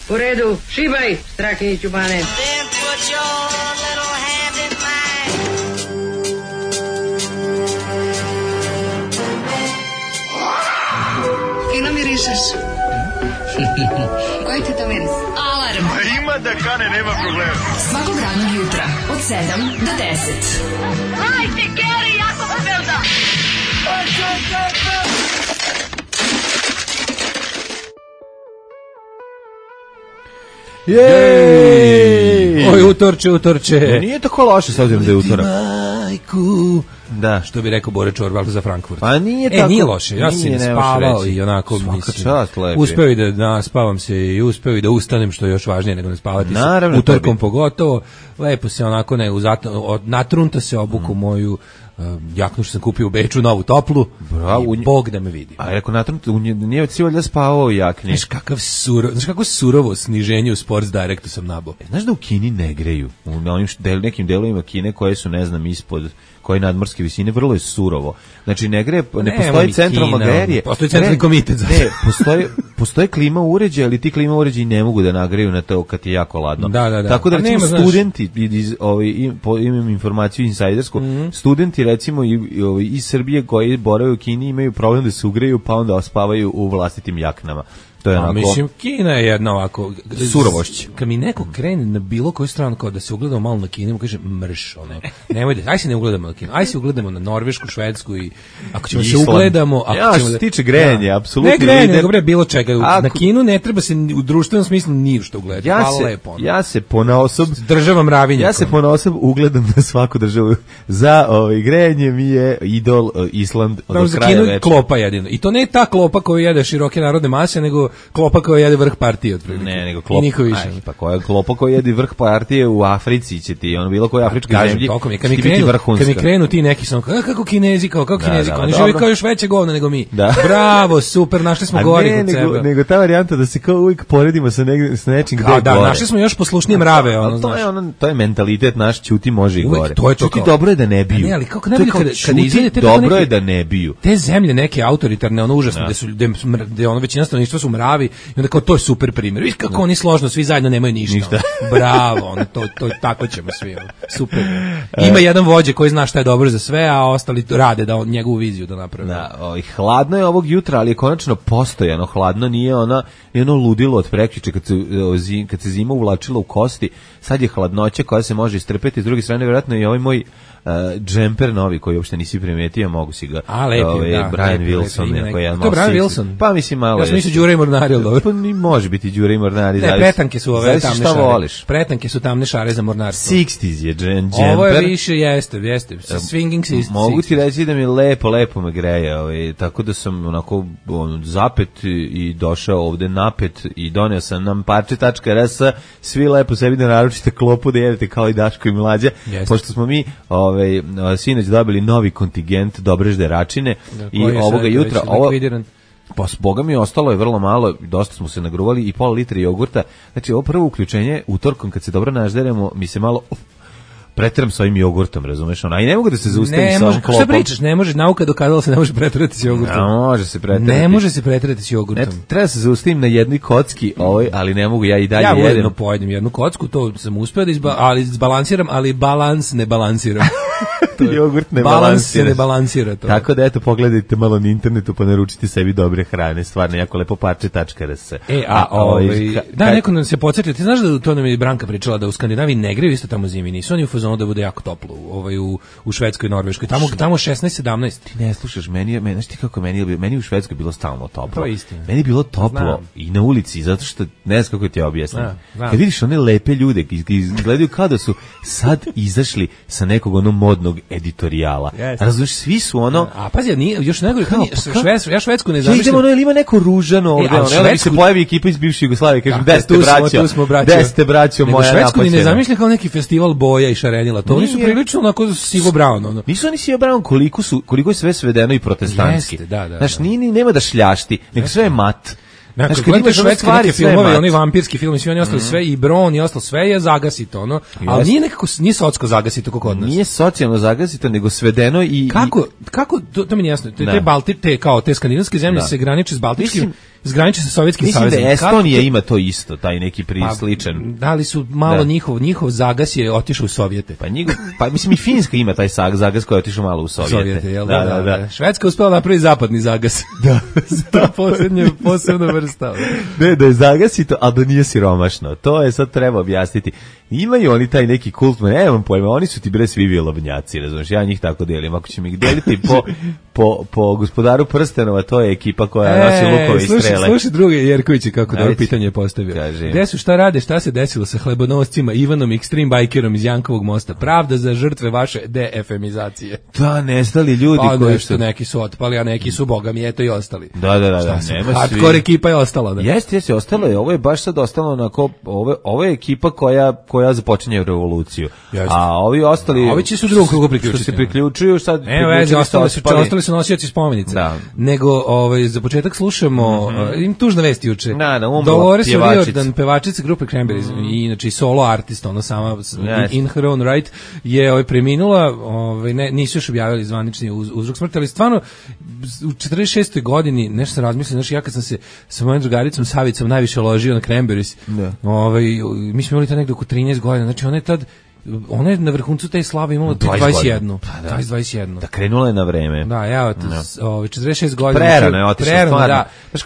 U redu, šibaj, Strakiniću Bane. Fino mirišeš. Koji ti to miris? Alarm. Ima da kane, nema problema. Svakog radnog jutra od 7 do 10. Hajde, Geri, jako se velda. Jej! Oj, utorče. Nije tako loše s obzirom da je utorak. Majku. Da. Što bi rekao Bore Čorba za Frankfurt. Pa nije tako. Nije loše. Ja sam spavao i onako uspeo i da naspavam se i uspeo i da ustanem, što je još važnije nego ne spavati. Naravno, utorkom pogotovo. Lepo se onako natrunta se obuku moju jaknu što sam kupio u Beču, novu toplu. Bravo, i Bog da me vidi. A rekao natrunta, nije si valjda spavao u jakni. Znaš kako surovo sniženje u Sports Directu sam nabao. Znaš da u Kini ne greju? U onim nekim delovima Kine koje su, ne znam, ispod koje nadmorske visine, vrlo je surovo. Znači ne greje, ne postoji centralno grejanje. Postoji centralni komitet. Ne, postoji klima uređaj, ali ti klima uređaji ne mogu da nagreju na to kad je jako ladno. Da. Tako da recimo studenti, imam informaciju insajdersku, studenti recimo iz Srbije koji borave u Kini imaju problem da se ugreju, pa onda spavaju u vlastitim jaknama. Mislim, Kina je jedna ovako surovošć. Kad mi neko krene na bilo koju stranu kao da se ugledamo malo na Kinu, kaže mrš, nemoj da, aj se ne ugledamo na Kinu, aj se ugledamo na Norvešku, Švedsku i ako ćemo se ugledamo, što se tiče grenja, apsolutno. Ne grenja, nego bre bilo čega. Na Kinu ne treba se u društvenom smislu ni što ugledati. Hvala lepo. Ja se ponaosob država mravinja. Ja se ponaosob ugledam na svaku državu. Za grenje mi je idol Island od kraja večera. Klopa jedino. I to ne ta klopa koju jede široke narodne mase, nego klopa koja jede vrh partije otprilike. Ne, nego klopa. I niko više. Pa koja klopa koja jede vrh partije u Africi će ti, bilo koja afrička zemlja. Kad mi krenu ti neki sam kako Kinezi, kako Kinezi, oni žive kao još veće govno nego mi. Bravo, super, našli smo gori kod sebe. Nego ta varijanta da se kao uvijek poredimo sa nečim gde je gore. Našli smo još poslušnije mrave. To je mentalitet naš, ćuti može i gore. Čuti dobro je da ne biju. Ne, ali kako ne biju kada izvedete dobro je da ne biju. Te zemlje neke autoritarne, užasne, da većina stanovništva su mravi i onda kao to je super primjer. Viš kako oni složno svi zajedno nemaju ništa. Bravo, to tako ćemo svi. Super. Ima jedan vođa koji zna šta je dobro za sve, a ostali rade da njegovu viziju da naprave. Hladno je ovog jutra, ali je konačno postojano hladno, nije ono ludilo od prekjuče kad se zima uvlačila u kosti. Sad je hladnoća koja se može istrpeti, s druge strane vjerojatno i ovaj moj džemper novi koji uopšte nisi primetio, mogu si ga. Brian Wilson. To je Brian Wilson? Pa mislim malo. Ja sam mislio Đure i Mornari, ali dobro. Pa može biti Đure i Mornari. Ne, pretanke su ove tamne šare. Voliš. Pretanke su tamne šare za mornarstvo. 60s je džemper. Ovo je više, jeste. Swinging 60s. Mogu ti reći da mi lepo me greje. Tako da sam onako zapet i došao ovde napet i doneo sam nam parče.rs, svi lepo sebi da naručite klopu da jedete kao i Daško i Mlađa. Pošto smo mi sinoć dobili novi kontingent Dobrežde Račine i ovoga jutra pa s Boga mi ostalo je vrlo malo, dosta smo se nagruvali i pola litra jogurta. Znači ovo prvo uključenje utorkom kad se dobro nažderemo mi se malo preteram s ovim jogurtom, razumeš? I ne mogu da se zaustavim sa ovom klopom. Šta pričaš? Ne može, nauka dokazala se ne može preterati s jogurtom. Može se preterati. Ne može se preterati s jogurtom. Treba se zaustavim na jednoj kocki, ali ne mogu, ja i dalje jedem. Ja ujedno pojedem jednu kocku, to sam uspeo da izbalansiram, ali balans ne balansiram. Jogurt ne balans se ne balansira to. Tako da eto, pogledajte malo na internetu pa naručite sebi dobre hrane, stvarno jako lepo parče.rs. Neko nam se podsjetio, ti znaš da to nam je Branka pričala da u Skandinaviji ne greju isto tamo zimi, nisu oni u fazonu da bude jako toplo, u Švedskoj i Norveškoj, tamo 16-17. Ti ne slušaš, znaš ti kako meni u Švedskoj bilo stalno toplo. To je istina. Meni je bilo toplo i na ulici, zato što ne znam kako ti objasnim. Kad vidiš one lepe ljude, izgledaju kao da su sad izašli sa nekog modnog editorijala. Razumiješ, svi su A pazi, još nego ja Švedsku ne zamišljam. Idemo, ili ima neko ružano ovde, onda se pojavi ekipa iz bivše Jugoslavije, kažem, gde ste braćo moja napaćena. Švedsku ne zamišljam kao neki festival boja i šarenila, to oni su prilično onako sivo brown. Nisu oni sivo brown, koliko je sve svedeno i protestantski. Znaš, nema da šljašti, nego sve je mat. Znači, kad imaš švedske neke filmove, oni vampirski film, svi oni ostali sve, i Bron i ostalo sve je zagasito, ali nije socko zagasito kako kod nas. Nije socijalno zagasito, nego svedeno i... Kako, to mi nije jasno, te skandinavske zemlje se graniče s baltičkim, zgraniči sa Sovjetskim savezom. Mislim da Estonija ima to isto, taj neki sličan. Da li su malo njihov zagas je otišao u Sovjete. Pa mislim i Finska ima taj zagas koji je otišao malo u Sovjete. Jel da. Švedska uspela napraviti zapadni zagas. Da. To posebna vrsta. Ne, da je zagas i to, a da nije siromašno. To je sad treba objasniti. Imaju oni taj neki kult, nemam pojma, oni su ti bre svi vilovnjaci, razumiješ, ja njih tako delim. Ako ćemo ih deliti po Gospodaru prstenova, to je ekipa koja nosi lukove i strele. Slušaj druge Jerkovići kako dobro pitanje postavio. Gde su, šta rade, šta se desilo sa hlebonoscima Ivanom Extreme Bikerom iz Jankovog mosta? Pravda za žrtve vaše defemizacije. Da, nestali ljudi koji su... neki su otpali, a neki su, boga mi, eto i ostali. Da, nema hardcore ekipa je ostala. Da. Jeste, ostalo je, ovo je baš sad ostalo onako, ovo je ekipa koja započinje revoluciju. Jeste. A ovi ostali... Ovi će se u drugom krugu priključiti. Što se priključuju, sad... Ostali su nosioci spomenice. Da. Nego, za početak slušamo, im tužna vest juče. Dolores O'Riordan, pevačica grupe Cranberries, i inače solo artist, ona sama, in her own right, je preminula, nisu još objavili zvanični uzrok smrti, ali stvarno, u 46. godini, nešto sam razmislio, znači ja kad sam se sa mojom drugaricom Savicom najviše ložio na Cranberries, mi smo imali to nekdo oko 13 godina, znači ona je na vrhuncu te slave imala 21. 21. Da, krenula je na vreme. Da, 46 godina. Prerano je otišla, stvarno. Da. Znaš,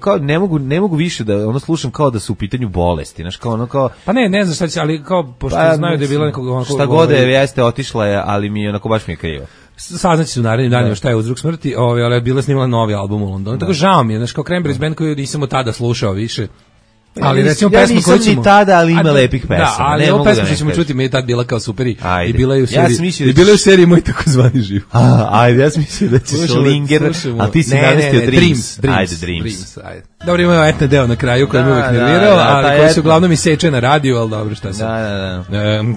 kao ne mogu više da slušam kao da su u pitanju bolesti. Znaš, kao... Pa ne znam šta će, ali kao, pošto znaju da je bila nekog... Šta god jeste, otišla je, ali mi onako baš mi je krivo. Saznaći su u narednim danima šta je uzrok smrti, ali je bila snimala novi album u Londonu. Tako žao mi je, znaš, kao Cranberries band koju nisam od tada slušao više. Ali recimo pesma koju ćemo... Ja nisam ni tada, ali ima lepih pesama. Da, ali ovo pesma što ćemo čuti mi je tad bila kao super i bila je u seriji Moj takozvani živ. Ajde, ja sam mislio da ćeš Linger, ali ti si navestio Dreams. Ajde, Dreams. Dobro, imamo etne deo na kraju koji mi uvek nervirao, ali koji se uglavnom iseče na radiju, ali dobro, šta se.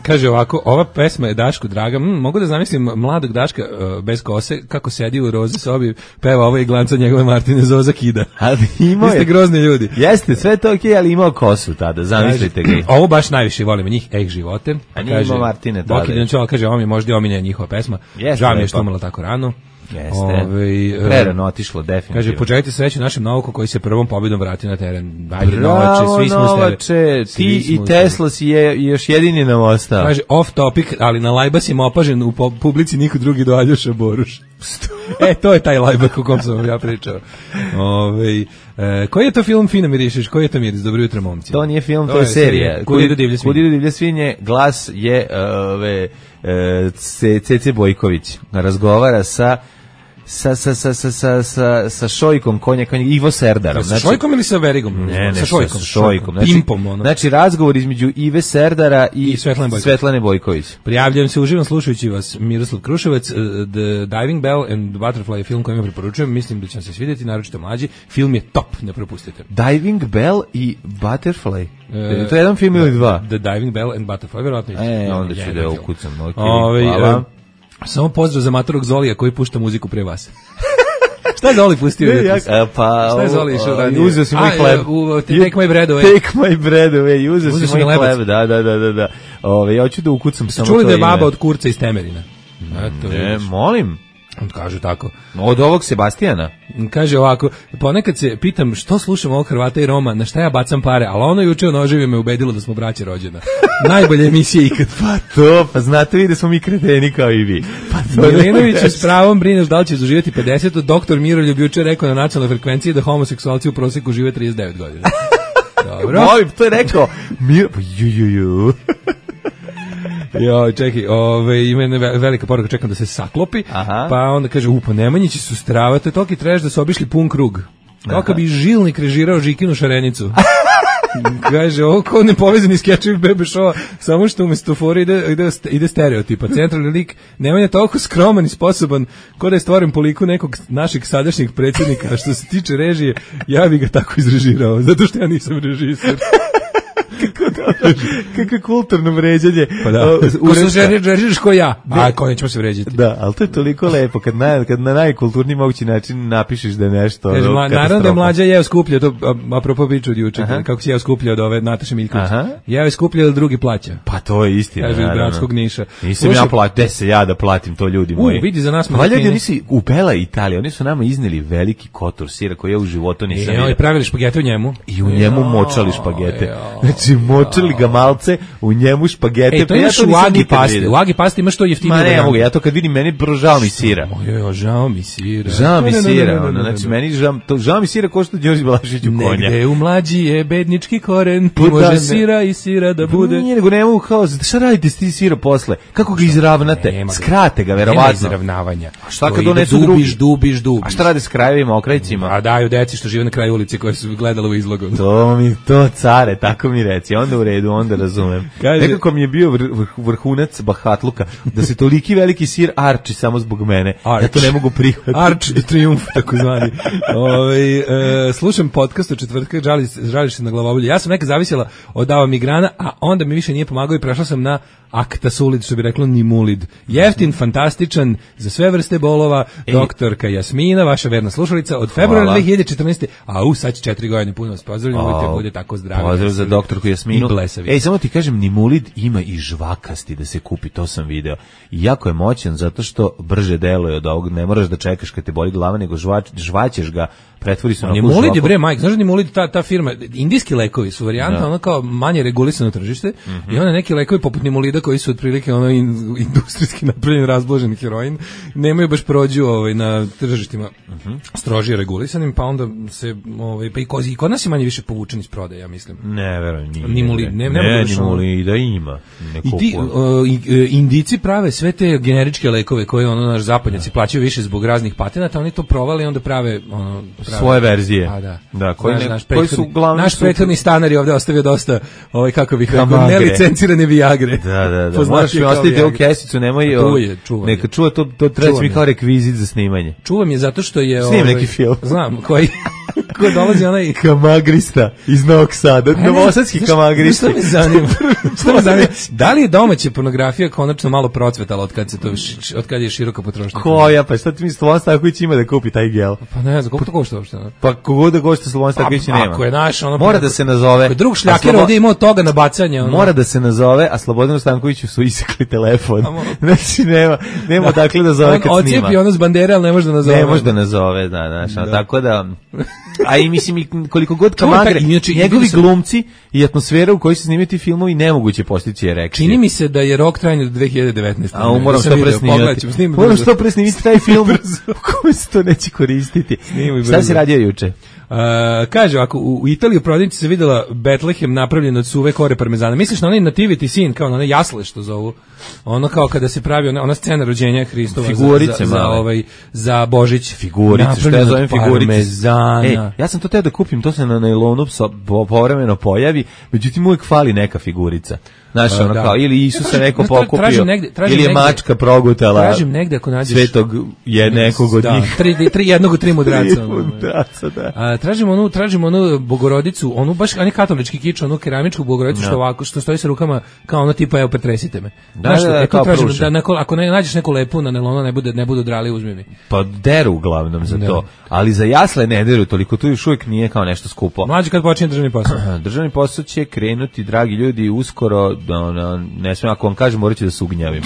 Kaže ovako, ova pesma je Dašku draga, mogu da zamislim mladog Daška bez kose, kako sedi u roze sobi, peva ovo i glanca njegove Martine Zoza kida. Vi ste grozni ljudi. Jeste, sve to okej, ali imao kosu tada, zamislite ga. Ovo baš najviše volimo njih, živote. A nije imao Martine tada. Boki Dančova kaže, ovo mi je možda omiljena njihova pesma. Žao mi je što umrla tako rano. Jeste. Prerano otišlo, definitivno. Kaže, poželite sreću našem Novaku koji se prvom pobjedom vrati na teren. Ajde, Novače, svi smo Novače, ti i Tesla si još jedini nam ostao. Kaže, off topic, ali na lajbasima opažen u publici niko drugi do Aljoša Boruš. To je taj lajbak o kom sam ja pričao. Koji je to film, Fina mirišeš? Koji je to miris? Dobro jutro, momci. To nije film, to je serija. Kud idu divlje svinje. Glas je Cece Bojković. Razgovara sa Šojkom, konja Ivo Serdarom. Sa Šojkom ili sa Verigom? Ne, sa Šojkom. Pimpom. Znači, razgovor između Ive Serdara i Svetlane Bojković. Prijavljujem se, uživam slušajući vas, Miroslav Kruševac. The Diving Bell and Butterfly je film koji vam preporučujem, mislim da će vam se svidjeti, naročito mlađi. Film je top, ne propustite. Diving Bell i Butterfly? To je jedan film ili dva? The Diving Bell and Butterfly, verovatno. Onda ću da ukucam. Hvala. Samo pozdrav za matorog Zolija koji pušta muziku pre vas. Šta je Zoli pustio? Šta je Zoli išao ranije? Uzeo si moj hleb. Take my bread away. Take my bread away. Uzeo si moj hleb. Da. Ja hoću da ukucam samo to ime. Čuli da je baba od Kurca iz Temerina? Ne, molim. On kaže tako. Od ovog Sebastijana? Kaže ovako, ponekad se pitam što slušam ovog Hrvata i Roma, na šta ja bacam pare, ali ono juče o noževima me ubedilo da smo braće rođena. Najbolja emisija ikad. Pa znate vi da smo mi kreteni kao i vi. Milinović s pravom brineš da li će doživjeti 50. Doktor Miroljub juče rekao na nacionalnoj frekvenciji da homoseksualci u proseku žive 39 godina. Dobro. Moj, to je rekao. Čekaj, ima jedna velika poruka, čekam da se saklopi. Pa onda kaže, pa Nemanjići su strava, to je toki treš da su obišli pun krug. Kao kad bi Žilnik režirao Žikinu Šarenicu. Kaže, ovo kao nepovezani skečevi bebe šova, samo što umjesto fora ide stereotipa. Centralni lik Nemanja toliko skroman i sposoban, ko da je stvoren po liku nekog našeg sadašnjeg predsjednika, a što se tiče režije, ja bi ga tako izrežirao, zato što ja nisam režisir. Kako kulturno vređanje. Pa da. Žeriš ko ja. A ko nećemo se vređati. Da, ali to je toliko lepo kad na najkulturniji mogući način napišeš da je nešto. Naravno da je Mlađa jeo skuplje, to apropo priču od juče, kako si jeo skuplje od ove Nataše Miljković. Jeo je skuplje od drugi plaća. Pa to je istina. Kaže iz Bratskog Niša. Nisam ja platio, se ja da platim to ljudi moji. Vidi za nas valjda oni si u Bela Italija, oni su nama izneli veliki kotor sira koji ja u životu nisam vidio. I pravili špagete u njemu. I u njemu močali špagete. Znači močali ga malce, u njemu špagete. To imaš u Agi pasti. U Agi pasti imaš to jeftinije. Ma ne mogu, ja to kad vidim meni žao mi sira. Žao mi sira. Žao mi sira, znači meni žao mi sira ko što Đorđe Balašić u konja. Negde u Mlađi je bednički koren, može sira i sira da bude. Nije nego ne mogu kao, šta radite s ti sira posle? Kako ga izravnate? Skrate ga, verovatno. Nema izravnavanja. A šta kad donesu drugi? Dubiš. A šta rade s krajevima, okrajcima? A daju deci što žive na kraju ulici koje su gledali u izlogu. To care, tako mi reci. Onda u redu, onda razumem. Nekako mi je bio vrhunac bahatluka da se toliki veliki sir arči samo zbog mene. Ja to ne mogu prihvatiti. Arč de triumf, tako zvani. Slušam podcast od četvrtka, žališ se na glavobolju. Ja sam neka zavisila od Dava Migrana, a onda mi više nije pomagao i prešla sam na Aktasulid, što bi reklo Nimulid. Jeftin, fantastičan, za sve vrste bolova, doktorka Jasmina, vaša verna slušalica, od februara 2014. Sad će 4 godine, puno vas pozdravljam, bude tako zdravi. Pozdrav za doktorku Jasminu. I blesavi. Samo ti kažem, Nimulid ima i žvakasti da se kupi, to sam video. I jako je moćan, zato što brže deluje od ovog, ne moraš da čekaš kad te boli glava, nego žvaćeš ga, pretvori se na žvaku. Nimulid je bre, Mike, znaš da Nimulid, ta firma, indijski lekovi su varijanta, ono kao manje regulisano tržište, i onda neki lekovi poput Nimulida koji su otprilike ono industrijski napravljen razblažen heroin, nemaju baš prođu na tržištima strožije regulisanim, pa onda se pa i kod nas je manje više povučen iz prodaje, ja mislim. Ne, verujem, nije. Nimulid, Nimulida ima. I ti Indici prave sve te generičke lekove koje naš zapadnjaci plaćaju više zbog raznih patenata, oni to provali i onda prave svoje verzije. Da, koji su uglavnom naš prethodni stanar je ovde ostavio dosta kako bih rekao, nelicencirane Viagre. Da. Možeš mi ostaviti ovu kesicu, nemoj neka čuva, to treba mi kao rekvizit za snimanje. Čuvam je zato što je snim neki film. Znam, koji ko dolazi onaj kamagrista iz Novog Sada, novosadski kamagrista. Što me zanima? Da li je domaća pornografija konačno malo procvetala od kad je široka potrošnja? Koja, pa šta ti misliš, Slobodan Stanković ima da kupi taj gel? Pa ne znam, koliko to košta uopšte? Pa kogod da košta Slobodan Stanković nema. Ako je naš, mora da se nazove. Ako je drug šljaker ovdje imao toga na bacanje. Mora da se nazove, a Slobodanu Stankoviću su isekli telefon. Znači nema dakle da zove kad snima. Ocijepi ono s bandere, ali ne može da nazove. Ne može da nazove, tako da... A i mislim koliko god kamagre, njegovi glumci i atmosfera u kojoj se snimaju ti filmovi nemoguće postići erekcije. Čini mi se da je rok trajanja do 2019. A moram što presnimiti taj film u kojem se to neće koristiti. Šta si radio juče? Kaže, ako u Italiji u prodavnici se videla Betlehem napravljen od suve kore parmezana. Misliš na onaj nativity scene, kao na one jasle što zovu? Ono kao kada se pravi ona scena rođenja Hristova figurice za Božić. Figurice, što ja zovem figurice. Ja sam to teo da kupim, to se na nailonu povremeno pojavi, međutim uvijek fali neka figurica. Znaš, kao, ili Isusa neko pokupio, ili je mačka progutala svetog nekog od njih. Jednog od 3 mudraca. Da. Tražimo onu Bogorodicu, onu baš katolički kič, onu keramičku Bogorodicu što stoji sa rukama kao ono tipa, evo, pretresite me. Kao pruža. Ako ne nađeš neku lepu na nailonu, ne budu drali, uzmi mi. Pa deru uglavnom za to, ali za jasle ne deru toliko, tu još uvijek nije kao nešto skupo. Mlađi kad počinje državni posao. Državni posao će krenuti, dragi ljudi, uskoro, ne smijem, ako vam kažem, morat ću da se ugnjavim.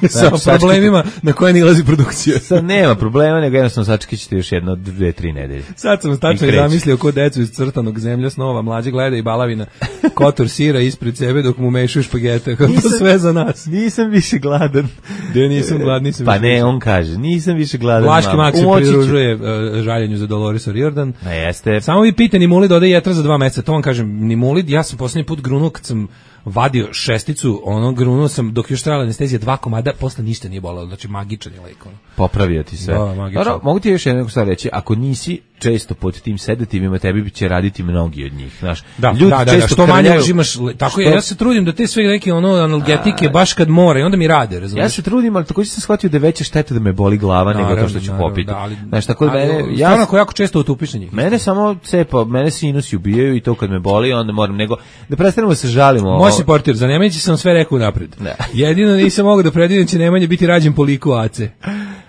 Sa problemima na koje nilazi produkcija. Sad nema problema, nego jednostavno sačekat ćete još 1, 2, 3 nedelje. Sad sam tačno zamislio ko decu iz crtanog Zemlja snova, mlađe gleda i balavina kotor sira ispred sebe dok mu mešaju špagete. To sve za nas. Nisam više gladan. Nisam gladan. Pa ne, on kaže, nisam više gladan. Vlaški Mak se pridružuje žaljenju za Dolores O'Riordan. Jeste. Samo vi pite Nimulid ode jetra za 2 meseca. To vam kažem, Nimulid, ja sam posljednji put grunuo kad sam vadio šesticu, grunuo sam dok još trajala anestezija 2 komada, posle ništa nije bolelo, znači magičan je lek. Popravio ti se. Da, magičan. Mogu ti još jednu stvar reći, ako nisi često pod tim sedativima, tebi će raditi mnogi od njih, znaš. Ljudi često što manje užimaš, tako je, ja se trudim da te sve neke analgetike baš kad mora i onda mi rade, razumiješ. Ja se trudim, ali takođe sam shvatio da je veća šteta da me boli glava nego to što ću popiti. Znaš, tako da stvarno ako jako često utupiš na njih. Mene samo cepa, mene sinusi ubijaju i to kad me boli, onda moram nego da prestanemo da se žalimo. Moći portir, za Nemanjića sam sve rekao napred. Jedino nisam mogao da predvidim će Nemanja biti rađen po liku Ace.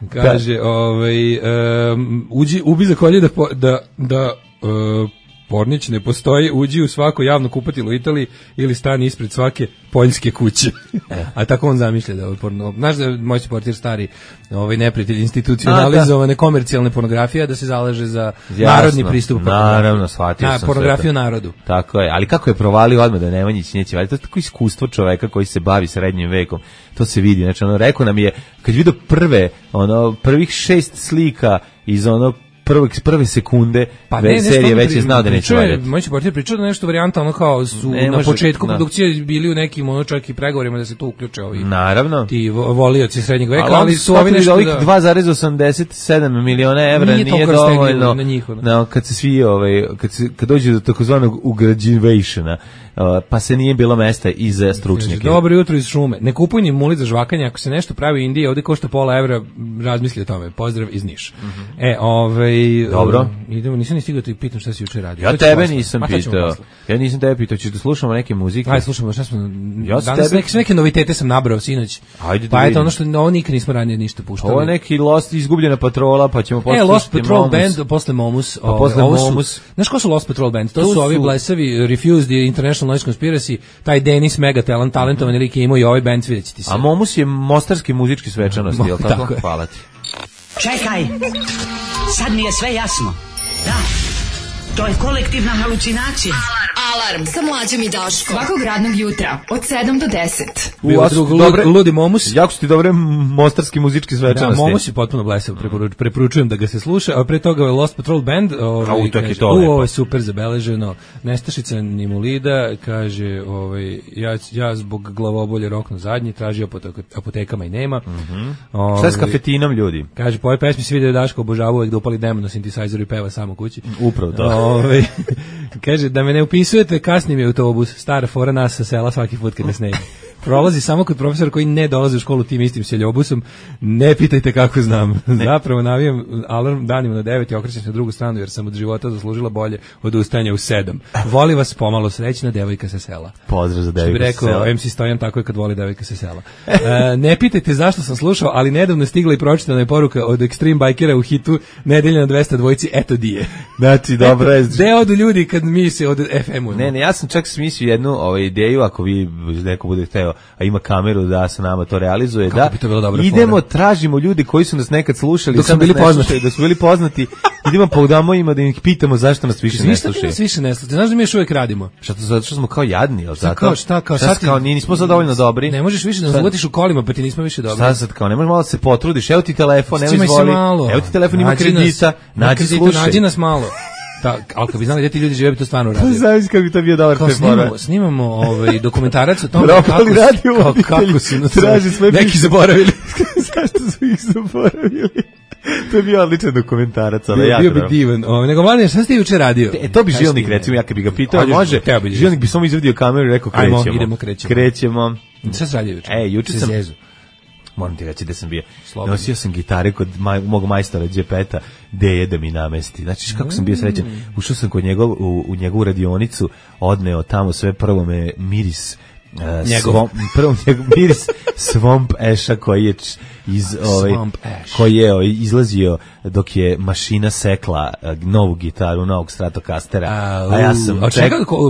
Kaže, ubi za kolje da Pornić ne postoji, uđi u svako javno kupatilo u Italiji ili stani ispred svake poljske kuće. A tako on zamišlja da porno. Znaš da je moj portir stari neprijatelj institucionalizovane komercijalne pornografije, da se zalaže za narodni pristup. Naravno, shvatio sam pornografiju narodu. Tako je, ali kako je provalio odmah da Nemanjić neće valjati, to je tako iskustvo čoveka koji se bavi srednjim vekom. To se vidi, znači rekao nam je, kad je vidio prvih 6 slika iz prve sekunde serije već je znao da neće valjati. Moj portir pričao da nešto varijanta kao su na početku produkcije bili u nekim čak i pregovorima da se tu uključe ovi. Naravno. Ti volioci srednjeg veka, ali su ovi nešto ovih 2,87 miliona evra nije dovoljno. Kad se svi kad dođe do takozvanog ugrađivationa, pa se nije bilo mesta i za stručnjake. Dobro jutro iz šume. Ne kupuj ni muli za žvakanje, ako se nešto pravi u Indiji, ovde košta €1 razmisli o tome. Pozdrav iz Niša. Dobro. Idemo, nisam ni stigao da ti pitam šta si juče radio. Ja tebe nisam pitao. Ja nisam tebe pitao, ćeš da slušamo neke muzike? Ajde, slušamo, šta smo... Danas neke novitete sam nabrao sinoć. Ajde da pa eto, ono što nikad nismo ranije ništa puštali. Ovo je neki Lost, izgubljena patrola, pa ćemo poslušati Lost Patrol Band, posle Momus. Znaš ko su Lost Patrol Band? To su ovi blesavi Refused, International Noise Conspiracy, taj Denis mega talentovan lik je imao i ovaj band, vidjet će ti se. A Momus je mostarski muzički svečanosti, je li tako? Hvala ti. Čekaj, sad mi je sve jasno. Da, to je kolektivna halucinacija. Alarm sa Mlađom i Daškom. Svakog radnog jutra od 7 do 10. Ludi Momus. Jako su ti dobre mostarski muzički svečanosti. Da, Momus je potpuno blesav, preporučujem da ga se sluša, a pre toga je Lost Patrol Band. Ovo je super zabeleženo. Nestašica Nimulida kaže, ja zbog glavobolje rokno zadnji, traži apotekama i nema. Šta je s kafetinom, ljudi? Kaže, po ovoj pesmi se vidi da Daško obožava uvek da upali demo na sintesajzeru i peva samo kući. Upravo to. Kaže, da me ne upisujete, kasni mi autobus, stara fora nas sa sela svaki put kad me snegi. Prolazi samo kod profesora koji ne dolazi u školu tim istim seljobusom, ne pitajte kako znam. Zapravo navijam alarm danima na 9 i okrećem se na drugu stranu jer sam od života zaslužila bolje od ustajanja u 7. Voli vas pomalo, srećna devojka sa sela. Pozdrav za devojka sa sela. Što bi rekao MC Stojan, tako je kad voli devojka sa sela. Ne pitajte zašto sam slušao, ali nedavno je stigla i pročitana je poruka od Extreme Bikera u hitu Nedelja na 200 dvojci, eto di je. Znači, dobro je. Gde odu ljudi kad mi se od FM-u? Ne, ja sam čak smislio jednu ideju, ako vi neko bude hteo, a ima kameru da se nama to realizuje, kako bi to bilo dobro idemo, tražimo ljudi koji su nas nekad slušali, dok su bili poznati, da su bili poznati, idemo podamo ima da ih pitamo zašto nas više ne slušaju. Nas više ne slušaju. Znaš da mi još uvijek radimo? Zato što smo kao jadni, al zato. Kao nismo sad dovoljno dobri. Ne možeš više da nas uvatiš u kolima, pa ti nismo više dobri. Sad kao ne možeš malo da se potrudiš. Evo ti telefon, ne izvoli. Evo ti telefon, ima kredita, nađi nas malo. Ali kad bi znali da ti ljudi žive, bi to stvarno radili. Znaš kako bi to bio dobar prepora. Snimamo dokumentarac o tom kako su nas neki zaboravili. Zašto su ih zaboravili? To je bio odličan dokumentarac, ali bio bi divan. Nego Mladen, šta ste juče radio? To bi Žilnik, recimo, ja kad bi ga pitao, može. Žilnik bi samo izvadio kameru i rekao krećemo. Šta se radio juče? Juče sam... Moram ti reći da sam bio. Nosio sam gitare kod mog majstora Đepeta, gde da mi namesti. Znači, kako sam bio srećan. Ušao sam kod u njegovu radionicu, odneo tamo sve, prvo me miris miris Swamp Asha koji je izlazio dok je mašina sekla novu gitaru, novog Stratocastera. A ja sam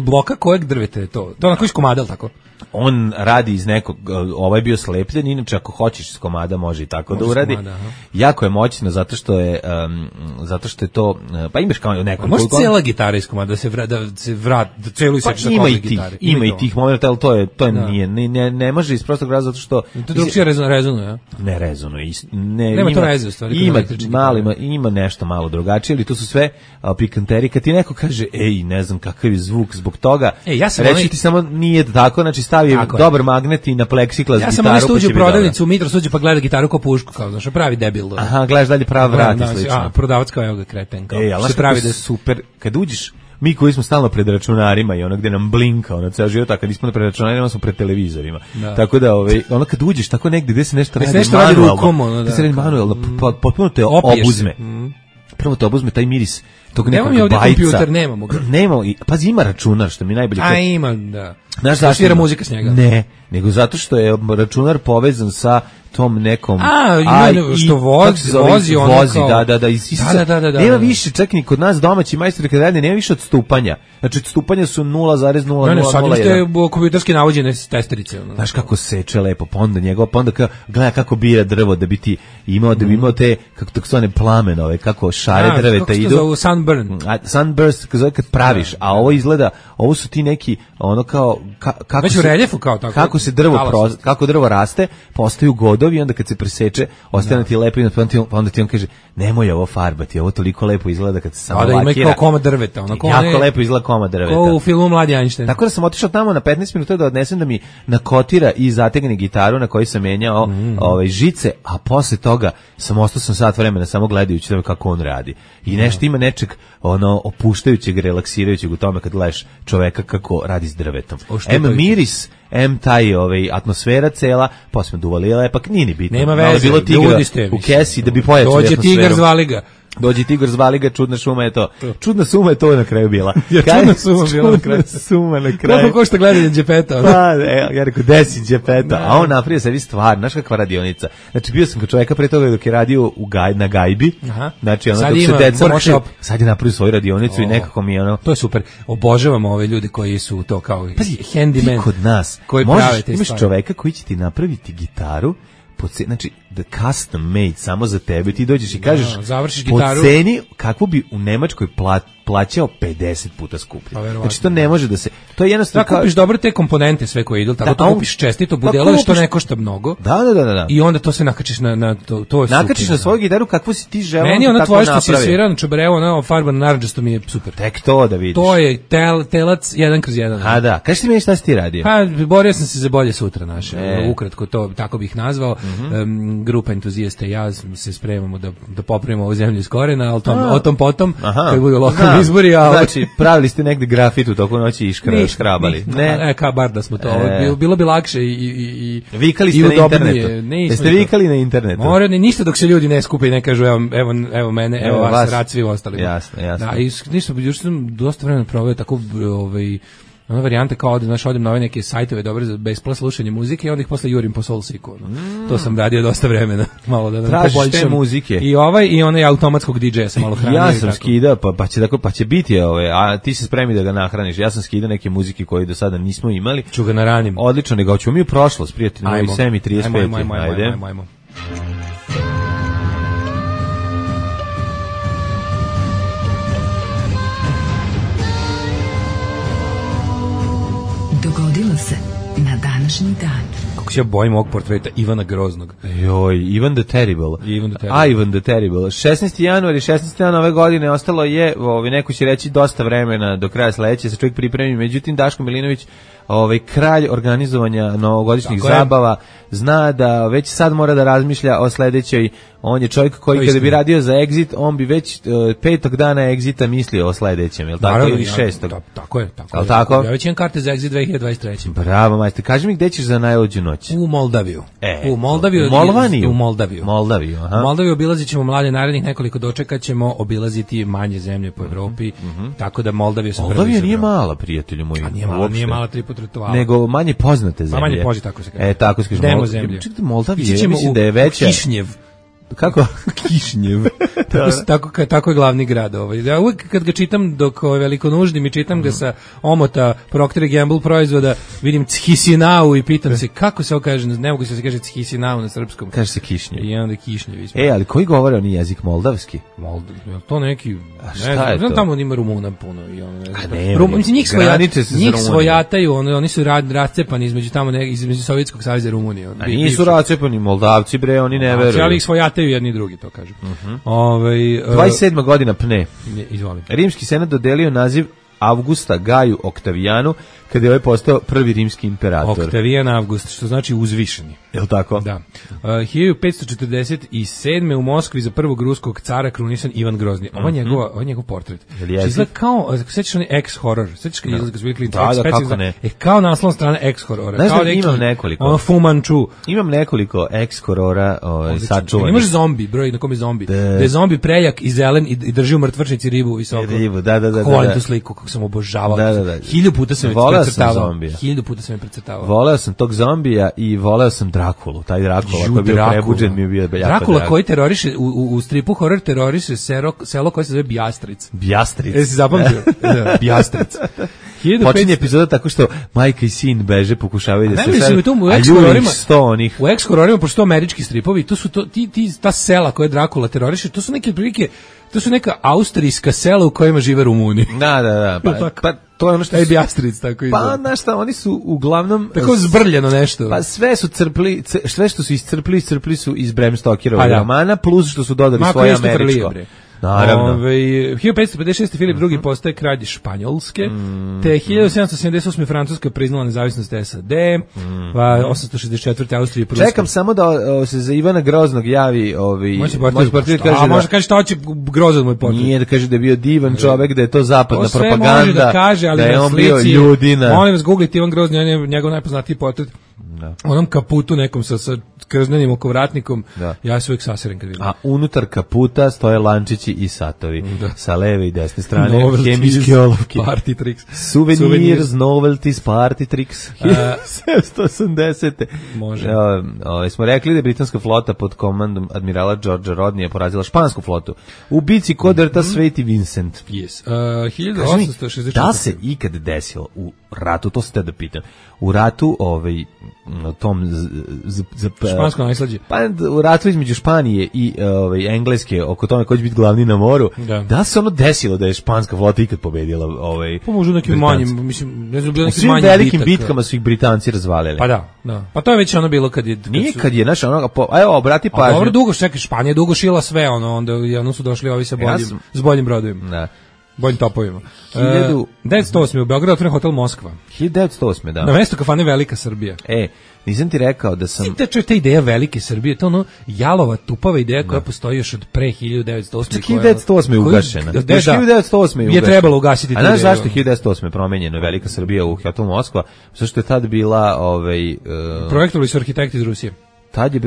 bloka kojeg drveta je to? To na koji komada, tako? On radi iz nekog, ovaj bio slepljen, inače ako hoćeš iz komada može i tako da uradi. Jako je moćno zato što je to, pa imaš kao neko. Može cijela gitara iz komada da se vrati, da celu isečeš na kombi gitare. Ima i tih momenta, ali to je to nije, ne može iz prostog razloga zato što... To drugčije rezonuje, ja? Ne rezonuje. Nema to veze u stvari. Ima nešto malo drugačije, ali to su sve pikanteri. Kad ti neko kaže, ej, ne znam kakav je zvuk zbog toga, reći ti samo nije tako, znači stavi dobar magnet i na pleksiklas gitaru. Ja sam nešto uđe u prodavnicu, u Mitros uđe pa gleda gitaru kao pušku, kao znaš, pravi debil. Aha, gledaš dalje prav vrat i slično. Prodavac kao evo ga kreten, kao se pravi da je super. Kad uđeš, mi koji smo stalno pred računarima i ono gde nam blinka, ono ceo život, a kad nismo pred računarima, smo pred televizorima. Da. Tako da, ono kad uđeš tako negde gde se nešto radi manualno, se radi manualno, potpuno te obuzme. Prvo te obuzme taj miris tog nekog bajca. Nemamo ovdje kompjuter, nemamo ga. Nemamo, pazi, ima računar, što mi najbolje... A ima, da. Znaš zašto svira muzika s njega? Ne, nego zato što je računar povezan sa tom nekom... što vozi ono kao... Da. Nema više, čak ni kod nas domaći majstori kad rade, nema više odstupanja. Znači, odstupanja su 0,0001. Ne, sad imate kompjuterski navođene testerice. Znaš kako seče lepo, pa onda gleda kako bira drvo da bi ti imao, te, kako tako zvane plamenove, kako šare drveta idu. Kako se zove sunburn? Sunburst, kad praviš, a ovo izgleda, ovo su ti neki, ono kao... Već u reljefu kao tako. Kako drvo raste, postaju godovi, onda kad se preseče, ostane ti lepo, pa onda ti on kaže, nemoj ovo farbati, ovo toliko lepo izgleda kad se samo lakira. Da, ima kao komad drveta. Jako lepo izgleda komad drveta. Kao u filmu Mladi Einstein. Tako da sam otišao tamo na 15 minuta da odnesem da mi nakotira i zategne gitaru na kojoj sam menjao žice, a posle toga sam sat vremena samo gledajući kako on radi. I nešto ima nečeg opuštajućeg, relaksirajućeg u tome kad gledaš čoveka kako radi s drvetom. Miris, taj atmosfera cela, pa smo duvali lepak, nije ni bitno. Nema veze, bilo tigra u kesi da bi pojačali atmosferu. Dođe tigar zvali ga. Dođi tigar zvali ga, čudna šuma je to. Čudna suma je to na kraju bila. Čudna suma bila na kraju. Suma na kraju. Kako košta gledanje Đepeta? Ja rekao, desi Đepeta. A on napravio sebi stvar, znaš kakva radionica. Znači, bio sam kod čoveka pre toga dok je radio na gajbi. Znači, ono, dok se deca može... Sad je napravio svoju radionicu i nekako mi je ono... To je super. Obožavamo ove ljude koji su to kao handyman. Ti kod nas imaš čoveka koji će ti napraviti gitaru, znači the custom made samo za tebe, ti dođeš i kažeš po ceni kakvu bi u Nemačkoj plaćao 50 puta skuplje. Znači to ne može da se, to je jednostavno da kupiš dobro te komponente sve koje idu, tako to kupiš čestito budelo što ne košta mnogo. Da. I onda to se nakačiš na to je nakačiš na svoju gitaru kakvu si ti želeo. Meni ona tvoja što si svirao na čobreu, ona farba na narandžasto mi je super. Tek to da vidiš. To je telac 1/1. A da, kaži ti meni šta si ti radio? Pa borio sam se za bolje sutra naše. Ukratko to tako bih nazvao. Grupa entuzijasta i ja se spremamo da popravimo ovu zemlju iz korena, ali o tom potom, kad budu lokalni izbori. Znači, pravili ste negde grafit u toku noći i škrabali. Ne, kao bar da smo to. Bilo bi lakše i vikali ste na internetu. Jeste vikali na internetu? Mora ništa dok se ljudi ne skupe i ne kažu evo mene, evo vas, rad svi ostali. Jasno. Da, i ništa, još sam dosta vremena proveo tako ona varijanta kao odem na ove neke sajtove dobre za besplatno slušanje muzike i onda ih posle jurim po Soulseeku. To sam radio dosta vremena. Malo da tražiš te muzike. I onaj automatskog DJ-a sam malo hranio. Ja sam skidao, pa će biti a ti se spremi da ga nahraniš. Ja sam skidao neke muzike koje do sada nismo imali. Ću ga naranim. Odlično, nego ćemo mi u prošlost, prijatelji, moji 7:35. Ajmo. Dogodilo se na današnji dan. Kako se ja bojim ovog portreta Ivana Groznog. Ivan the Terrible. Ivan the Terrible. 16. januar i 16. januar ove godine ostalo je, neko će reći, dosta vremena do kraja sledeće, se čovjek pripremi. Međutim, Daško Milinović, kralj organizovanja novogodišnjih zabava, zna da već sad mora da razmišlja o sledećoj. On je čovjek koji kada bi radio za Exit, on bi već 5. dana Exita mislio o sledećem, je li tako, ili 6. Tako je. Tako? Ja već imam karte za Exit 2023. Bravo, majster. Kaži mi gde ćeš za najluđu noć? U Moldaviju. U Molvaniju? U Moldaviju. Aha. Moldaviju obilazit ćemo mlade narednih nekoliko dočeka, ćemo obilaziti manje zemlje po Evropi, tako da Moldaviju sam prvi. Moldavija nije mala, prijatelju moji. Nije mala 3 puta rituala. Nego manje poznate zemlje. Manje poznate, tako se kaže. Tako se kaže. Demo zemlje. Moldavija, mislim da je veća. Kišnjev. kako? Kišnjev. Tako je glavni grad. Ja uvijek kad ga čitam dok veliko nuždi mi čitam ga sa omota Procter & Gamble proizvoda, vidim Chisinau i pitam se kako se ovo kaže, ne mogu se kaže Chisinau na srpskom. Kaže se Kišnjev. I onda Kišnjev. Ali koji govore oni jezik moldavski? Je to neki, šta je to? Tamo ima Rumuna puno i ono. Njih svojataju, oni su rascepani između tamo između Sovjetskog saveza i Rumunije. A nisu rascepani Moldavci bre, oni ne veruju. Ali ih svojataju jedni i drugi, to kažu. 27. godina pne. Izvoli. Rimski senat dodelio naziv Avgusta Gaju Oktavijanu kada je ovaj postao prvi rimski imperator. Oktavijan Avgust, što znači uzvišeni. Je li tako? Da. 1547. u Moskvi za prvog ruskog cara krunisan Ivan Grozni. Ovo je njegov portret. Izgleda kao, sećaš onaj X-horror. Sećaš kad izgleda su bili da, kako ne. Kao naslovna strana X-horrora. Znaš da imam nekoliko. Fu Manchu. Imam nekoliko X-horora sačuvanih. Imaš zombi, broj na kom je zombi. Da je zombi prejak i zelen i drži u mrtvačnici ribu visoko. Ribu, da. Volim tu sliku, kako sam obožavao. Da. 1000 puta sam je precrtavao. 1000 puta sam je precrtavao. Voleo sam tog zombija i voleo sam Drakulu. Taj Drakula koji je bio prebuđen mi je bio jako Drakula drag. Koji teroriše, u stripu horor teroriše selo koje se zove Bjastric. Bjastric. Jesi zapamtio? Da, Bjastric. Počinje epizoda tako što majka i sin beže, pokušavaju da se u ex-hororima, pošto američki stripovi, to su ta sela koje Drakula teroriše, to su neke prilike, to su neka austrijska sela u kojima žive Rumuni. Da. Pa to je ono što je Bjastric tako izgleda. Pa znaš šta, oni su uglavnom tako zbrljeno nešto. Pa sve što su iscrpli su iz Bram Stokerovog romana, plus što su dodali svoje američko. Naravno. 1556. Filip II postaje kralj Španjolske, te 1778. Francuska priznala nezavisnost SAD, 864. Austrija i Pruska. Čekam samo da se za Ivana Groznog javi može kaže šta hoće Grozan moj portret. Nije da kaže da je bio divan čovek, da je to zapadna propaganda, može da kaže, ali da je on bio ljudina. Molim vas googlite Ivan Grozni, on je njegov najpoznatiji portret. Onom kaputu nekom sa krznenim okovratnikom, ja se uvijek saserem kad vidim. A unutar kaputa stoje lančići i satovi, sa leve i desne strane, hemijski olovki. Party tricks. Souvenirs, novelties, party tricks. 780. Može. Smo rekli da je britanska flota pod komandom admirala Georgea Rodneya porazila špansku flotu. U bici kod rta Sveti Vincent. Yes. 1864. Da se ikad desilo u ratu, to se te da pitam, u ratu tom špansko najslađe. Pa u ratu između Španije i Engleske oko tome ko će biti glavni na moru. Da se ono desilo da je španska flota ikad pobedila Pa možda nekim manjim, mislim, ne znam, bilo nekim manjim velikim bitkama su ih Britanci razvalili. Pa da. Pa to je već ono bilo kad je kad je naš evo obrati pažnju. Dobro, dugo čekaj, Španija je dugo šila sve onda su došli ovi sa s boljim brodovima. Da. Boljim topovima. 1908. u Beogradu otvoren hotel Moskva. 1908. da. Na mesto kafane Velika Srbija. Nisam ti rekao da sam... Ta ideja Velike Srbije, to ono jalova, tupava ideja koja postoji još od pre 1908. 1908. je ugašena. 1908. je trebalo ugasiti. A znaš zašto 1908. je promenjeno Velika Srbija u hotel Moskva? Zašto je tad bila... Projektovali su arhitekti iz Rusije. Tad je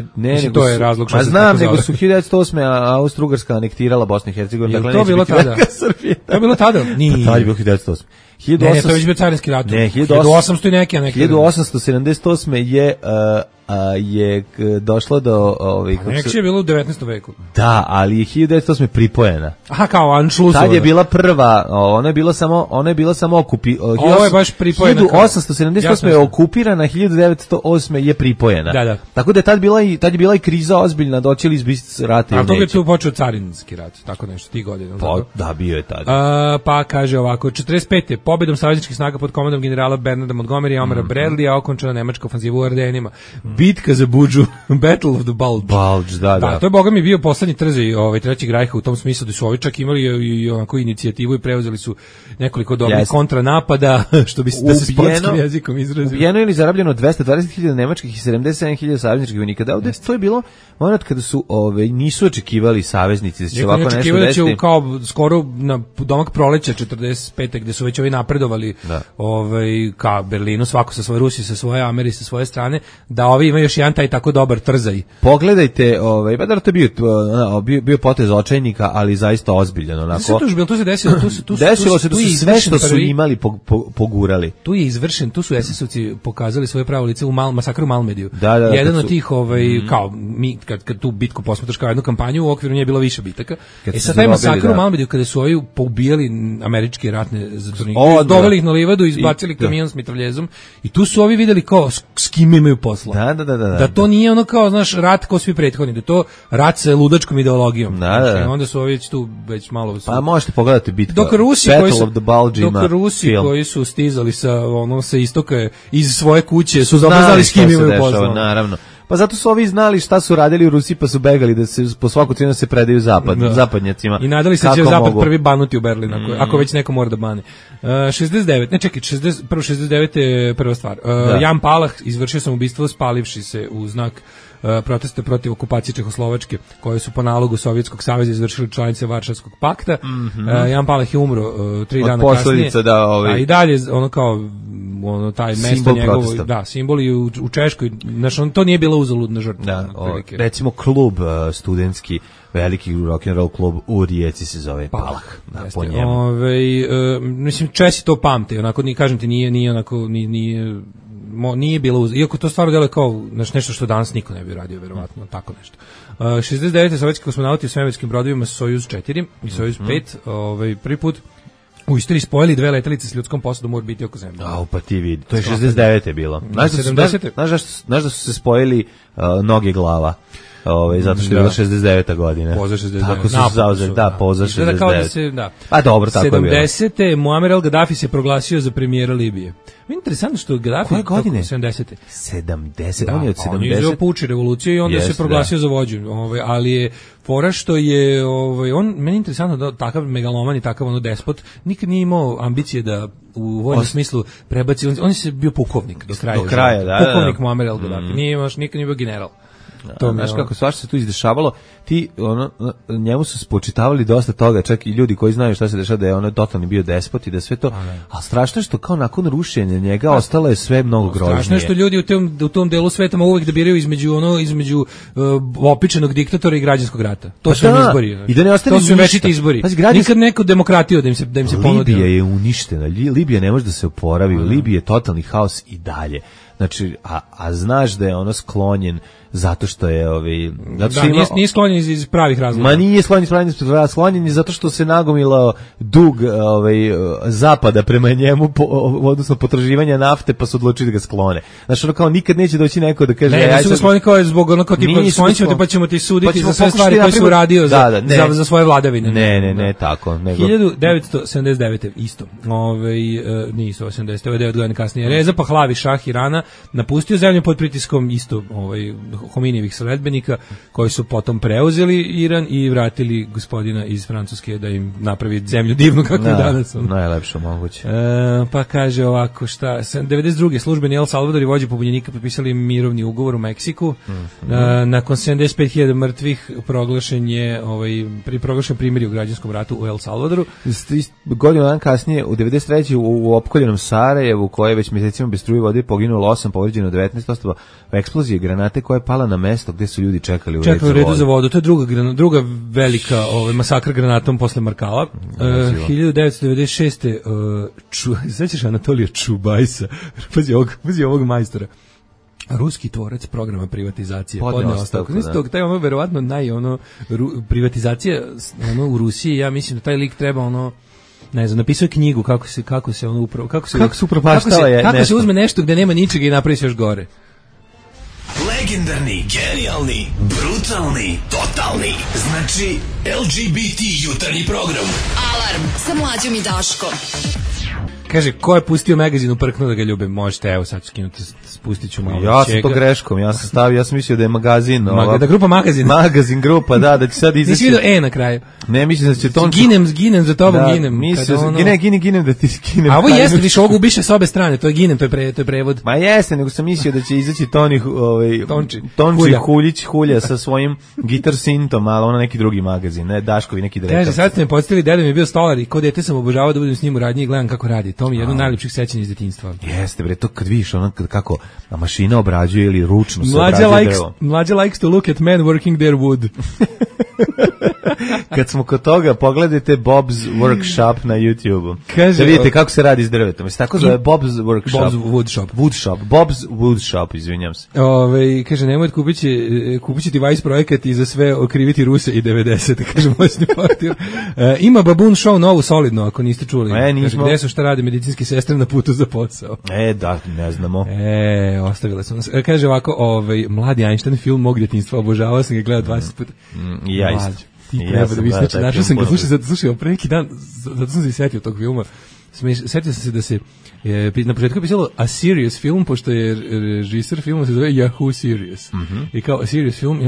to je razlog što se znam, nego su 1908. Austro-Ugarska anektirala Bosnu i Hercegovinu. Dakle, to bilo tada? To je bilo tada? Nije. Tad je bilo 1908. Ne, to je već bio carinski rat. 1800 i neke. 1878. je došlo do anekcije je bilo u 19. veku. Da, ali je 1908. pripojena. Aha, kao Anšlusova. Tad je bila prva, ona je bila samo ovo je baš pripojena. 1878. je okupirana, 1908. je pripojena. Da. Tako da tad je bila i kriza ozbiljna, doći li izbiti rat ili neće. A to je tu počeo carinski rat, tako nešto, ti godine. Pa, da, bio je tada. Pa kaže ovako, 45. pobedom savezničkih snaga pod komandom generala Bernarda Montgomery i Omara Bradleya okončana nemačka ofanziva u Ardenima. Bitka za Budžu, Battle of the Bulge. Da. To je boga mi bio poslednji trzaj Trećeg rajha u tom smislu da su ovi čak imali i onako inicijativu i preuzeli su nekoliko dobrih kontranapada, što bi se sportskim jezikom izrazio. Ubijeno ili zarabljeno 220.000 nemačkih i 77.000 savezničkih vojnika. Da, ovdje to je bilo moment kada su nisu očekivali saveznici da će ovako nešto desiti. Da će kao skoro na domak proleća 45. gde su već ovi napredovali ka Berlinu, svako sa svoje, Rusi sa svoje, Ameri sa svoje strane, da ovi koji ima još jedan taj tako dobar trzaj. Pogledajte, pa da to je bio potez očajnika, ali zaista ozbiljan onako. To se desilo, desilo se da su sve što su imali pogurali. Tu je izvršen, tu su SS-ovci pokazali svoje pravo lice u masakru u Malmediju. Jedan od tih kao mi kad tu bitku posmatraš kao jednu kampanju, u okviru nje je bilo više bitaka. Sad taj masakr u Malmediju kada su ovi poubijali američke ratne zatvornike, doveli ih na livadu, izbacili kamion s mitraljezom i tu su ovi videli kao s kim imaju posla. Da to nije ono kao, znaš, rat kao svi prethodni, da to rat sa ludačkom ideologijom. Onda su ovi tu već malo... Pa možete pogledati bitku. Dok Rusi koji su stizali sa istoka iz svoje kuće su znali s kim imaju posla. Naravno. Pa zato su ovi znali šta su radili u Rusiji, pa su begali da se po svaku cijenu se predaju zapadnjacima. I nadali se će zapad prvi banuti u Berlin, ako već neko mora da bane. 69 je prva stvar. Jan Palach izvršio samoubistvo spalivši se u znak protesta protiv okupacije Čehoslovačke, koje su po nalogu Sovjetskog saveza izvršili članice Varšavskog pakta. Jan Palach je umro 3 dana kasnije. A i dalje ono kao taj mesto njegovo, simbol i u Češkoj, znači to nije bila uzaludna žrtva. Recimo klub studentski, veliki rock and roll klub u Rijeci se zove Palach. Po njemu. Mislim, Česi to pamte, onako, kažem ti, nije onako, nije bilo iako to stvarno deluje kao nešto što danas niko ne bi radio, verovatno, tako nešto. 69. sovjetski kosmonauti u svemirskim brodovima Sojuz 4 i Sojuz 5, prvi put u istoriji spojili 2 letelice s ljudskom posadom u orbiti oko Zemlje. Pa ti vidi, to je 69. bilo. Znaš da su se spojili noge glava? Zato što je bila 69. godina. Poza 69. Tako su zauzeli, poza 69. A dobro, tako je bilo. 70. Muammar el-Gaddafi se proglasio za premijera Libije. Interesantno što Gaddafi... Koje godine? 70. 70, on je od 70. On je izveo puč revoluciju i onda se proglasio za vođu. Ali je fora što je... Meni je interesantno da takav megaloman i takav despot nikad nije imao ambicije da u vojnom smislu prebaci... On je bio pukovnik do kraja. Pukovnik Muammar el-Gaddafi. Nikad nije bio general. Znaš kako svašta se tu izdešavalo, njemu su spočitavali dosta toga, čak i ljudi koji znaju šta se dešava, da je ono totalni bio despot i da sve to, a strašno je što kao nakon rušenja njega ostalo je sve mnogo grožnije. Strašno je što ljudi u tom delu sveta uvek da biraju između opičenog diktatora i građanskog rata. To su izbori. I da ne ostane to su večiti izbori. Nikad neku demokratiju da im se ponudi. Libija je uništena, Libija ne može da se oporavi, u Libiji je totalni haos i dalje. Znači, a znaš da je ono sklonjen zato što je nije sklonjen iz pravih razloga. Ma nije sklonjen zato što se nagomilao dug zapada prema njemu, odnosno potraživanja nafte, pa su odlučili da ga sklone. Znači, ono kao nikad neće doći neko da kaže... Ne, nisu ga sklonili kao zbog ono kao tipa sklonit ćemo te pa ćemo ti suditi za sve stvari koje su uradio za svoje vladavine. Ne, tako. 1979. isto. Nije isto 80. Ovo je 9 godina kasnije. Reza Pahlavi, šah Irana, napustio zemlju pod pritiskom isto Hominijevih sledbenika koji su potom preuzeli Iran i vratili gospodina iz Francuske da im napravi zemlju divnu kako je danas. Najlepše moguće. Pa kaže ovako, 92. službeni El Salvador i vođe pobunjenika potpisali mirovni ugovor u Meksiku. Nakon 75.000 mrtvih proglašen primirje u građanskom ratu u El Salvadoru. Godinu dan kasnije, u 93. u opkoljenom Sarajevu, koje već mjesecima bez struje vode poginulo 8, povređeno 19 osoba u eksploziji granate koja je pala na mesto gdje su ljudi čekali u redu za vodu. To je druga velika masakr granatom posle Markala. 1996. Sećaš Anatolija Čubajsa? Pazi ovog majstora. Ruski tvorac programa privatizacije podneo ostavku. Taj verovatno privatizacija u Rusiji, ja mislim da taj lik treba ne znam, napisao je knjigu kako se uzme nešto gde nema ničega i napravi se još gore. Legendarni, genijalni, brutalni, totalni. Znači LGBT jutarnji program. Alarm sa Mlađom i Daškom. Kaže, ko je pustio magazin u prknu da ga ljubim? Možete, evo sad ću skinuti, spustit ću malo. Ja sam to greškom, ja sam mislio da je magazin. Da grupa magazin. Magazin grupa, da će sad izaći. Nisi vidio na kraju. Ne, mislim da će to... Ginem za tobom, ginem. Ginem da ti skinem. A ovo jeste, više ovog ubiše s obe strane, to je ginem, to je prevod. Ma jeste, nego sam mislio da će izaći Tonči Hulja sa svojim Guitar Sintom, ali neki drugi magazin, ne, Daškovi neki direktor. Kaže, sad ste me podsjetili, deda mi je bio stolar i ko dete sam obožavao da budem s njim u radnji i gledam kako radi. to mi je jedno od najlepših sećanja iz detinjstva. Jeste, bre, to kad vidiš ono kako mašina obrađuje ili ručno se obrađuje drvo. Mlađa likes to look at men working their wood. Kad smo kod toga, pogledajte Bob's Workshop na YouTube-u. Kaže, da vidite kako se radi s drvetom. Mislim, tako zove Bob's Workshop. Bob's Woodshop. Woodshop. Bob's Woodshop, izvinjam se. Kaže, nemoj kupit ti Vice projekat i za sve okriviti Ruse i 90. Kaže, moćni portir. Ima Baboon Show novu solidno, ako niste čuli. Kaže, gde su, šta rade medicinske sestre na putu za posao? Da, ne znamo. Ostavile su nas. Kaže ovako, mladi Einstein film mog djetinjstva, obožavao sam ga, gledao 20 puta. Ja isto. Ti treba da vidiš, našao sam ga, slušaj, pre neki dan, zato sam se setio tog filma, setio sam se da se, na početku je pisalo A Serious Film, pošto je režiser filma se zove Yahoo Serious. I kao A Serious Film,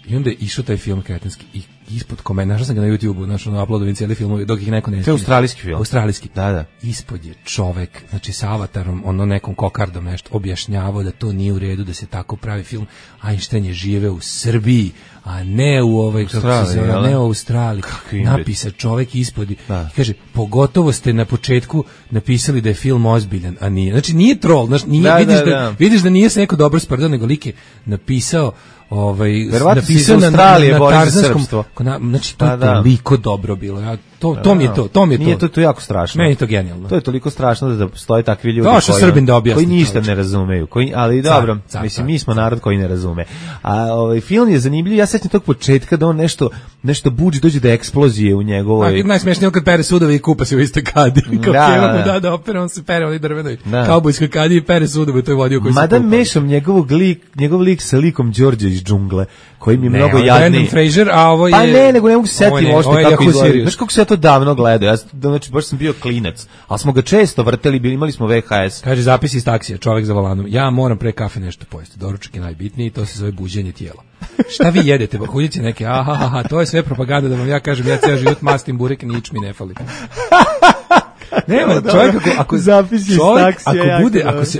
i onda je išao taj film kretenski i ispod komentar, našao sam ga na YouTube-u, našao uploadovim cijeli filmovi, dok ih neko ne... To je australijski film. Australijski. Da. Ispod je čovek, znači sa avatarom, nekom kokardom nešto, objašnjavao da to nije u redu, da se tako pravi film. Einstein je žive u Srbiji, a ne u ne u Australiji. Napisa čovek ispod i kaže, pogotovo ste na početku napisali da je film ozbiljan, a nije. Znači nije troll, znači vidiš da nije se neko dobro sprdao, nego lik je napisao napisao na tarzanskom, znači to je toliko dobro bilo. To mi je to. Nije to jako strašno. Meni je to genijalno. To je toliko strašno da postoje takvi ljudi koji ništa ne razumeju, ali dobro, mislim mi smo narod koji ne razume. A film je zanimljiv, ja sećam tog početka da on nešto buđi, dođe do eksplozije u njegovoj. Najsmešnije kad pere sudove i kupa se u istoj kadi. Kao da opere, on se pere u drvenoj kaubojskoj kadi i pere sudove, to je vodio koji se kupa. Mada mešam njegov lik sa likom Đorđa iz džungle, koji mi je mnogo jadniji. Brandon Fraser, a ovo je... Pa ne, nego ne mogu se setiti možda kako izgleda. Znaš kako se ja to davno gledao, znači baš sam bio klinac, ali smo ga često vrteli, imali smo VHS. Kaže, zapis iz taksija, čovek za volanom, ja moram pre kafe nešto pojesti, doručak je najbitniji, to se zove buđenje tijela. Šta vi jedete, bahuljice neke, to je sve propaganda da vam ja kažem, ja ceo život mastim burek, nič mi ne fali. Nema, čovjek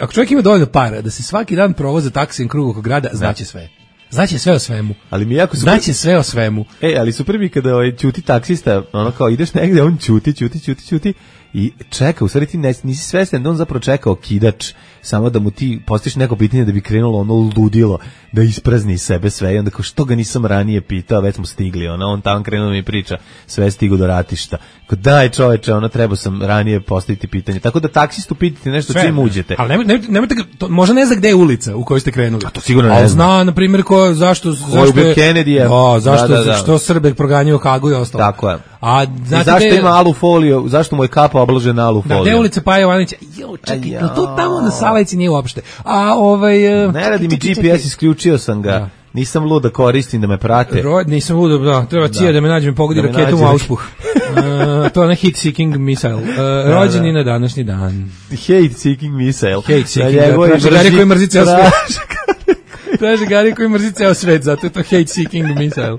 ako čovjek ima dovoljno para da se svaki dan provoza taksijem krug oko grada, znaće sve. Znaće sve o svemu. Ali mi jako znaće sve o svemu. Ali super mi kada ćuti taksista, kao ideš negde, on ćuti i čeka, u stvari ti nisi svestan da on zapravo čeka okidač, samo da mu ti postaviš neko pitanje da bi krenulo ludilo, da isprazni iz sebe sve, i onda kao što ga nisam ranije pitao, već smo stigli, on tamo krenuo da mi priča, sve stigu do ratišta. Kao daj čoveče, trebao sam ranije postaviti pitanje. Tako da taksistu pitate nešto sve, čim uđete. Ali nemojte možda ne zna gde je ulica u kojoj ste krenuli. A to sigurno ne zna. Zna, na primjer, zašto je Kennedy, što Srbe proganjaju Hagu i ostalo. Tako je. A zašto ima alu foliju, zašto mu je kapa obložena alu foliju? Gde je ulica Paja Jovanovića? Čekaj, to tamo na Salajci nije uopšte. Ne radi mi GPS, isključio sam ga. Nisam lud da koristim, da me prate. Nisam lud, treba cija da me nađe, me pogodi raketom u auspuh. To je na hate seeking missile. Rođeni na današnji dan. Hate seeking missile. Hate seeking, traže Gari koji mrzi ceo svet. Traže Gari koji mrzi ceo svet, zato je to hate seeking missile.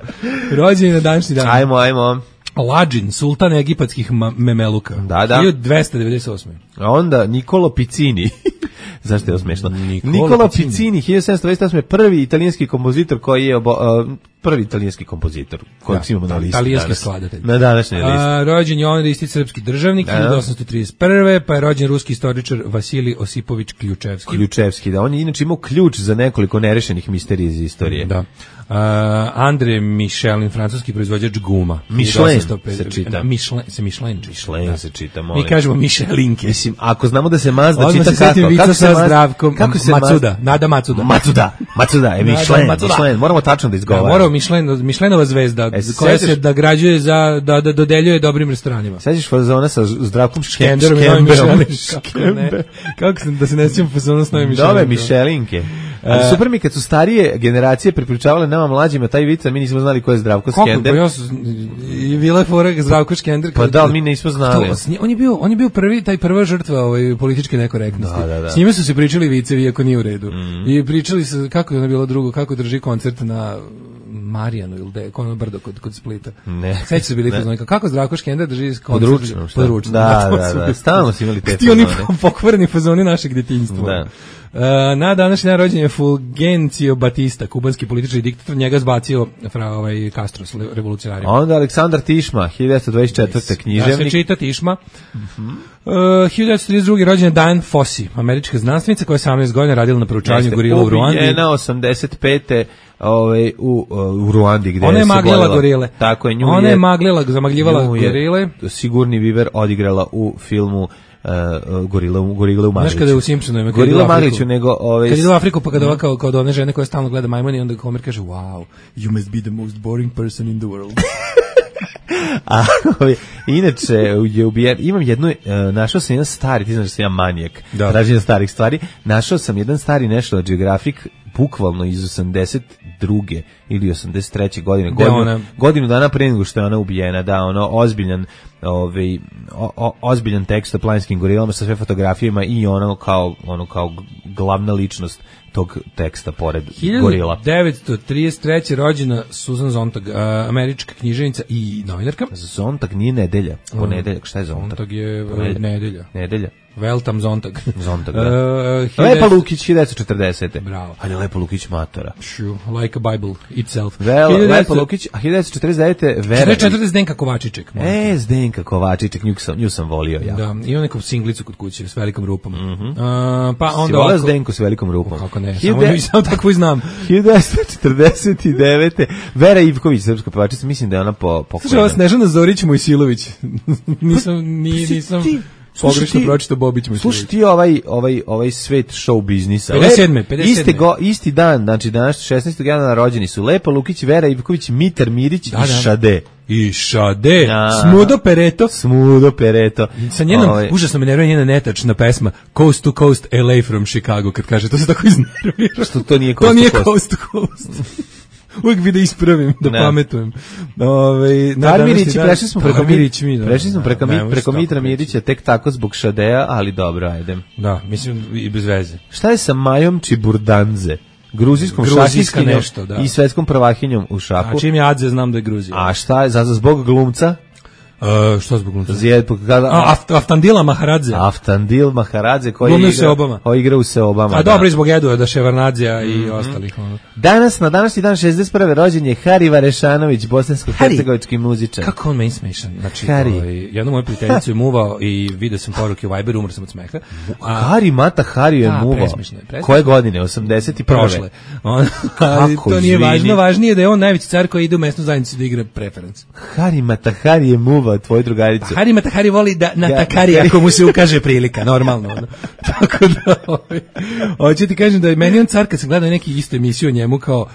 Rođeni na današnji dan. Ajmo. Lađin, sultan egipatskih memeluka. Da. 1298. A onda Niccolo Piccini. Zašto je to smešno? Niccolo Piccini, 1728. prvi italijanski kompozitor koji je prvi italijanski kompozitor kojeg imamo na listi. Italijanski skladatelj. Na današnjoj listi. Rođen je on isti srpski državnik 1831. Pa je rođen ruski istoričar Vasilij Osipović Ključevski. Ključevski, da. On je inače imao ključ za nekoliko nerešenih misterija iz istorije. Da. André Michelin, francuski proizvođač guma. Michelin se čita. Michelin se čita. Mi kažemo Michelinke. Mislim, ako znamo da se Mazda čita kako se Matsuda, Nada Matsuda. Macuda, Michelin. Moramo tačno da izgovaramo. Michelinova zvezda koja se nagrađuje da dodeljuje dobrim restoranima. Sećaš fazona sa Zdravkom Škenderom? Kako da se ne sjećam fazona s novim Michelinke. Nove Michelinke. Ali super mi kad su starije generacije prepričavale nama mlađima taj vic, a mi nismo znali ko je Zdravko Škender. I bila je fora Zdravko Škender. Pa da, mi nismo znali. On je bio prva žrtva političke nekorektnosti. S njime su se pričali vicevi, iako nije u redu. I pričali su kako je ono bilo drugo, kako drži koncert na Marijanu ili ono brdo kod Splita. Sveći su bili fazoni, kako Zdravko Škender drži koncert područno. Da, stalno su imali te fazoni. Ti oni pokvareni fazoni našeg djetinjstva. Na današnji dan rođen je Fulgencio Batista, kubanski političar i diktator, njega zbacio Castro s revolucionarima. Onda Aleksandar Tišma, 1924. književnik. Da se čita Tišma. 1932. rođen je Diane Fossey, američka znanstvenica koja je 18 godina radila na proučavanju gorila u Ruandi. Ubijena 85. U Ruandi gde ona je se maglila gorile. Tako je, ona je zamagljivala gorile. Sigurni Viver odigrala u filmu Gorile u Magliću. Znaš kada je u Simpsonovima Gorila u Magliću, nego kad ide u Afriku pa kada kao one žene koje stalno gleda majmuni, onda Homer kaže wow, you must be the most boring person in the world. A inače je ubijen, imam jednu, našao sam jedan stari, ti znaš da sam ja manijak, traženja starih stvari, našao sam jedan stari National Geographic, bukvalno iz 82. ili 83. godine, godinu dana pre nego što je ona ubijena, da, ono ozbiljan tekst o planinskim gorilama sa sve fotografijama i ono kao glavna ličnost tog teksta pored gorila. 1933. rođena Susan Sontag, američka književnica i novinarka. Sontag nije nedelja, ponedeljak, šta je Sontag? Sontag je nedelja. Nedelja. Weltam Zontag. Da. Lepa Lukić, 1940. Bravo. Ali Lepa Lukić matora. Like a Bible itself. Lepa Lukić, a 1949. Vera. 1940 Zdenka Kovačiček. Zdenka Kovačiček, nju sam volio ja. Da, ima neku singlicu kod kuće s velikom rupom. Pa onda volio Zdenku s velikom rupom. Kako ne, samo tako i znam. 1949. Vera Ivković, srpska pevačica, mislim da je ona pokojna. Slušaj, ova Snežana Zorić Mojsilović. nisam pogrešno pročito Bobić Mojsilović. Slušaj ti ovaj svet show biznisa. 57. Isti dan, znači danas 16. januara rođeni su Lepa Lukić, Vera Ivković, Mitar Mirić i Šade. I Šade, Smudo Pereto. Sa njenom, užasno me nervira njena netačna pesma Coast to Coast LA from Chicago, kad kaže, to se tako iznervira. Što to nije Coast to Coast. Uvijek bi da ispravim, da pametujem. Mirić, prešli smo preko Mitra Mirića tek tako zbog Šadeja, ali dobro, ajde. Da, mislim i bez veze. Šta je sa Majom Čiburdanze? Gruzijskom šahiskinjom i svetskom prvahinjom u šahu. A čim je Adze, znam da je Gruzija. A šta je, zbog glumca? Što zbog glumca? Aftandil Maharadze koji igra u Seobama. A dobro, zbog Eduarda Ševarnadzija i ostalih. Na današnji dan 61. rođen je Hari Varešanović, bosansko-hercegovički muzičar. Kako on meni smešan? Znači, jednu moju prijateljicu je muvao i vidio sam poruke u Viberu, umro sam od smeha. Hari je muvao. Koje godine? 81. Prošle. Ali to nije važno, važnije da je on najveći car koji ide u mesnu zajednicu da igra preference. Hari je muvao tvoju drugaricu. Hari Matahari voli da natakari ako mu se ukaže prilika, normalno. Tako da, hoću ti kažem da je meni on car, kad sam gledao neki istu emisiju o njemu, kao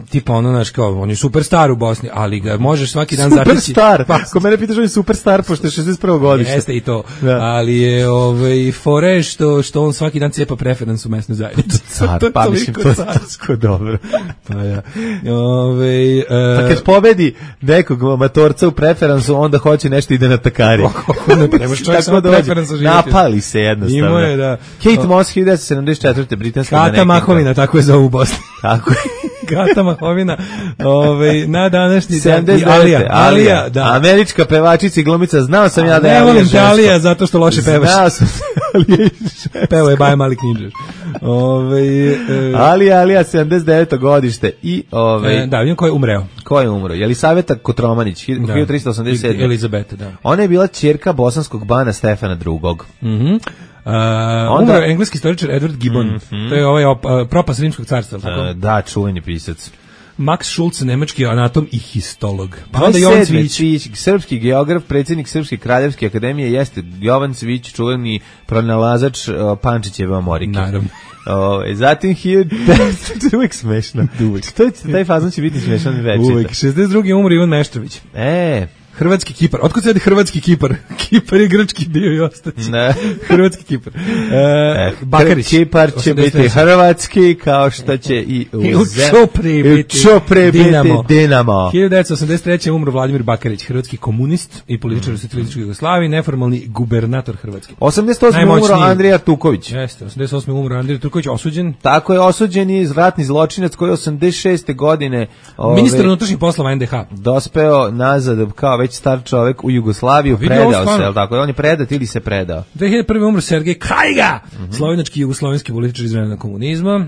tipa kao, on je superstar u Bosni, ali ga možeš svaki dan zateći. Superstar? Ko mene pitaš, on je superstar, pošto je 61. godište. Jeste i to, ali je fore što on svaki dan cepa preferans u mesnu zajednicu. Pa mislim, to je tako dobro. Pa ja. Pa kad pobedi nekog amatorca u preferansu, onda hoće nešto ide na takari. Tako da napali se jednostavno. Ima je, da. Kate Moss, 1974. britanska manekenka. Kata Mahovina, tako je zovu u Bosni. Tako je. Gata Mahovina, na današnji dan. Alija, da. Američka pevačica i glumica, znao sam ja da je Alija žensko. Ne volim te Alija zato što loše pevaš. Znao sam Alija Pevao je Baja Mali Knjižar. Alija, 79. godište. Da, vidim ko je umreo. Ko je umro? Jelisaveta Kotromanić, 1387. Elizabeta, da. Ona je bila ćerka bosanskog bana Stefana II. Umro engleski istoričar Edward Gibbon. To je propast rimskog carstva, tako? Da, čuveni pisac. Max Schulz, nemački anatom i histolog. Pa onda Jovan Cvić, srpski geograf, predsjednik Srpske kraljevske akademije, jeste Jovan Cvić, čuveni pronalazač Pančićeve Amerike. Naravno. Zatim uvijek smešno. Taj fazon će biti smešan večita. Uvijek. 62. umro Ivan Meštrović. Hrvatski Kipar. Otkud se radi Hrvatski Kipar? Kipar je grčki bio i ostaće. Hrvatski Kipar. Bakarić. Kipar će biti hrvatski, kao što će i u Čopre biti Dinamo. 1983. umro Vladimir Bakarić, hrvatski komunist i političar u socijalističkoj Jugoslaviji, neformalni gubernator Hrvatske. 88. umro Andrija Tuković. Jeste, 88. umro Andrija Tuković, osuđen. Tako je, osuđen je ratni zločinac koji je 86. godine ministar unutrašnjih poslova NDH. Dospeo nazad kao već star čovek u Jugoslaviju, predao se, tako? On je predat ili se predao? 2001. umro Sergej Krajga, slovenački i jugoslovenski političar iz vremena komunizma,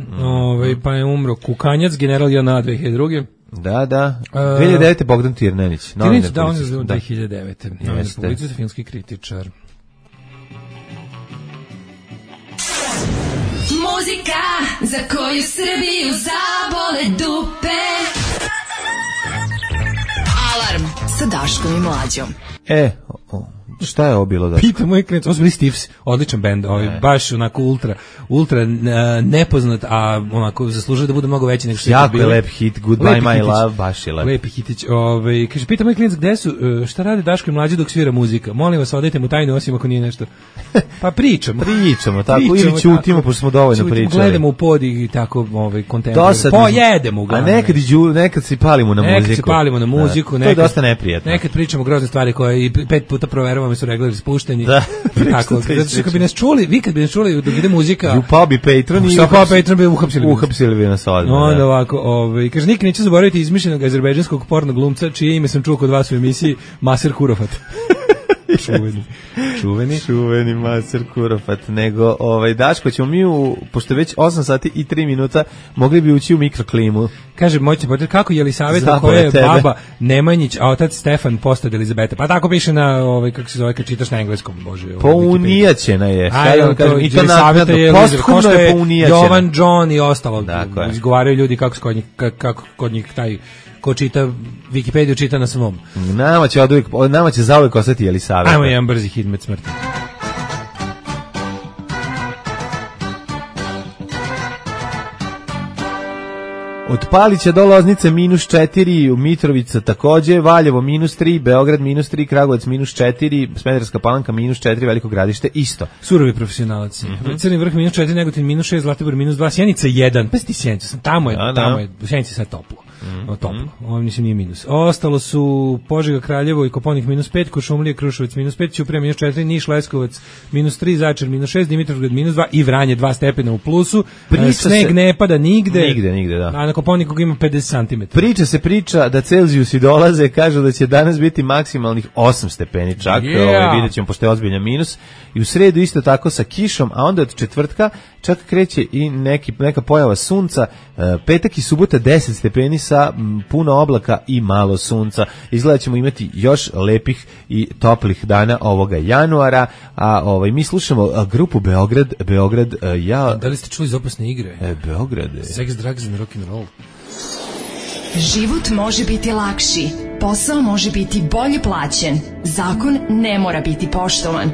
pa je umro Kukanjac, general JNA 2002. Da. 2009. Bogdan Tirnenić. Tirnenić, da, on je 2009. Novinar, publicist, filmski kritičar. Muzika za koju Srbiju zabole dupe. Alarm sa Daškom i Mlađom. Šta je ovo bilo da? Pita moj klinac, ovo su bili Stiffs, odličan bend, baš onako ultra nepoznat, a onako zaslužuje da bude mnogo veći nego što je to bilo. Jako lep hit, Goodbye My Love, baš je lep. Lepi hitić. Kaže, pita moj klinac, gde su, šta rade Daško i Mlađe dok svira muzika? Molim vas, odajte mu tajnu, osim ako nije nešto. Pa pričamo, tako, ili ćutimo, pošto smo dovoljno pričali. Gledamo u pod i tako, kontemporarno. Pojedemo uglavnom. A nekad se palimo na muziku. Nekad se palimo na muziku. To je dosta neprijatno. Nekad pričamo grozne stvari koje i 5 puta proveravamo su reglari spušteni. Da. Tako, kad bi nas čuli, vi kad bi nas čuli dok ide muzika. Upao bi Patreon i Patreon bi uhapsili bi nas odmah. Onda ovako, kaže nikad neću zaboraviti izmišljenog azerbejdžanskog porno glumca čije ime sam čuo kod vas u emisiji Maser Kurofat. Čuveni Maser Kurofat. Nego, Daško, ćemo mi pošto već 8 sati i 3 minuta mogli bi ući u mikroklimu. Kaže, moćete potrebiti kako je Jelisaveta koja je baba Nemanjić, a otac Stefan postad Elizabeta. Pa tako piše na, kako se zove, kad čitaš na engleskom, bože. Pounijaćena je. Jelisaveta je postupno je Jovan, John i ostalo. Izgovaraju ljudi kako kod njih taj ko čita Wikipediju čita na svom. Nama će zauvek ostati Jelisaveta. Ajmo jedan brzi hit med smrti. Od Palića do Loznice -4, Mitrovica takođe, Valjevo -3, Beograd -3, Kragujevac -4, Smederevska Palanka -4, Veliko Gradište isto. Surovi profesionalci. Crni vrh -4, Negotin -6, Zlatibor -2, Sjenica 1. Pa sti Sjenicu sam, tamo je, u Sjenici sad toplo. Ovo mislim nije minus. Ostalo su Požega, Kraljevo i Koponik -5, Kuršumlija, Kruševac -5, Ćuprija -4, Niš, Leskovac -3, Zaječar -6, Dimitrovgrad -2 i Vranje 2 stepena u plusu. Sneg ne pada nigde, da. A na Koponiku ima 50 cm. Priča da Celzijusi dolaze, kažu da će danas biti maksimalnih 8 stepeni čak, vidjet ćemo pošto je ozbiljan minus. I u sredu isto tako sa kišom, a onda od četvrtka čak kreće i neka pojava sunca, petak i subota 10 stepeni sa puno oblaka i malo sunca. Izgleda ćemo imati još lepih i toplih dana ovoga januara, a mi slušamo grupu Beograd, Da li ste čuli iz opasne igre? Beograd. Sex, drugs and rock'n'roll. Život može biti lakši, posao može biti bolje plaćen, zakon ne mora biti poštovan.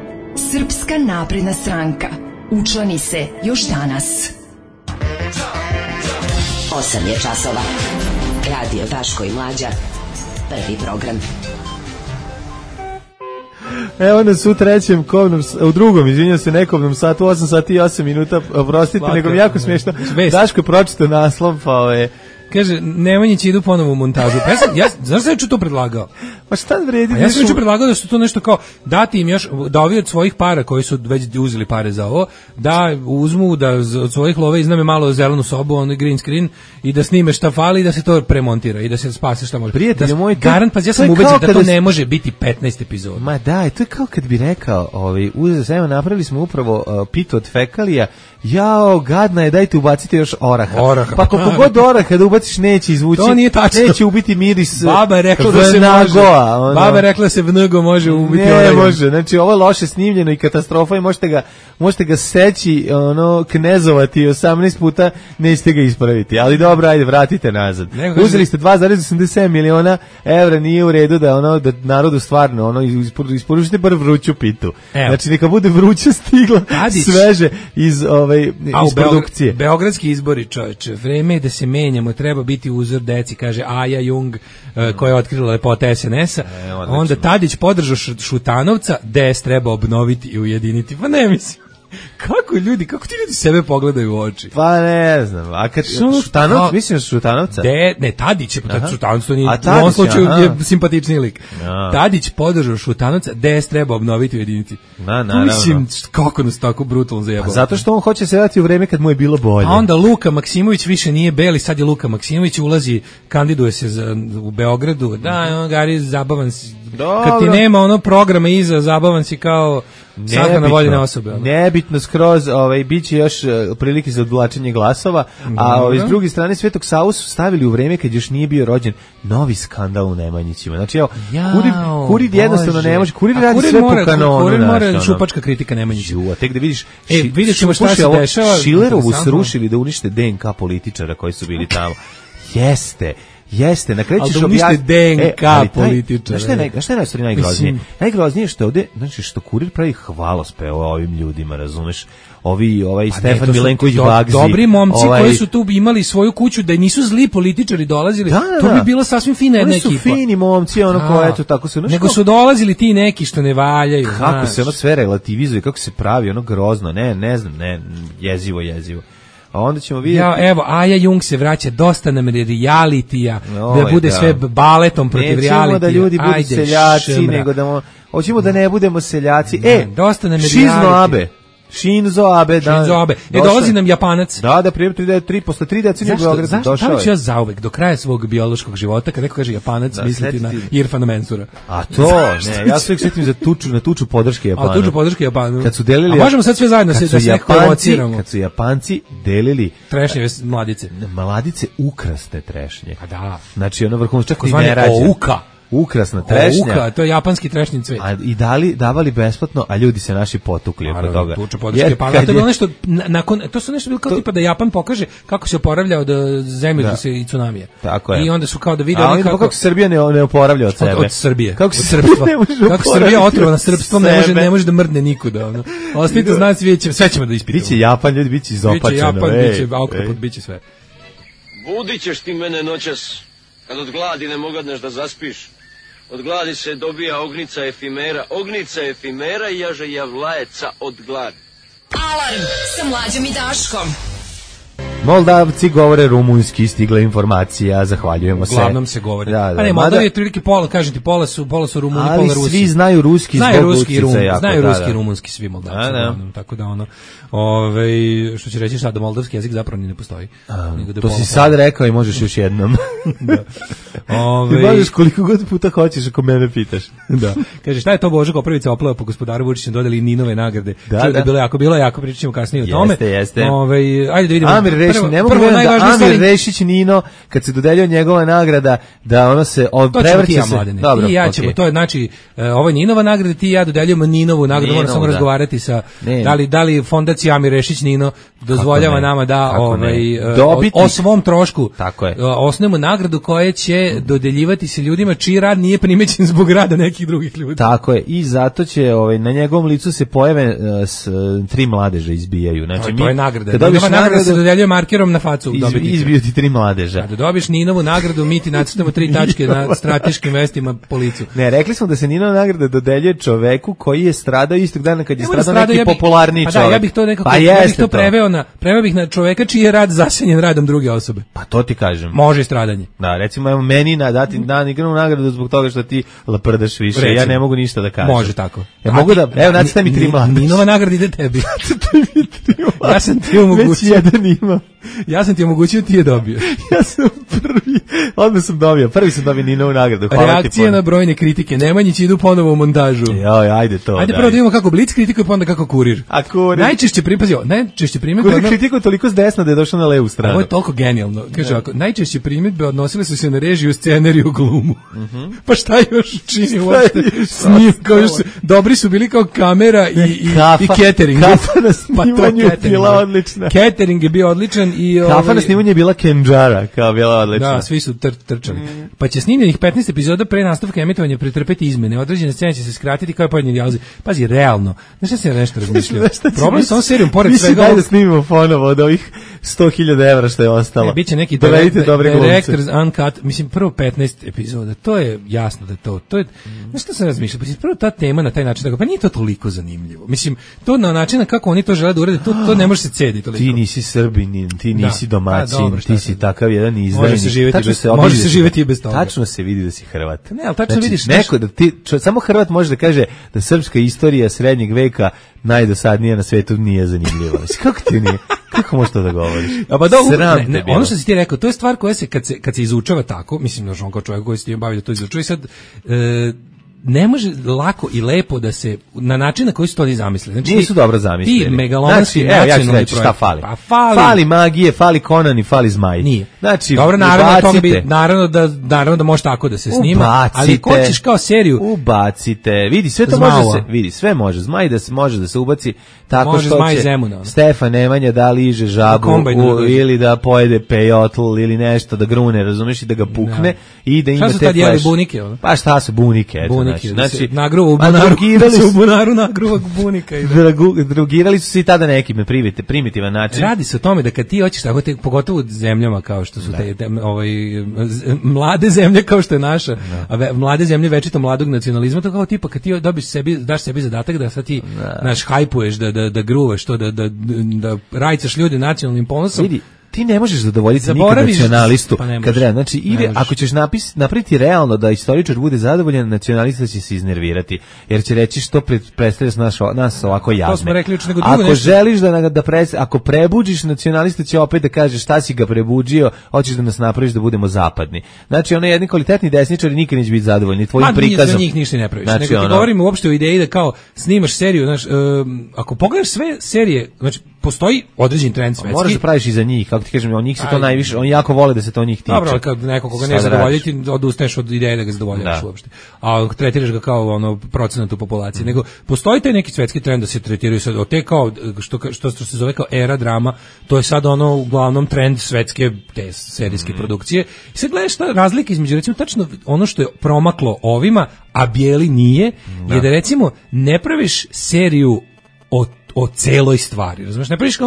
Srpska napredna stranka. Učlani se još danas. 8 je časova. Radio Daško i Mlađa. Prvi program. Evo nas u drugom, izvinjam se, nekobnom satu, 8 sati i 8 minuta, oprostite, nego mi jako smiješno. Daško je pročitao naslov, pa kaže, Nemanjići idu ponovo u montažu. Znaš šta je to predlagao? Pa šta vredi? Ja sam predlagao da su to nešto kao, dati im još, da ovi od svojih para, koji su već uzeli pare za ovo, da uzmu, da od svojih love izname malo zelenu sobu, onaj green screen, i da snime šta fali i da se to premontira i da se spase šta može. Prijatelj moj, garant, pa ja sam ubeđen da to ne može biti 15 epizoda. Ma da, to je kao kad bi rekao, napravili smo upravo pitu od fekalija, jao, gadna je, dajte ubacite još oraha. Pa koliko god oraha da ubaciš neće izvući, neće ubiti miris. Baba je rekla da se može. Baba je rekla da se vnego može ubiti oraha. Ne može, znači ovo je loše snimljeno i katastrofa i možete ga seći, knezovati 18 puta, nećete ga ispraviti. Ali dobro, ajde, vratite nazad. Uzeli ste 2,87 miliona evra, nije u redu da da narodu stvarno isporučite bar vruću pitu. Znači neka bude vruće stigla, sveže iz produkcije. Beogradski izbori, čoveče, vreme je da se menjamo, treba biti uzor deci, kaže Aja Jung, koja je otkrila lepote SNS-a. Onda Tadić podržao Šutanovca, DS treba obnoviti i ujediniti. Pa ne mislim. Kako ti ljudi sebe pogledaju u oči? Pa ne znam, a kad Šutanovac, mislim Šutanovca? Ne, Tadić je, Šutanovac to nije, u ovom slučaju je simpatičniji lik. Tadić podržao Šutanovca, DS treba obnoviti u jedinici. Mislim, kako nas tako brutalno zajebalo. Zato što on hoće se vratiti u vreme kad mu je bilo bolje. A onda Luka Maksimović više nije beli, sad je Luka Maksimović, ulazi, kandiduje se u Beogradu, on gari zabavan si. Kad ti nema ono programa iza, zabavan si kao sahrana voljene osobe. Nebitno skroz, biće još prilike za odvlačenje glasova, a s druge strane Svetog Savu su stavili u vreme kad još nije bio rođen novi skandal u Nemanjićima. Znači, Kurir jednostavno ne može, Kurir radi sve po kanonu. Kurir mora šupačka kritika Nemanjićima. A tek da vidiš, vidjet ćemo šta se dešava. Šilerovu srušili da unište DNK političara koji su bili tamo. Jeste, na kraju ćeš objasniti DNK političara. Šta je najgroznije? Najgroznije što ovde, znači što Kurir pravi hvalospev ovim ljudima, razumeš? Ovaj Stefan Milenković Bagzi. Dobri momci koji su tu imali svoju kuću, da nisu zli političari dolazili, to bi bila sasvim fina jedna ekipa. Oni su fini momci, eto tako su. Nego su dolazili ti neki što ne valjaju. Kako se ono sve relativizuje, kako se pravi, ono grozno, ne znam, jezivo. A onda ćemo vidjeti... Evo, Aja Jung se vraća, dosta nam realitija, da bude sve baletom protiv realitija. Nećemo da ljudi budu seljaci, nego da... Hoćemo da ne budemo seljaci. Dosta nam Shinzo Abe. Dolazi nam Japanac. Da, posle 3 decenije Beograda došao je. Zašto ja zauvek, do kraja svog biološkog života, kad neko kaže Japanac, misliti na Irfana Mensura. A to, ne, ja se uvijek sjetim na tuču podrške Japanu. A tuču podrške Japanu. Kad su delili... A možemo sad sve zajedno da se nekako evociramo. Kad su Japanci delili... Trešnje mladice. Mladice ukrasne trešnje. A da. Znači, ono vrhunac čak i ne rađa. Ukrasna trešnja. To je japanski trešnji cvet. I davali besplatno, a ljudi se naši potukli oko toga. Tuča podrške Japana. To je bilo nešto, to su nešto bilo kao tipa da Japan pokaže kako se oporavlja od zemljotresa i tsunamija. Tako je. I onda su kao da vide kako se Srbija ne oporavlja od sebe. Od Srbije. Kako se srpstva. Kako Srbija otrovana srpstvom ne može da mrdne nikuda. Ostavite znaci, vidjet će, sve ćemo da ispitamo. Biće Japan, ljudi, biće izopačeno. Biće Japan, biće oktopod, biće sve. Budit ćeš ti mene noćas, kad od gladi ne mogadneš da zaspiš. Od gladi se dobija ognica efimera i jaže javlajeca od gladi. Alarm sa Mlađom i Daškom. Moldavci govore rumunski, stigla informacija, zahvaljujemo se. Uglavnom se govori. Da. Pa ne, Moldavi je prilike pola, kažem ti, pola su Rumuni, pola Rusi. Ali svi znaju ruski zbog Lucica jako. Znaju ruski i rumunski svi Moldavci. Tako da što će reći šta, da moldavski jezik zapravo ni ne postoji. To si sad rekao i možeš još jednom. Ti možeš koliko god puta hoćeš ako mene pitaš. Da. Kaže, šta je to Božo Koprivica oplava po gospodaru Vučiću, dodali Ninove nagrade. Bilo jako, pričat ćemo kasnije o tome. Jeste. Ajde da vidimo. Amir Rešić, ne mogu da Amir Rešić Nino, kad se dodeljuje njegova nagrada, da ono se prevrće se. Dobro, i ja ćemo, to je znači, ovo je Ninova nagrada, ti i ja dodeljujemo Ninovu nagradu, moramo samo razgovarati sa, da li fondacija Amir Rešić Nino dozvoljava nama da o svom trošku osnovimo nagradu koja će dodeljivati se ljudima čiji rad nije primećen zbog rada nekih drugih ljudi. Tako je, i zato će na njegovom licu se pojave 3 mladeža izbijaju. Znači, to je nagrada. Ninova nagrada se dodeljuje markerom na facu. Izbiju ti 3 mladeža. Da dobiš Ninovu nagradu, mi ti nacrtamo 3 tačke na strateškim mestima po licu. Ne, rekli smo da se Ninova nagrada dodeljuje čoveku koji je stradao istog dana kad je stradao neki popularniji čovek. Ja bih to nekako, preveo bih na čoveka čiji je rad zasenjen radom druge osobe. Pa to ti kažem. Može i stradanje. Da, recimo evo meni dati igranu nagradu zbog toga što ti laprdaš više. Recimo, ja ne mogu ništa da kažem. Može tako. Ja mogu da, evo nacrtaj mi 3 mladeža. Ninova nagrada ide tebi. Ja sam ti omogućio. Već jedan ima. Ja sam ti omogućio, ti je dobio. Ja sam prvi. Odmah sam dobio. Prvi sam dobio Ninovu nagradu. Reakcije na brojne kritike. Nemanjić idu ponovo u montažu. Ajde to. Ajde prvo da vidimo kako Blic kritikuje, pa onda kako Kurir. A Kurir? Najčešće primjedbe... Kurir kritikuje toliko s desna da je došao na levu stranu. Ovo je toliko genijalno. Kaže ovako, najčešće primjedbe odnosile su se na režiju, scenariju, glumu. Pa šta još čini uopšte snim? Dobri su bili kao kamera i catering. Kafa na snimanju je bila odlična. Catering je bio odličan i... Kafa na snimanju je bila Kenđara, kao bila odlična. Da, svi su trčali. Pa će snimljenih 15 epizoda pre nastavka emitovanja pretrpeti izmene. Određene scene će se skratiti kao i pojedini dijalozi. Pazi, realno. Znaš šta sam nešto razmišljao? Problem sa ovom serijom, pored svega... Daj da snimimo ponovo od ovih 100.000 evra što je ostalo. Biće neki Directors Uncut, mislim prvo 15 epizoda, to je jasno da to je, znaš što sam razmišljao, prvo ta tema na taj način, pa nije to toliko zanimljivo. Mislim, to na način kako oni to žele da urede, to ne može se cediti toliko. Ti nisi Srbin, ti nisi domaćin, dobro, ti si takav jedan izdajnik. Može se živjeti i bez toga. Tačno se vidi da si Hrvat. Ne, ali tačno vidiš neko da ti, samo Hrvat može da kaže da srpska istorija srednjeg veka najdosadnija na svetu nije zanimljiva. Kako ti nije? Kako možeš to da govoriš? Ono što si ti rekao, to je stvar koja se, kad se izučava tako, mislim, on kao čovjek koji se tim bavi da to izučava i sad, ne može lako i lepo da se, na način na koji su to oni zamislili. Znači, nisu dobro zamislili. Ti megalomanski nacionalni projekt. Šta fali? Pa fali magije, fali Conan i fali Zmaj. Nije. Znači, dobro, naravno da može tako da se snima, ali ko ćeš kao seriju? Ubacite. Vidi, sve to može se, vidi, sve može. Zmaj da se može da se ubaci tako može što Zmaj će Zemuna. Stefan Nemanja da liže žabu ili da pojede pejotl ili nešto da grune, razumeš, i da ga pukne i da ima te flash. Šta su tad jeli bunike? Pa šta su bunike? Znači, nagruva u bunaru nagruva bunika. Drugirali su se i tada nekim na primitivan način. Radi se o tome da kad ti hoćeš tako, pogotovo u zemljama kao što su mlade zemlje kao što je naša, mlade zemlje večito mladog nacionalizma, to kao tipa kad ti daš sebi zadatak da sad ti hajpuješ, da gruvaš to, da rajcaš ljudi nacionalnim ponosom. Vidi, ti ne možeš zadovoljiti nikad nacionalistu. Kad znači, ili ako ćeš napraviti realno da istoričar bude zadovoljan, nacionalista će se iznervirati, jer će reći što predstavljaš nas ovako jadne. To smo rekli juče, nego drugo nešto. Želiš ako prebuđiš, nacionalista će opet da kaže šta si ga prebuđio, hoćeš da nas napraviš da budemo zapadni. Znači, ono jedni kvalitetni desničari nikad neće biti zadovoljni tvojim prikazom. Za njih ništa ne praviš. Znači, nego ti govorimo uopšte o ideji da kao snimaš seriju, znači, ako pogledaš sve serije, znači postoji određen trend svetski. Moraš da praviš i za njih, kako ti kažem, on njih se to najviše, oni jako vole da se to njih tiče. Dobro, kad nekog koga ne zadovoljiti, odustaješ od ideje da ga zadovoljavaš uopšte. A tretiraš ga kao ono procenat u populaciji. Nego postoji taj neki svetski trend da se tretiraju sad od te kao što se zove kao era drama, to je sad ono uglavnom trend svetske te serijske produkcije. I sad gledaš šta razlika između, recimo, tačno ono što je promaklo ovima, a bijeli nije, je da recimo ne praviš seriju o celoj stvari, razumiješ, ne praviš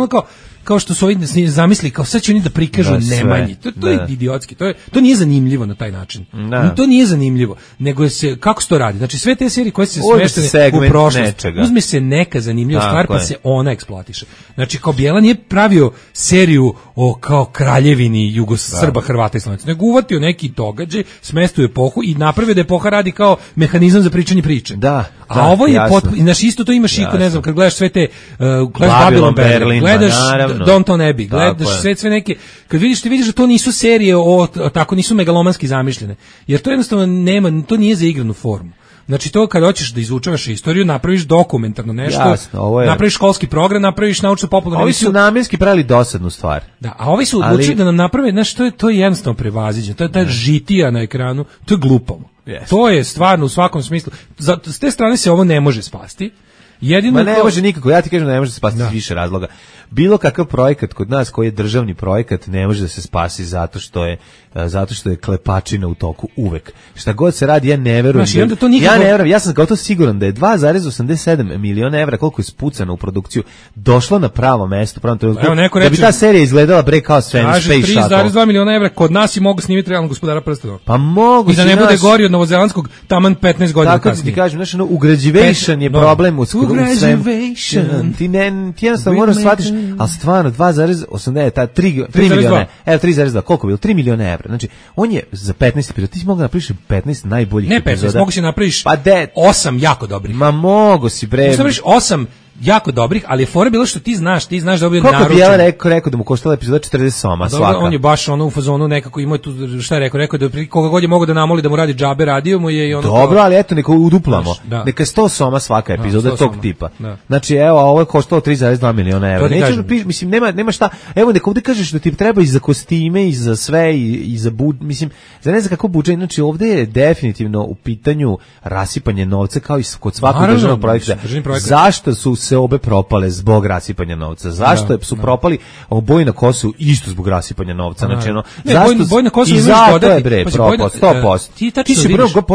kao što su ovi zamisli, kao sad će oni da prikažu Nemanji. To je idiotski, to nije zanimljivo na taj način. To nije zanimljivo, nego se, kako se to radi? Znači sve te serije koje se smeštene u prošlost, uzme se neka zanimljiva stvar pa se ona eksploatiše. Znači kao Bjela nije pravio seriju o kao kraljevini Srba, Hrvata i Slovenaca, nego uvatio neki događaj, smestio epohu i napravio da epoha radi kao mehanizam za pričanje priče. A ovo je znači isto to imaš i ne znam, kad gledaš sve te Babylon Berlin, gledaš Downton Abbey, gledaš sve neke, kad vidiš da to nisu serije tako nisu megalomanski zamišljene, jer to jednostavno nema, to nije za igranu formu. Znači to kad hoćeš da izučavaš istoriju, napraviš dokumentarno nešto, napraviš školski program, napraviš naučno popularnu emisiju. Ovi su namjenski pravili dosadnu stvar. Da, a ovi su odlučili da nam naprave, znači to je jednostavno prevaziđeno, to je ta žitija na ekranu, to je glupo. To je stvarno u svakom smislu. S te strane se ovo ne može spasti. Ma ne može nikako, ja ti kažem da ne može se spasti iz više razloga. Bilo kakav projekat kod nas koji je državni projekat ne može da se spasi zato što je klepačina u toku uvek. Šta god se radi, ja ne verujem. Ja sam gotovo siguran da je 2,87 miliona evra, koliko je spucano u produkciju, došlo na pravo mesto, pravom trenutku, da bi ta serija izgledala kao Space Shuttle. 3,2 miliona evra, kod nas i mogu snimiti realno Gospodara prstenova. Pa mogu. I da ne bude gori od novozelandskog taman 15 godina kasnije. Tako ti kažem, znači, ugrađivation je problem u svemu. Ti jednostavno moraš shvatiš, ali stvarno 2,80, 3 miliona, evo 3,2, koliko je bilo? 3 miliona evra. Znači, on je za 15 epizoda, ti si mogu napraviš 15 najboljih epizoda. Ne 15, mogu si napraviš 8 jako dobrih. Ma mogu si bre. Mogu si napraviš 8 jako dobrih, ali je fora bilo što ti znaš da je bio naručen. Koliko bi ja rekao da mu koštala epizoda 40 soma svaka. On je baš u fazonu nekako imao tu, šta je rekao da koga god je mogao da namoli da mu radi džabe, radio mu je i ono. Dobro, ali eto neko uduplamo. Neka je 100 soma svaka epizoda tog tipa. Znači evo, a ovo je koštalo 3,2 miliona evra. Mislim nema šta. Evo neka ovde kažeš da ti treba i za kostime i za sve i za mislim, za ne znam kako budžet, znači ovde je definitivno u pitanju rasipanje novca kao i kod svakog državnog projekta. Zašto su se obe propale zbog rasipanja novca. Zašto su propali Boj na Kosovu isto zbog rasipanja novca? Znači, Boj na Kosovu i zato je bre propao 100%.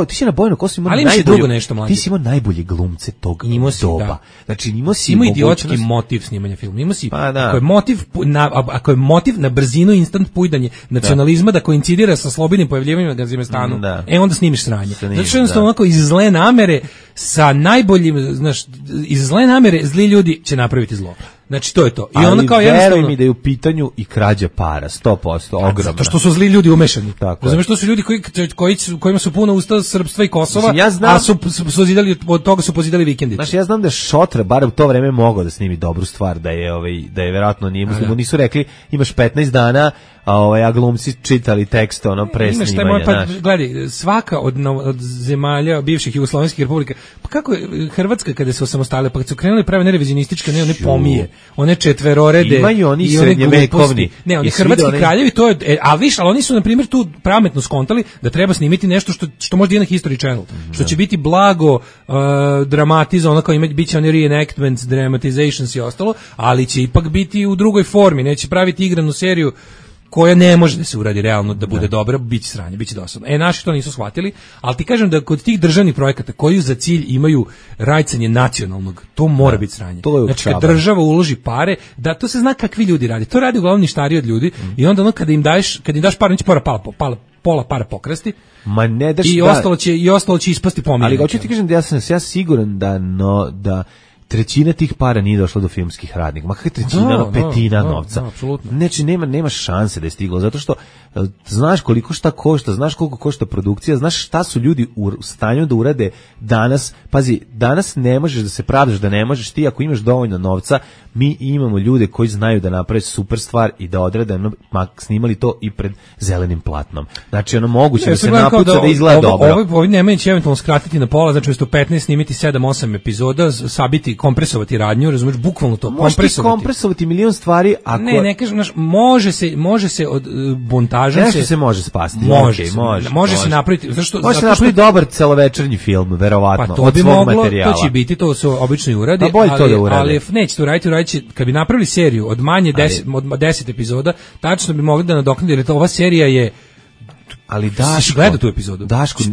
Ti si na Boj na Kosovu imao najbolje. Ti si imao najbolje glumce tog doba. Znači, imao idiotski motiv snimanja filma. Imao si, ako je motiv na brzinu instant pujdanje nacionalizma da koincidira sa slobodnim pojavljivanjem na Gazimestanu, onda snimiš sranje. Zato što jednostavno onako iz zle namere sa najboljim, znaš, iz zle namere zli ljudi će napraviti zlo. Znači, to je to. I ono kao veruj mi da je u pitanju i krađa para, 100%, ogromno. Zato što su zli ljudi umešani. Razumeš, to su ljudi kojima su puna usta srpstva i Kosova, a od toga su pozidali vikendice. Znači, ja znam da Šotra, bar u to vreme, mogao da snimi dobru stvar, da je verovatno nije muslimu. Nisu rekli, imaš 15 dana, a glumci čitali tekst pre snimanja. Gledaj, svaka od zemalja bivših jugoslovenskih republika, pa kako je Hrvatska kada se osamostalila, pa kad su krenuli prave nerevizionističke, one pomije, one četverorede, imaju oni srednjevekovni. Ne, oni hrvatski kraljevi, to je, ali oni su na primjer tu pametno skontali da treba snimiti nešto što može na History Channel, što će biti blago dramatizovano, kao biće oni reenactments, dramatizations i ostalo, ali će ipak biti u drugoj formi, neće praviti igranu seriju koja ne može da se uradi realno da bude dobra, biće sranje, biće dosadno. Naši to nisu shvatili, ali ti kažem da kod tih državnih projekata koji za cilj imaju rajcanje nacionalnog, to mora biti sranje. Znači kad država uloži pare, da to se zna kakvi ljudi radi. To radi uglavnom ništariji od ljudi i onda kada im daš par, neće pola para pokrasti. Ma ne daš i ostalo će ispasti pomiljeno. Ali hoću ti kažem da ja siguran da trećina tih para nije došla do filmskih radnika. Ma kakva trećina, petina novca. Znači, nema šanse da je stiglo, zato što znaš koliko šta košta, znaš koliko košta produkcija, znaš šta su ljudi u stanju da urade danas. Pazi, danas ne možeš da se pravdaš da ne možeš, ti ako imaš dovoljno novca, mi imamo ljude koji znaju da naprave super stvar i da odrade, snimali to i pred zelenim platnom. Znači, moguće da se napuca da izgleda dobro. Ovi nemaju će eventualno skratiti na pola, znači umjesto 15 snimiti 7-8 epizoda, sabiti, kompresovati radnju, razumiješ, bukvalno to, kompresovati milion stvari, ako... Ne kažem, može se od montaža nešto se može spasti. Može se napraviti, može se napraviti dobar celovečernji film, verovatno, pa to bi moglo, to će biti, to su obično i urade, ali neće to raditi, kad bi napravili seriju od manje 10 epizoda, tačno bi mogli da nadoknadi, jer ova serija je. Ali Daško, gleda tu epizodu. Daško,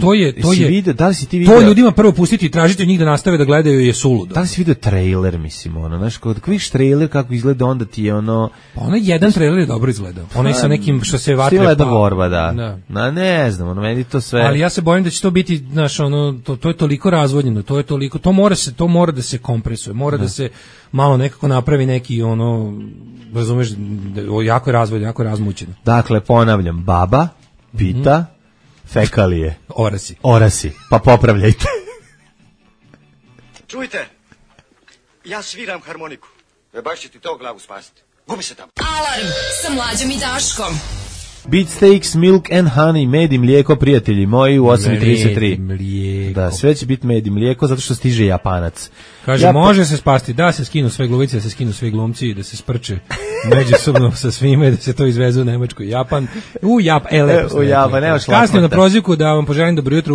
video, da li si ti video? To ljudima prvo pustiti i tražiti od njih da nastave da gledaju je suludo. Da li si video trailer, mislim, znaš, kad vidiš trailer kako izgleda, onda ti je jedan trailer je dobro izgledao. Onaj sa nekim što se vatre Stileda borba, da. Ne znam, meni to sve. Ali ja se bojim da će to biti, znaš, to je toliko razvodnjeno, to mora da se kompresuje, mora da se malo nekako napravi neki razumeš, jako je razvodnjeno, jako je razmućeno. Dakle, ponavljam, baba pita, fekalije. Orasi, pa popravljajte. Čujte, ja sviram harmoniku. Baš će ti to glavu spasiti. Gubi se tamo. Alarm sa Mlađom i Daškom. Beefsteaks, milk and honey, med i mlijeko, prijatelji moji, u 8:33. Da, sve će biti med i mlijeko, zato što stiže Japanac. Kaže, može se spasti, da se skinu sve glumice, da se skinu svi glumci, da se sprče međusobno sa svime, da se to izveze u Nemačku i Japan. Lepo. U Japan, nemaš kasnije na prozivku da vam poželim dobro jutro,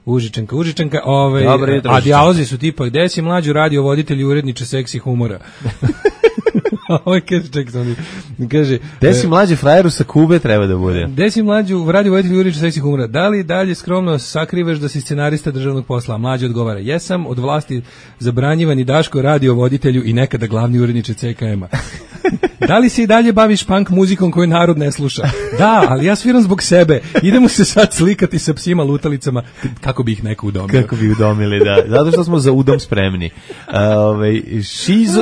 Užičanka. A dijalozi su tipa, gde si Mlađu radiovoditelj i uredniče seksi humora? Kaže, gde si Mlađe frajeru sa Kube treba da bude? Gde si Mlađu radiovoditelj i uredniče seksi humora? Da li dalje skromno sakrivaš da si scenarista državnog posla? Mlađe odgovara, jesam, od vlasti zabranjivan i Daško radiovoditelju i nekada glavni uredniče CKM-a. Da li se i dalje baviš punk muzikom koju narod ne sluša? Da, ali ja sviram zbog sebe. Idemo se sad slikati sa psima lutalicama kako bi ih neko udomio. Kako bi udomili, da. Zato što smo za udom spremni.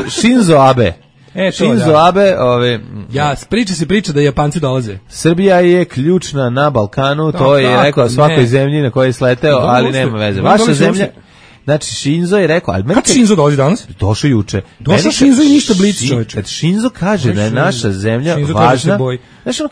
Shinzo Abe. Shinzo Abe, priča da Japanci dolaze. Srbija je ključna na Balkanu, to je rekao svakoj zemlji na kojoj je sleteo, ali nema veze. Vaša zemlja. Znači, Shinzo je rekao... Kad Shinzo dolazi danas? Došao juče. Došao Shinzo i ništa blic, čoveče. Kad Shinzo kaže da je naša zemlja važna... Znači,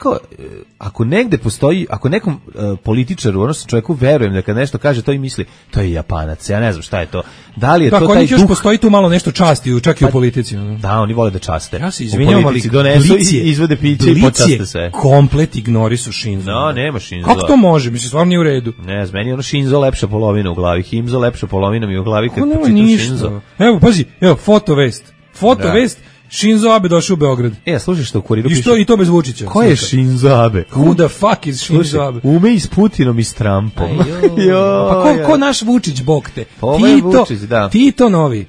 ako negde postoji, ako nekom političaru, odnosno čovjeku, verujem da kad nešto kaže, to i misli, to je Japanac, ja ne znam šta je to. Da li je to taj duh? Još postoji tu malo nešto časti, čak i u politici. Da, oni vole da časte. Ja se izvinjavam, ali donesu i izvode piće i počaste sve. Komplet ignorisu Shinzo. No, nema Shinzo. Kako to može? Mislim, stvarno nije u redu. Ne, meni je Shinzo lepša polovina u glavi, Himzo lepša polovina promina mi u glavi kad nema počitam ništa. Shinzo. Evo, pazi, evo, fotovest. Shinzo Abe došao u Beograd. Slušaj što u kuriru piše. I to bez Vučića. Ko je Shinzo Abe? Who the fuck is Shinzo Abe? Ume i s Putinom i s Trumpom. Pa ko naš Vučić, bog te? Ovo je Vučić, da. Tito novi.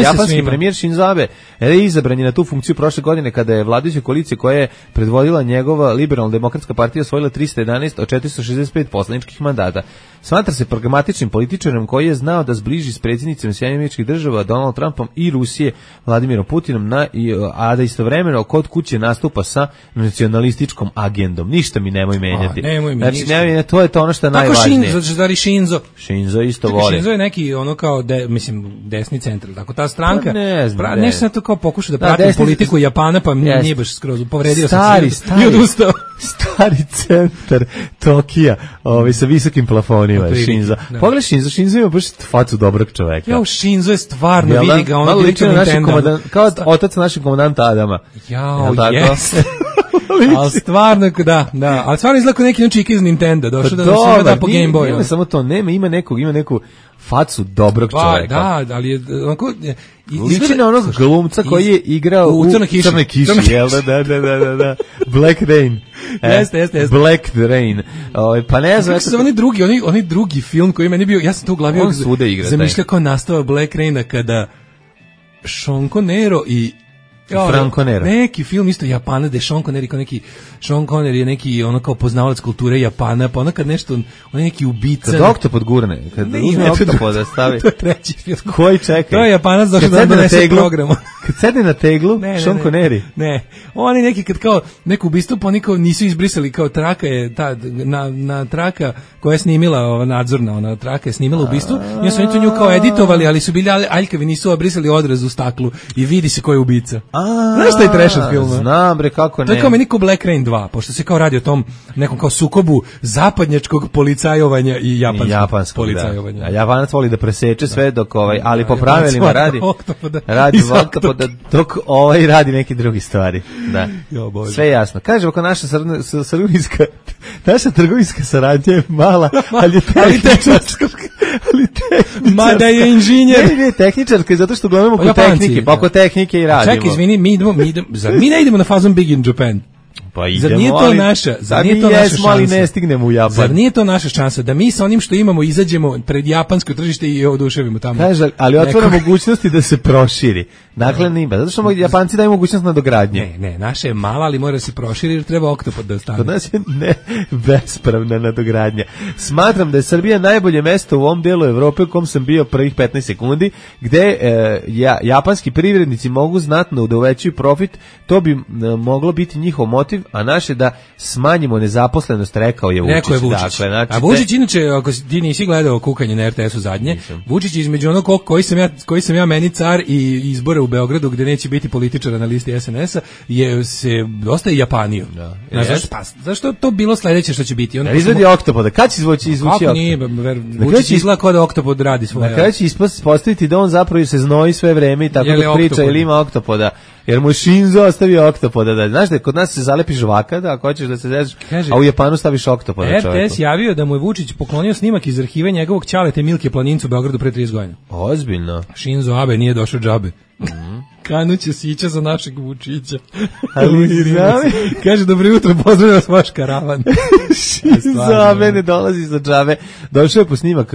Japanski premijer Shinzo Abe izabran je na tu funkciju prošle godine kada je vladajuća koalicija koja je predvodila njegova liberalna demokratska partija osvojila 311 od 465 poslaničkih mandata. Smatra se pragmatičnim političarem koji je znao da zbliži s predsjednicima Sjedinjenih Američkih Država Donald Trumpom i Rusije Vladimirom Putinom, a da istovremeno kod kuće nastupa sa nacionalističkom agendom. Ništa mi nemoj menjati. Znači, to je to ono što je najvažnije. Tako Shinzo isto voli. Shinzo je neki ono kao, desni centar. Tako ta stranka, pa nešto sam to kao pokušao da pratim politiku Japana, pa nije baš skroz, povredio sam se i odustao. Stari centar Tokija, sa visokim plafonima, Shinzo. Pogledaj Shinzo ima baš facu dobrog čoveka. Jao, Shinzo je stvarno, vidi ga, ono lično Nintendo. Kao otac našeg komandanta Adama. Jao, jes. Ali stvarno, da, ali stvarno izgleda kao neki čik iz Nintendo, došao da nam se da po Game Boyu. Nema samo to, ima neku facu dobrog čoveka. Da, ali je onako... Liči na onog glumca koji je igrao u Crnoj kiši, jel da. Black Rain. Jeste. Black Rain. Pa ne znam... Kako se onaj drugi film koji meni bio, ja sam to u glavi zamišljao kao nastava Black Raina kada Sean Connery i Franco Nero. Neki film isto Japana, da je Sean Connery kao neki, Sean Connery je neki ono kao poznavalac kulture Japana, pa ono kad nešto, on je neki ubica. Kad oktopod gurne, kad uzme oktopoda stavi. To je treći film. Koji čekaj? To je Japanac došao da donese program. Kad sedne na teglu, Sean Connery. Ne, oni neki kad kao neko ubistvo, pa niko nisu izbrisali, kao traka je, na traka koja je snimila, ova nadzorna, ona traka je snimila ubistvo, i su oni to nju kao editovali, ali su bili aljkavi, nisu obrisali odraz u staklu i vidi se ko je ubica. Znaš šta je trash od filma? Znam bre, kako ne. To je kao meni ko Black Rain 2, pošto se kao radi o tom nekom kao sukobu zapadnjačkog policajovanja i japanskog policajovanja. Da. A Japanac voli da preseče sve dok ali po pravilima radi oktopoda, dok radi neke druge stvari. Da. Sve jasno. Kaže, oko naša trgovinska saradnja je mala, ali je tehničarska. Mada je inženjer. Ne, tehničarska, zato što uglavnom oko tehnike i radimo. Čekaj, izvini, mi ne idemo na fazon Big in Japan. Pa idemo, zar nije to naša, zar nije to naša šansa? Ali ne stignemo u Japan. Zar nije to naša šansa da mi sa onim što imamo izađemo pred japansko tržište i oduševimo tamo? Kaže, ali otvara mogućnosti da se proširi. Dakle, nima, zato što Japanci daju mogućnost nadogradnje. Ne, naša je mala, ali mora se proširi jer treba oktopod da ostane. Kod nas je bespravna nadogradnja. Smatram da je Srbija najbolje mesto u ovom delu Evrope u kom sam bio prvih 15 sekundi, gde japanski privrednici mogu znatno da uvećaju profit, to bi moglo biti njihov motiv, a naše da smanjimo nezaposlenost, rekao je Vučić. Dakle, znači, a Vučić, inače, ako ti nisi gledao kukanje na RTS-u zadnje, Vučić između onog koji sam ja meni car i izbore u Beogradu gde neće biti političara na listi SNS-a je se dosta i Japanio. Zašto to bilo sledeće što će biti? Izvedi oktopoda. Kad će izvući Kako nije? Vučić izgleda kao da oktopod radi svoje. Na kraju će ispostaviti da on zapravo se znoji sve vreme i tako da priča ili ima oktopoda. Jer mu Shinzo ostavio oktopoda. Znaš da kod nas se zalepi žvaka, da ako hoćeš da se zezaš, a u Japanu staviš oktopoda čoveku. RTS javio da mu je Vučić poklonio snimak iz arhive njegovog ćalete Milke Planincu u Beogradu pre 30 godina. Ozbiljno. Shinzo Abe nije došao džabe. Kanuće sića za našeg Vučića. Kaže, dobro jutro, pozdravljam vas vaš karavan. Shinzo Abe ne dolazi za džabe. Došao je po snimak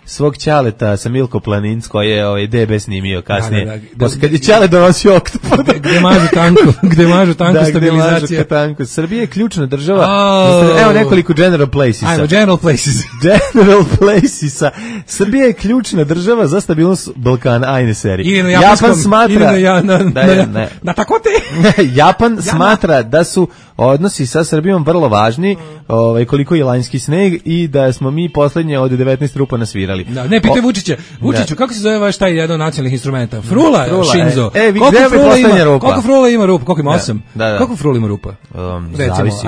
svog ćaleta sa Milko Planinc koji je DB snimio kasnije. Kad je ćale donosio oktopoda. Gde mažu tanku stabilizacija. Srbija je ključna država. Evo nekoliko General Placesa. Ajmo, General Places. General Placesa. Srbija je ključna država za stabilnost Balkana, ajne seriji. Japan smatra na takote. Japan smatra da su odnosi sa Srbijom vrlo važni, koliko je lanjski sneg i da smo mi poslednje od 19 rupa nasvirali. Ne, pitaj Vučiću, kako se zove vaš taj jedan od nacionalnih instrumenta? Frula, Shinzo. Koliko frula ima rupa? Koliko ima 8? Koliko frula ima rupa?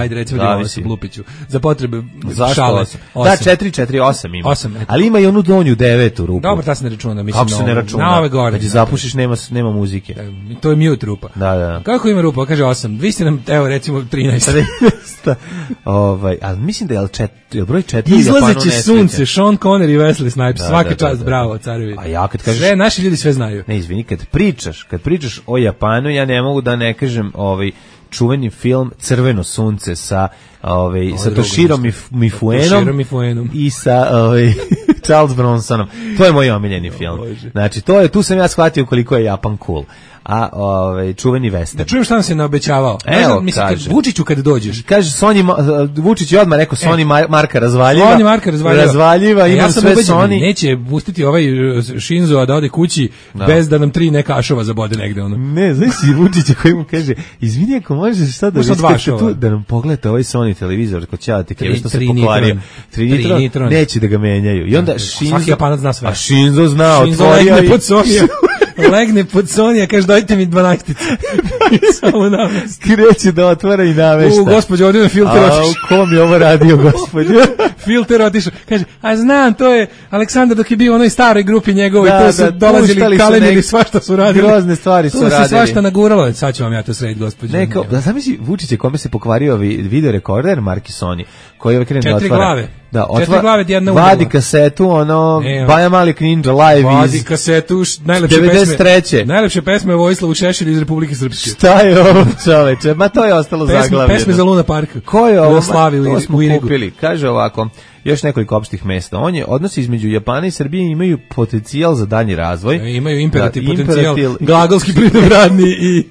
Recimo da imamo se Blupiću. Za potrebe šale. Da, 4-4-8 ima. Ali ima i onu donju 9 rupu. Dobro, ta se ne računa. Kako se ne računa? Na ove gore. Kad je zapušiš, nema muzike. To je mute rupa. Da. Kako ima rupa? Kaže 8. Vi ste nam, evo recimo 13. Ali mislim da je broj 4 Izlazeće sunce, Sean Connery i Wesley Snipes. Svaka čast, bravo, carevi. A ja kad kažeš... Sve, naši ljudi sve znaju. Ne, izvini, kad pričaš o Japanu, ja ne mogu da ne kažem čuveni film Crveno sunce sa Toshirom Mifuenom i sa Charles Bronsonom. To je moj omiljeni film. Znači, tu sam ja shvatio koliko je Japan cool. A čuveni western. Da čujem šta nam se naobećavao. Evo, mislim, Vučiću kad dođeš. Kaže, Vučić je odmah rekao, Sony Marka razvaljiva, imam sve Sony. Neće pustiti ovaj Shinzo da ode kući bez da nam 3 neka ašova zabode negde. Ne, znaš si Vučića koji mu kaže, izvini ako možeš sad da nam pogledate ovaj Sony televizor, ko će ti kreve što se pokvario. 3 nitron, neće da ga menjaju. I onda svaki Japanac zna sve. A Shinzo zna, otvorio i... legne pod Sonija, kaže dajte mi 12-ice. Samo namesti. Kreće da otvara i namešta. Gospođo, ovdje me filter otišao. Ko mi ovo radio, gospođo? Filter otišao. Kaže, a znam, to je Aleksandar dok je bio u onoj staroj grupi njegovoj, tu su dolazili kalemili, svašta su radili. Grozne stvari su radili. Tu se svašta naguralo. Sad ću vam ja to srediti, gospođo. Da sam misli, Vučić je kome se pokvario video rekorder marki Sony, koji je krene da otvara. 4 glave. Da, 4 glave, jedna udela. Vadi kasetu, Baja Malik Ninja live Vadi kasetu, najlepše pesme Vojislavu Šešelju iz Republike Srpske. Šta je ovo, čoveče? Ma to je ostalo zaglavljeno. Pesme za Luna Parka. Ko je ovo? To smo kupili. Kaže ovako, još nekoliko opštih mesta. Odnosi između Japana i Srbije imaju potencijal za dalji razvoj. Imaju imperativ potencijal, glagolski pridobradni i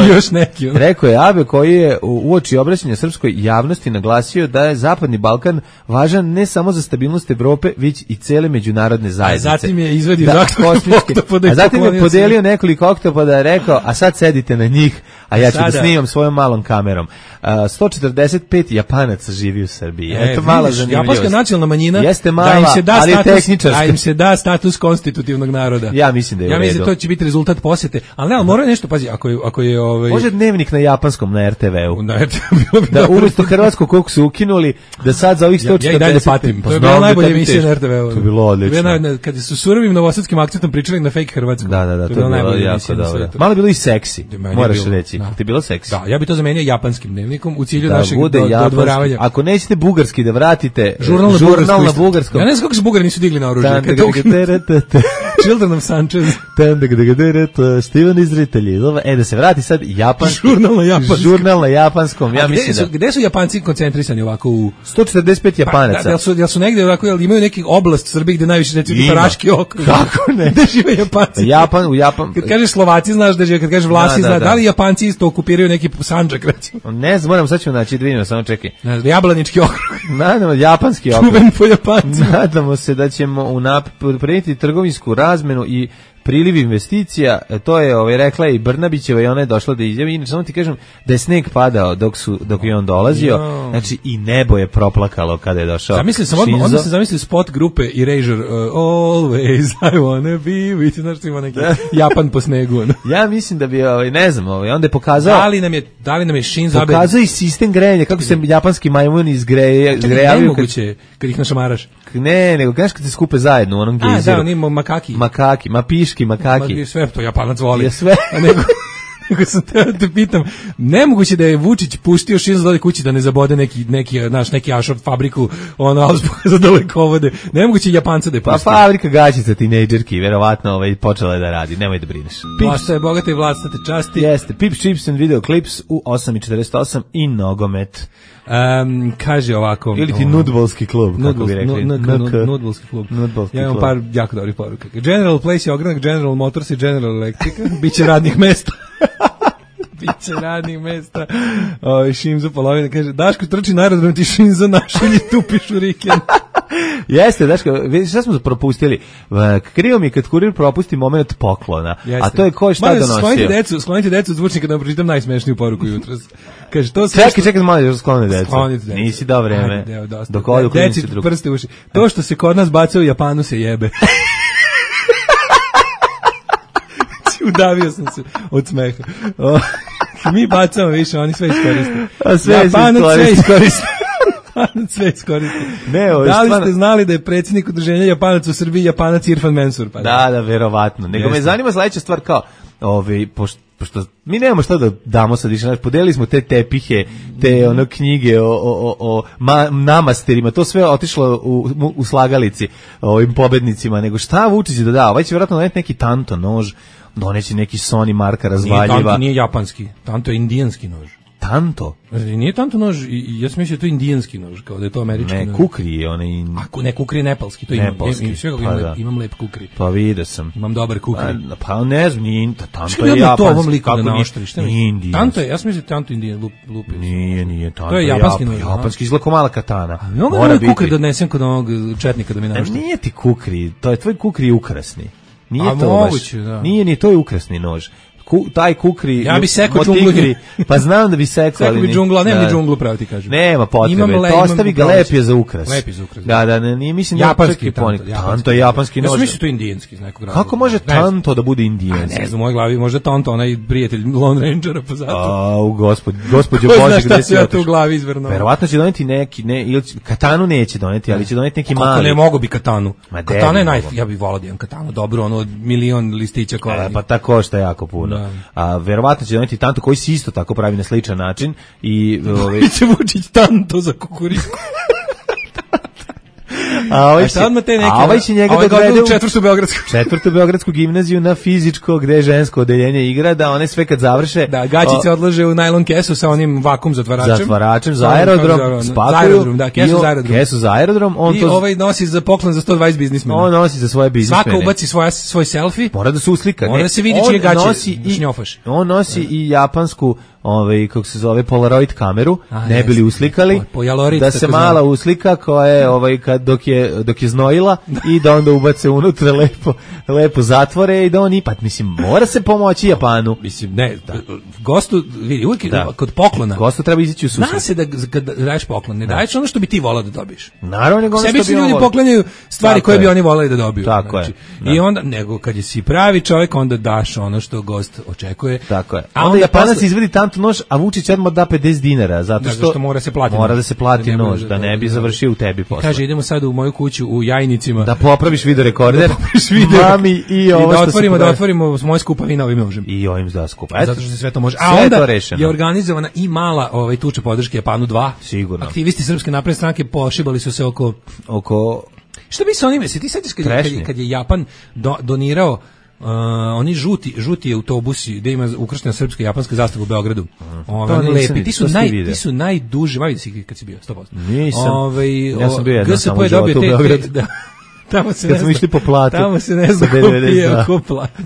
još neki. Rekao je Abe, koji je uoči obraćanja srpskoj javnosti naglasio da je Zapadni Balkan važan ne samo za stabilnost Evrope, već i cele međunarodne zajednice. A zatim je izvedio a zatim je podelio nekoliko oktopoda i rekao, a sad sedite na njih, a ja ću da snimam svojom malom kamerom. 145 Japanaca živi u Srbiji. Eto mala zanimljivost. Japanska nacionalna manjina jeste mala, ali tehničarska. Da im se da status konstitutivnog naroda. Ja mislim da je u redu. Ja mislim da to će biti rezultat posete. Ali ne, mora nešto, pazi, ako je može dnevnik na japanskom na RTV-u. Na RTV-u. Da umjesto hrvatskog koliko su ukinuli, da sad za ovih 140... Ja i dalje patim. To je bila najbolja emisija na RTV-u. To je bilo odlično. Kad su surovim novosadskim akcentom pričali na fake hrvatskom. Da, to je bilo jako dobro. Malo bilo i seksi, moraš reći. Ti bilo seksi. Da, ja bi to zamenio japanskim dnevnikom u cilju našeg dodvoravanja. Ako nećete bugarski da vratite, žurnal na bugarskom. Ja ne znam kako se Bugari nisu digli na oružje. Children of Sanchez. Steven iz Ritalji. Da se vrati sad japanski. Žurnal na japanskom. Ja mislim da. Gde su Japanci koncentrisani ovako u 145 Japanaca? Da su negde ovako, imaju neki oblast u Srbiji gde najviše recimo Paraški okrug. Kako ne? Gde žive Japanci? U Japan. Kad kažeš Slovaci znaš da žive, kad kažeš Vlasi znaš, da li Japanci isto okupiraju neki Sandžak recimo? Ne znam, moramo sad ćemo naći dvino, samo čekaj. Jablanički okrug. Nadamo, japanski okrug. Čuven po Japancima. Nadamo se da ćemo unaprediti trgovinsku razmenu i priliv investicija. To je rekla i Brnabićeva i ona je došla da izjavi. Inače, samo ti kažem da je sneg padao dok je on dolazio. Znači i nebo je proplakalo kada je došao. Onda se zamisli spot grupe Erasure, Always I wanna be with, znaš ti ima neki Japan po snegu. Ja mislim da bi, ne znam, onda je pokazao. Da li nam je Shinzo Abe pokazao i sistem grejanja, kako se japanski majmuni izgrejavaju. Nemoguće kad ih našamaraš. Ne, nego znaš kad se skupe zajedno u onom gejzeru. Da, oni makaki. Piški, makaki. Sve to Japanac voli. Je sve. Nego sam te pitam, nemoguće da je Vučić puštio Shinzo da ode kući da ne zabode neki ašov fabriku, za dalekovode. Nemoguće Japanca da je pustio. Pa fabrika gaćica tinejdžerki, verovatno počela je da radi, nemoj da brineš. Vlasta je bogata i vlasta te časti. Jeste, Pips, Chips and Video Clips u 8:48 i nogomet. Kaže ovako. Ili ti nudbolski klub, kako bi rekli. Nudbolski klub. Ja imam par jako dobrih poruka. General Place je ogranak, General Motors i General Electrica. Biće radnih mesta. Biće radnih mesta. Šimzo polovina kaže, Daško trči na aerodrom, ti Šimzo našilji tupiš u riken. Jeste, Daško, vidiš šta smo propustili? Krivo mi kad kurir propusti moment poklona. Jeste. A to je ko šta donosio. Sklonite decu od zvučnika da vam pročitam najsmešniju poruku jutros. Kaže, to čekaj, malo još skloni decu. Nisi dao vreme. Dok odu klinici drug. Prste uši. To što se kod nas baca u Japanu se jebe. Udavio sam se od smeha. Mi bacamo više, oni sve iskoriste. Japanac sve iskoriste. Sve iskoriste. Da li ste znali da je predsjednik udruženja Japanac u Srbiji Japanac Irfan Mensur? Da, verovatno. Nego me zanima sledeća stvar kao, pošto mi nemamo šta da damo sad više, podelili smo te tepihe, te knjige o namasterima, to sve otišlo u slagalici ovim pobednicima, nego šta Vučić da ovaj će vjerojatno doneti neki tanto nož, doneći neki Sony marka razvaljiva. Nije japanski, tanto je indijanski nož. Tanto? Nije tanto nož, ja sam mislio da je to indijanski nož, kao da je to američki nož. Ne, kukri je onaj... Ne, kukri je nepalski, to imam lep kukri. Pa vidio sam. Imam dobar kukri. Pa ne znam, nije tanto je japanski. To ovom liku da naoštri, šta mi? Nije indijanski. Tanto je, ja sam mislio tanto indijan, lupio. Nije, tanto to je japanski nož. Japanski, izgleda kao mala katana. Mora biti. Kukri da odnesem kod onog četnika da mi naoštri. Nije ti kukri, to je tvoj kukri ukrasni. Nije to moguće, baš. Nije, to je ukrasni nož. Taj kukri, ja bi sekao džunglu, pa znam da bi sekao, ali bi džungla, nema ni džunglu, pravo ti kažem. Nema potrebe, to ostavi ga, lep je za ukras. Lep je za ukras. Da, nije, mislim japanski tanto je japanski nož. Ja mislim to je indijanski iz nekog razloga. Kako može tanto da bude indijanski? Ne znam, u mojoj glavi možda tanto onaj prijatelj Lone Rangera, pa zato. Gospođo Bože, gde si otišao? U glavi izvrnuo. Verovatno će doneti neki, ili katanu neće doneti, ali će doneti neki mali. Kako ne mogu bi katanu? Katana je ja bih volao da imam katanu, dobro, ono od milion listića kola. Pa tako košta jako puno. A verovatno će doneti tanto koji se isto tako pravi na sličan način i će Vučić tanto za kukuriku. A ovaj će njega da dovede u četvrtu beogradsku gimnaziju na fizičko, gde je žensko odeljenje igra, da one sve kad završe... Da, gaćice odlože u najlon kesu sa onim vakum zatvaračem. Za aerodrom, spakuju. Kesu za aerodrom. I ovaj nosi za poklon za 120 biznismena. On nosi za svoje biznismene. Svaka ubaci svoj selfie. Mora da se uslika. Mora da se vidi čije gaće šnjofaš. On nosi i japansku kako se zove Polaroid kameru, ne bili uslikali, da se mala uslika koja je dok je znojila i da onda ubace unutra lepo zatvore i da on ipak, mislim, mora se pomoći Japanu. Mislim, ne, gostu, vidi, uvijek kod poklona. Gostu treba izići u susret. Zna se da kad daješ poklon, ne daješ ono što bi ti volao da dobiješ. Naravno, nego ono što bi sebi ljudi poklanjaju stvari koje bi oni voleli da dobiju. Tako je. I onda, nego kad si pravi čovjek, onda daš ono što gost očekuje. Tako je. A onda Japanac izvedi tanto nož, a Vučić odmah da 50 dinara, zato što mora se platiti. Mora da se plati nož, da ne bi završio u tebi posle. Kaže, idemo sad u moju kuću u Jajnicima. Da popraviš video rekorder. Mami i ovo što da otvorimo moje skupavine ovim možem. I ovim za skupa. Zato što se sve to može. A onda je organizovana i mala tuča podrške Japanu 2. Sigurno. Aktivisti Srpske napredne stranke pošibali su se oko Šta bi se oni se ti sećaš kad je Japan donirao oni žuti autobusi gde ima ukrštena srpska i japanska zastava u Beogradu. Oni lepi, ti su najduži, vidi si kad si bio 100%. Nisam. Ja sam bio jedan samo u životu u Beogradu. Tamo se kad smo išli po platu. Tamo se ne zna ko platu.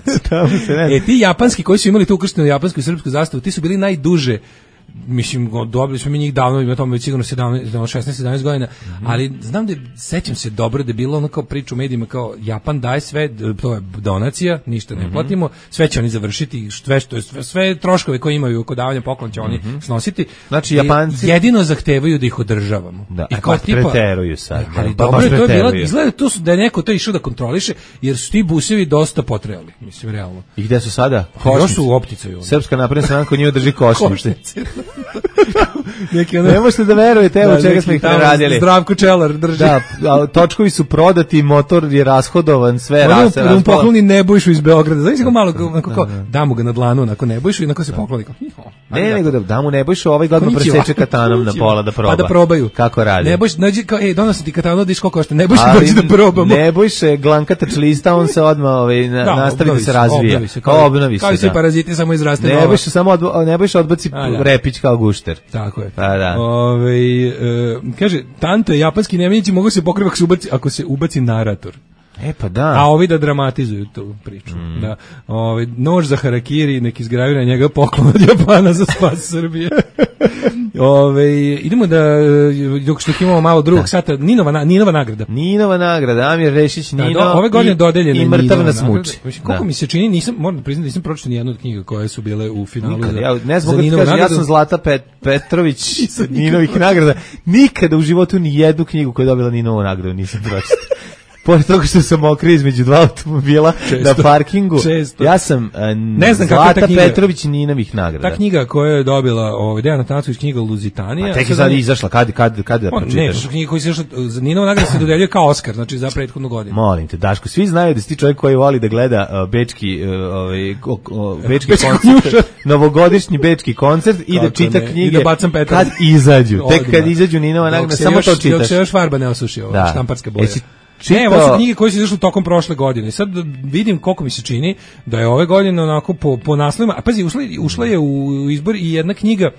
Ti japanski koji su imali tu ukrštenu japansku i srpsku zastavu, ti su bili najduže. Mislim, dobili smo mi njih davno, ima tome već sigurno 16-17 godina, ali znam da sećam se dobro da je bilo ono kao priča u medijima kao Japan daje sve, to je donacija, ništa ne platimo, sve će oni završiti, sve troškove koje imaju oko davanja poklona će oni snositi. Znači Japanci jedino zahtevaju da ih održavamo. Da, i kao tipa preteruju sad. Ali dobro, to je bilo, izgleda da je neko to išao da kontroliše, jer su ti busevi dosta potrejali, mislim realno. I gde su sada? Još su u opticaju. Srpska napredna stranka njima drži košnice. Ne možete da verujete, evo čega smo ih radili. Zdravko Čelar drži. Da, točkovi su prodati, motor je rashodovan, sve rase. Da mu pokloni Nebojšu iz Beograda. Znači ga malo, da mu ga na dlanu, nakon Nebojšu i nakon se pokloni. Ne, nego da mu Nebojšu ovaj godno preseče katanom na pola da proba. Pa da probaju. Kako radi? Nebojš, nađi kao, donosi ti katanu, diš koliko košta. Nebojš dođi da probamo. Nebojš je glankatač lista, on se odmah nastavi da se razvija. Kao obnovi se. Kao i svi paraziti, samo izraste nova. Nebojš odbaci repić kao gušter. Tako je. Pa da. Kaže, tanto je japanski nemenici mogu se pokriti ako se ubaci narator. Pa da. A ovi da dramatizuju tu priču. Da. Nož za harakiri, neki izgravira na njega poklon od Japana za spas Srbije. Idemo da, dok što imamo malo drugog sata, Ninova nagrada. Ninova nagrada, Amir Rešić, Nino ove godine dodeljena i Mrtav nas muči. Koliko mi se čini, moram da priznati, nisam pročitao ni jednu od knjiga koje su bile u finalu. Ne znam kako ti kažem, ja sam Zlata Petrović Ninovih nagrada. Nikada u životu ni jednu knjigu koja je dobila Ninovu nagradu nisam pročitao. pored toga što sam mokrio između dva automobila na parkingu, ja sam ne znam Zlata Petrović Ninovih nagrada. Ta knjiga koja je dobila Dejan Atanacković, knjiga Luzitanija. A tek je sad izašla, kad da pročitaš? Ne, knjiga koja je izašla, Ninova nagrada se dodeljuje kao Oskar, znači za prethodnu godinu. Molim te, Daško, svi znaju da si ti čovjek koji voli da gleda bečki koncert, novogodišnji bečki koncert i da čita knjige kad izađu. Tek kad izađu Ninova nagrada, samo to čitaš. Dok se još farba ne osuši, štamparska boja. Ne, ovo su knjige koje su izašle tokom prošle godine. Sad vidim koliko mi se čini da je ove godine onako po naslovima, a pazi, ušla je u izbor i jedna knjiga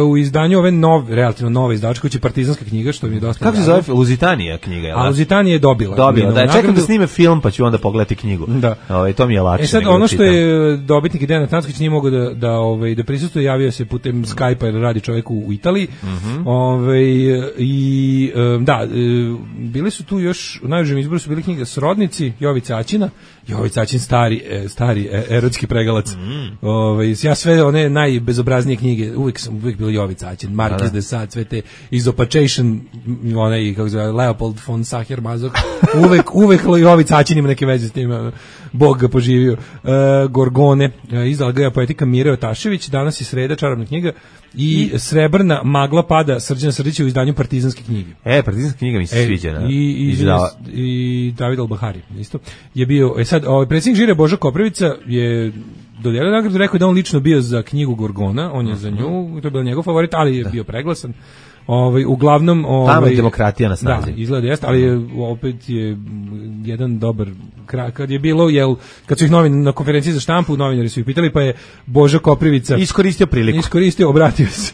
u izdanju ove relativno nove izdavačke kuće, Partizanska knjiga, što mi je dosta. Kako se zove? Luzitanija knjiga, je li? A Luzitanija je dobila. Da, čekam da snime film, pa ću onda pogledati knjigu. Da. To mi je lakše. Sad ono što je dobitnik Dejan Atanacković nije mogao da prisustvuje, javio se putem Skype-a jer radi čovjek u Italiji. Bili su tu još u najužem izboru su bili knjige Srodnici Jovica Aćina. Jovica Aćin stari erotski pregalac. Ja sve one najbezobraznije knjige uvijek bilo Jovica Aćin, Marquis de Sade, sve te Izopachation, onaj, kako se zove, Leopold von Sacher-Masoch, uvek Jovica Aćin ima neke veze s tim, Bog ga poživio. Gorgone, izdala ga poetika Mire Otašević, danas je sreda, čarobna knjiga, i Srebrna magla pada Srđana Srdića u izdanju Partizanske knjige. Partizanska knjiga mi se sviđa. I David Al-Bahari, isto. Je bio, sad, predsjednik žire Boža Koprivica je dodelio nagradu, rekao da on lično bio za knjigu Gorgona, on je za nju, to je bio njegov favorit, ali je bio preglasan. Uglavnom tamo je demokratija na snazi. Da, izgleda jeste, ali opet je jedan dobar kad je bilo, kad su ih na konferenciji za štampu, novinari su ih pitali, pa je Boža Koprivica iskoristio priliku. Obratio se.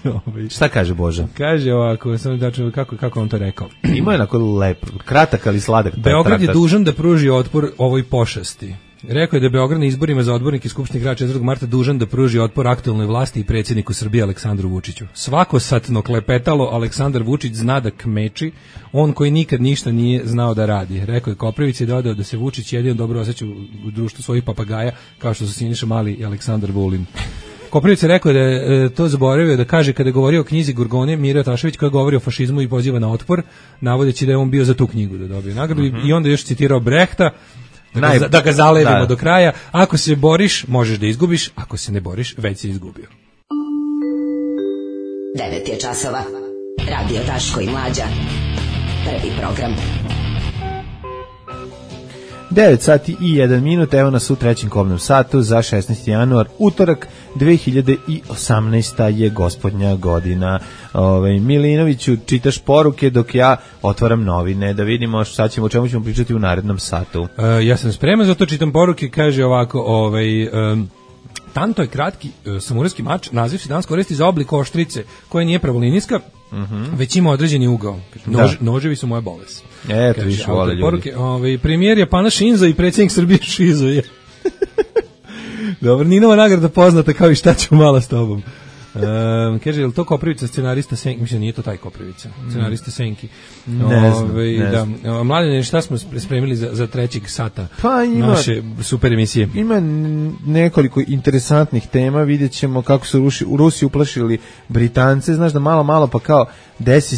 Šta kaže Boža? Kaže ovako, samo da čujem kako on to rekao. Ima je onako lep, kratak ali sladak. Beograd je dužan da pruži otpor ovoj pošasti. Rekao je da je Beograd na izborima za odbornike Skupštine grada 4. marta dužan da pruži otpor aktuelnoj vlasti i predsjedniku Srbije Aleksandru Vučiću. Svako satno klepetalo Aleksandar Vučić zna da kmeči, on koji nikad ništa nije znao da radi. Rekao je Koprivić i dodao da se Vučić jedino dobro osjeća u društvu svojih papagaja, kao što su Siniša Mali i Aleksandar Vulin. Koprivić je rekao da je to zaboravio da kaže kada je govorio o knjizi Gorgone Mire Otašević koja govori o fašizmu i poziva na otpor, navodeći da je on bio za tu knjigu da dobije nagradu. I onda još citirao Brehta, da ga zalevimo do kraja. Ako se boriš, možeš da izgubiš. Ako se ne boriš, već si izgubio. 9 je časova. Radio Daško i Mlađa. Prvi program. 9 sati i 1 minut, evo nas u trećem kobnom satu za 16. januar, utorak, 2018. je gospodnja godina. Milinoviću, čitaš poruke dok ja otvaram novine, da vidimo šta ćemo, o čemu ćemo pričati u narednom satu. Ja sam spreman, zato čitam poruke, kaže ovako, tanto je kratki samurajski mač, naziv se danas koristi za oblik oštrice, koja nije pravolinijska, već ima određeni ugao. Noževi su moja bolest. Eto, više vole ljudi. Premijer Japana Shinzo i predsjednik Srbije Shizo je. Dobro, Ninova nagrada poznata kao i šta ću malo s tobom. Kaže, je li to Koprivica, scenarista Senki? Mislim, nije to taj Koprivica, scenarista Senki. Ne znam. Mladine, šta smo spremili za trećeg sata naše super emisije? Ima nekoliko interesantnih tema, vidjet ćemo kako su Rusi uplašili Britance, znaš da malo pa kao desi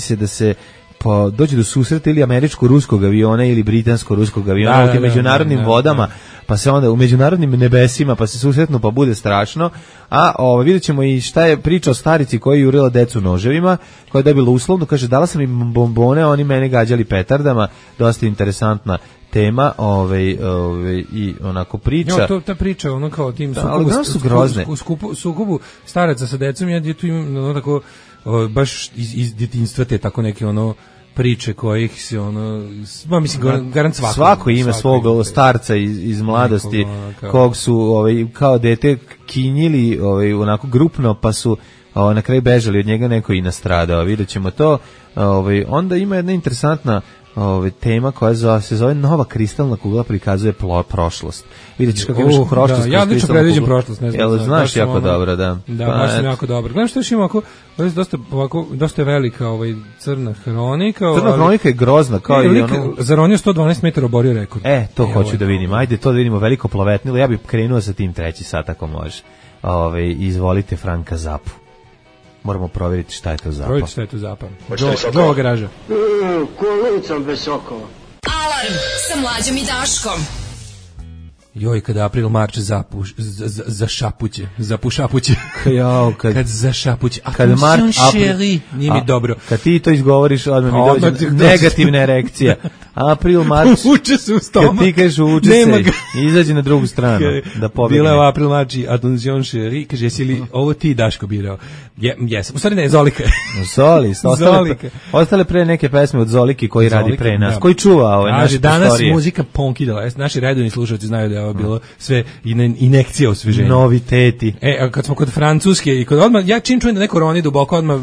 se da se dođe do susreta ili američko-ruskog aviona ili britansko-ruskog aviona u tim međunarodnim vodama, pa se onda u međunarodnim nebesima pa se susretnu pa bude strašno. A vidjet ćemo i šta je priča o starici koja je jurila decu noževima, koja je dobila uslovno, kaže dala sam im bombone, oni mene gađali petardama, dosta interesantna tema, i onako priča. Ta priča, ono kao tim sukobu staraca sa decom, ja tu imam ono tako baš iz djetinjstva te tako neke ono priče kojih se mislim garant svako ima svog starca iz mladosti kog su kao dete kinjili onako grupno pa su na kraju bežali od njega, neko i nastradao. Vidjet ćemo to. Onda ima jedna interesantna tema koja se zove nova kristalna kugla prikazuje prošlost. Vidjet ćeš kako imaš prošlost. Ja lično predviđam prošlost, ne znam. Znaš jako dobro, da. Da, baš sam jako dobro. Gledam što još ima dosta je velika crna hronika. Crna hronika je grozna. Zaronio 112 metara, oborio rekord. To hoću da vidim. Ajde, to da vidimo, veliko plovetnilo. Ja bih krenuo sa tim treći sat ako može. Izvolite Franka Zapu. Moramo provjeriti šta je to zapal. Provjeriti šta je to zapal. Do garaža. Kolicom bez sokova. Alarm sa Mlađom i Daškom. Joj, kada April marče za šapuće, za pušapuće. Kad za šapuće. A kad šeri, nije mi dobro. Kad ti to izgovoriš, odmah mi dođe negativna erekcija. April marč. Uče se u stomak. Kad ti kažeš uče se, izađi na drugu stranu da pobegne. Bila je April marči, attention šeri, kaže, jesi li ovo ti Daško birao? Jesam. U stvari ne, Zolika. Zolika. Ostale pre neke pesme od Zoliki koji radi pre nas. Koji čuva ove naše danas prostorije. Muzika ponkidala. Naši redovni slušalci znaju da je ovo bilo sve inekcija osveženja. Noviteti. A kad smo kod Francuske i kod odmah, ja čim čujem da neko roni duboko, odmah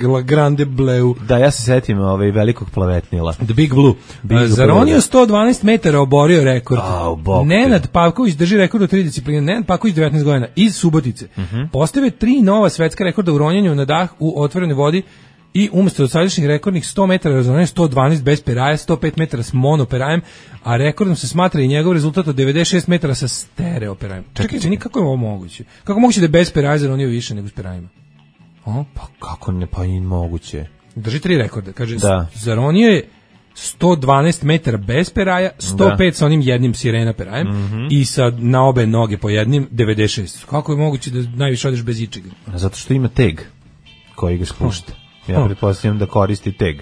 La Grande Bleu. Da, ja se setim velikog plavetnila. The Big Blue. Zaronio 112 metara, oborio rekord. Nenad Pavković drži rekord u 3 discipline. Nenad Pavković 19 godina iz Subotice. Postavio 3 nova svetska rekorda u ronjenju na dah u otvorenoj vodi i umjesto od sadašnjih rekordnih 100 metara razonio 112 bez peraja, 105 metara s monoperajem, a rekordom se smatra i njegov rezultat od 96 metara sa stereoperajem. Čekaj, kako je ovo moguće? Kako moguće da je bez peraja zaronio više nego s perajima? Pa kako ne, pa i moguće. Drži 3 rekorda. Kaže, zaronio je 112 metara bez peraja, 105 sa onim jednim sirena perajem i sa na obe noge po jednim 96. Kako je moguće da najviše odeš bez ičega? Zato što ima teg koji ga spušta. Ja pretpostavljam da koristi teg.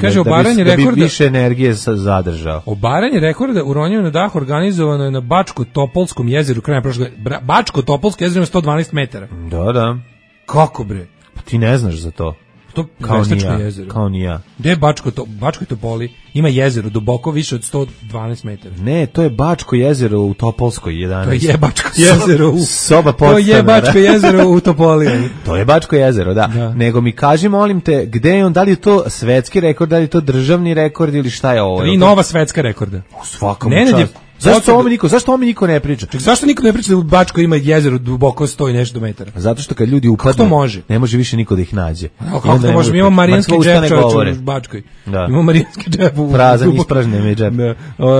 Kaže, obaranje rekorda... Da bi više energije zadržao. Obaranje rekorda u ronjenju na dah organizovano je na Bačko-Topolskom jezeru krajem prošle godine. Bačko-Topolsko jezero ima 112 metara. Da. Kako bre? Pa ti ne znaš za to. To kao ni ja. Gde je Bačko Topoli? Ima jezero duboko više od 112 metara. Ne, to je Bačko jezero u Topolskoj 11. To je Bačko jezero u soba podstanara. To je Bačko jezero u Topoli. To je Bačko jezero, da. Nego mi kaži, molim te, gde je on, da li je to svetski rekord, da li je to državni rekord ili šta je ovo? 3 nova svetska rekorda. U svakom času. Zašto o ome niko ne priča? Zašto niko ne priča da u Bačkoj ima jezero duboko 100 i nešto metara? Zato što kad ljudi upadnu, ne može više niko da ih nađe. Kako to može? Mi imamo Marijanski džep čovječ u Bačkoj. Imamo Marijanski džep u... Prazan, ispražnjen mi džep.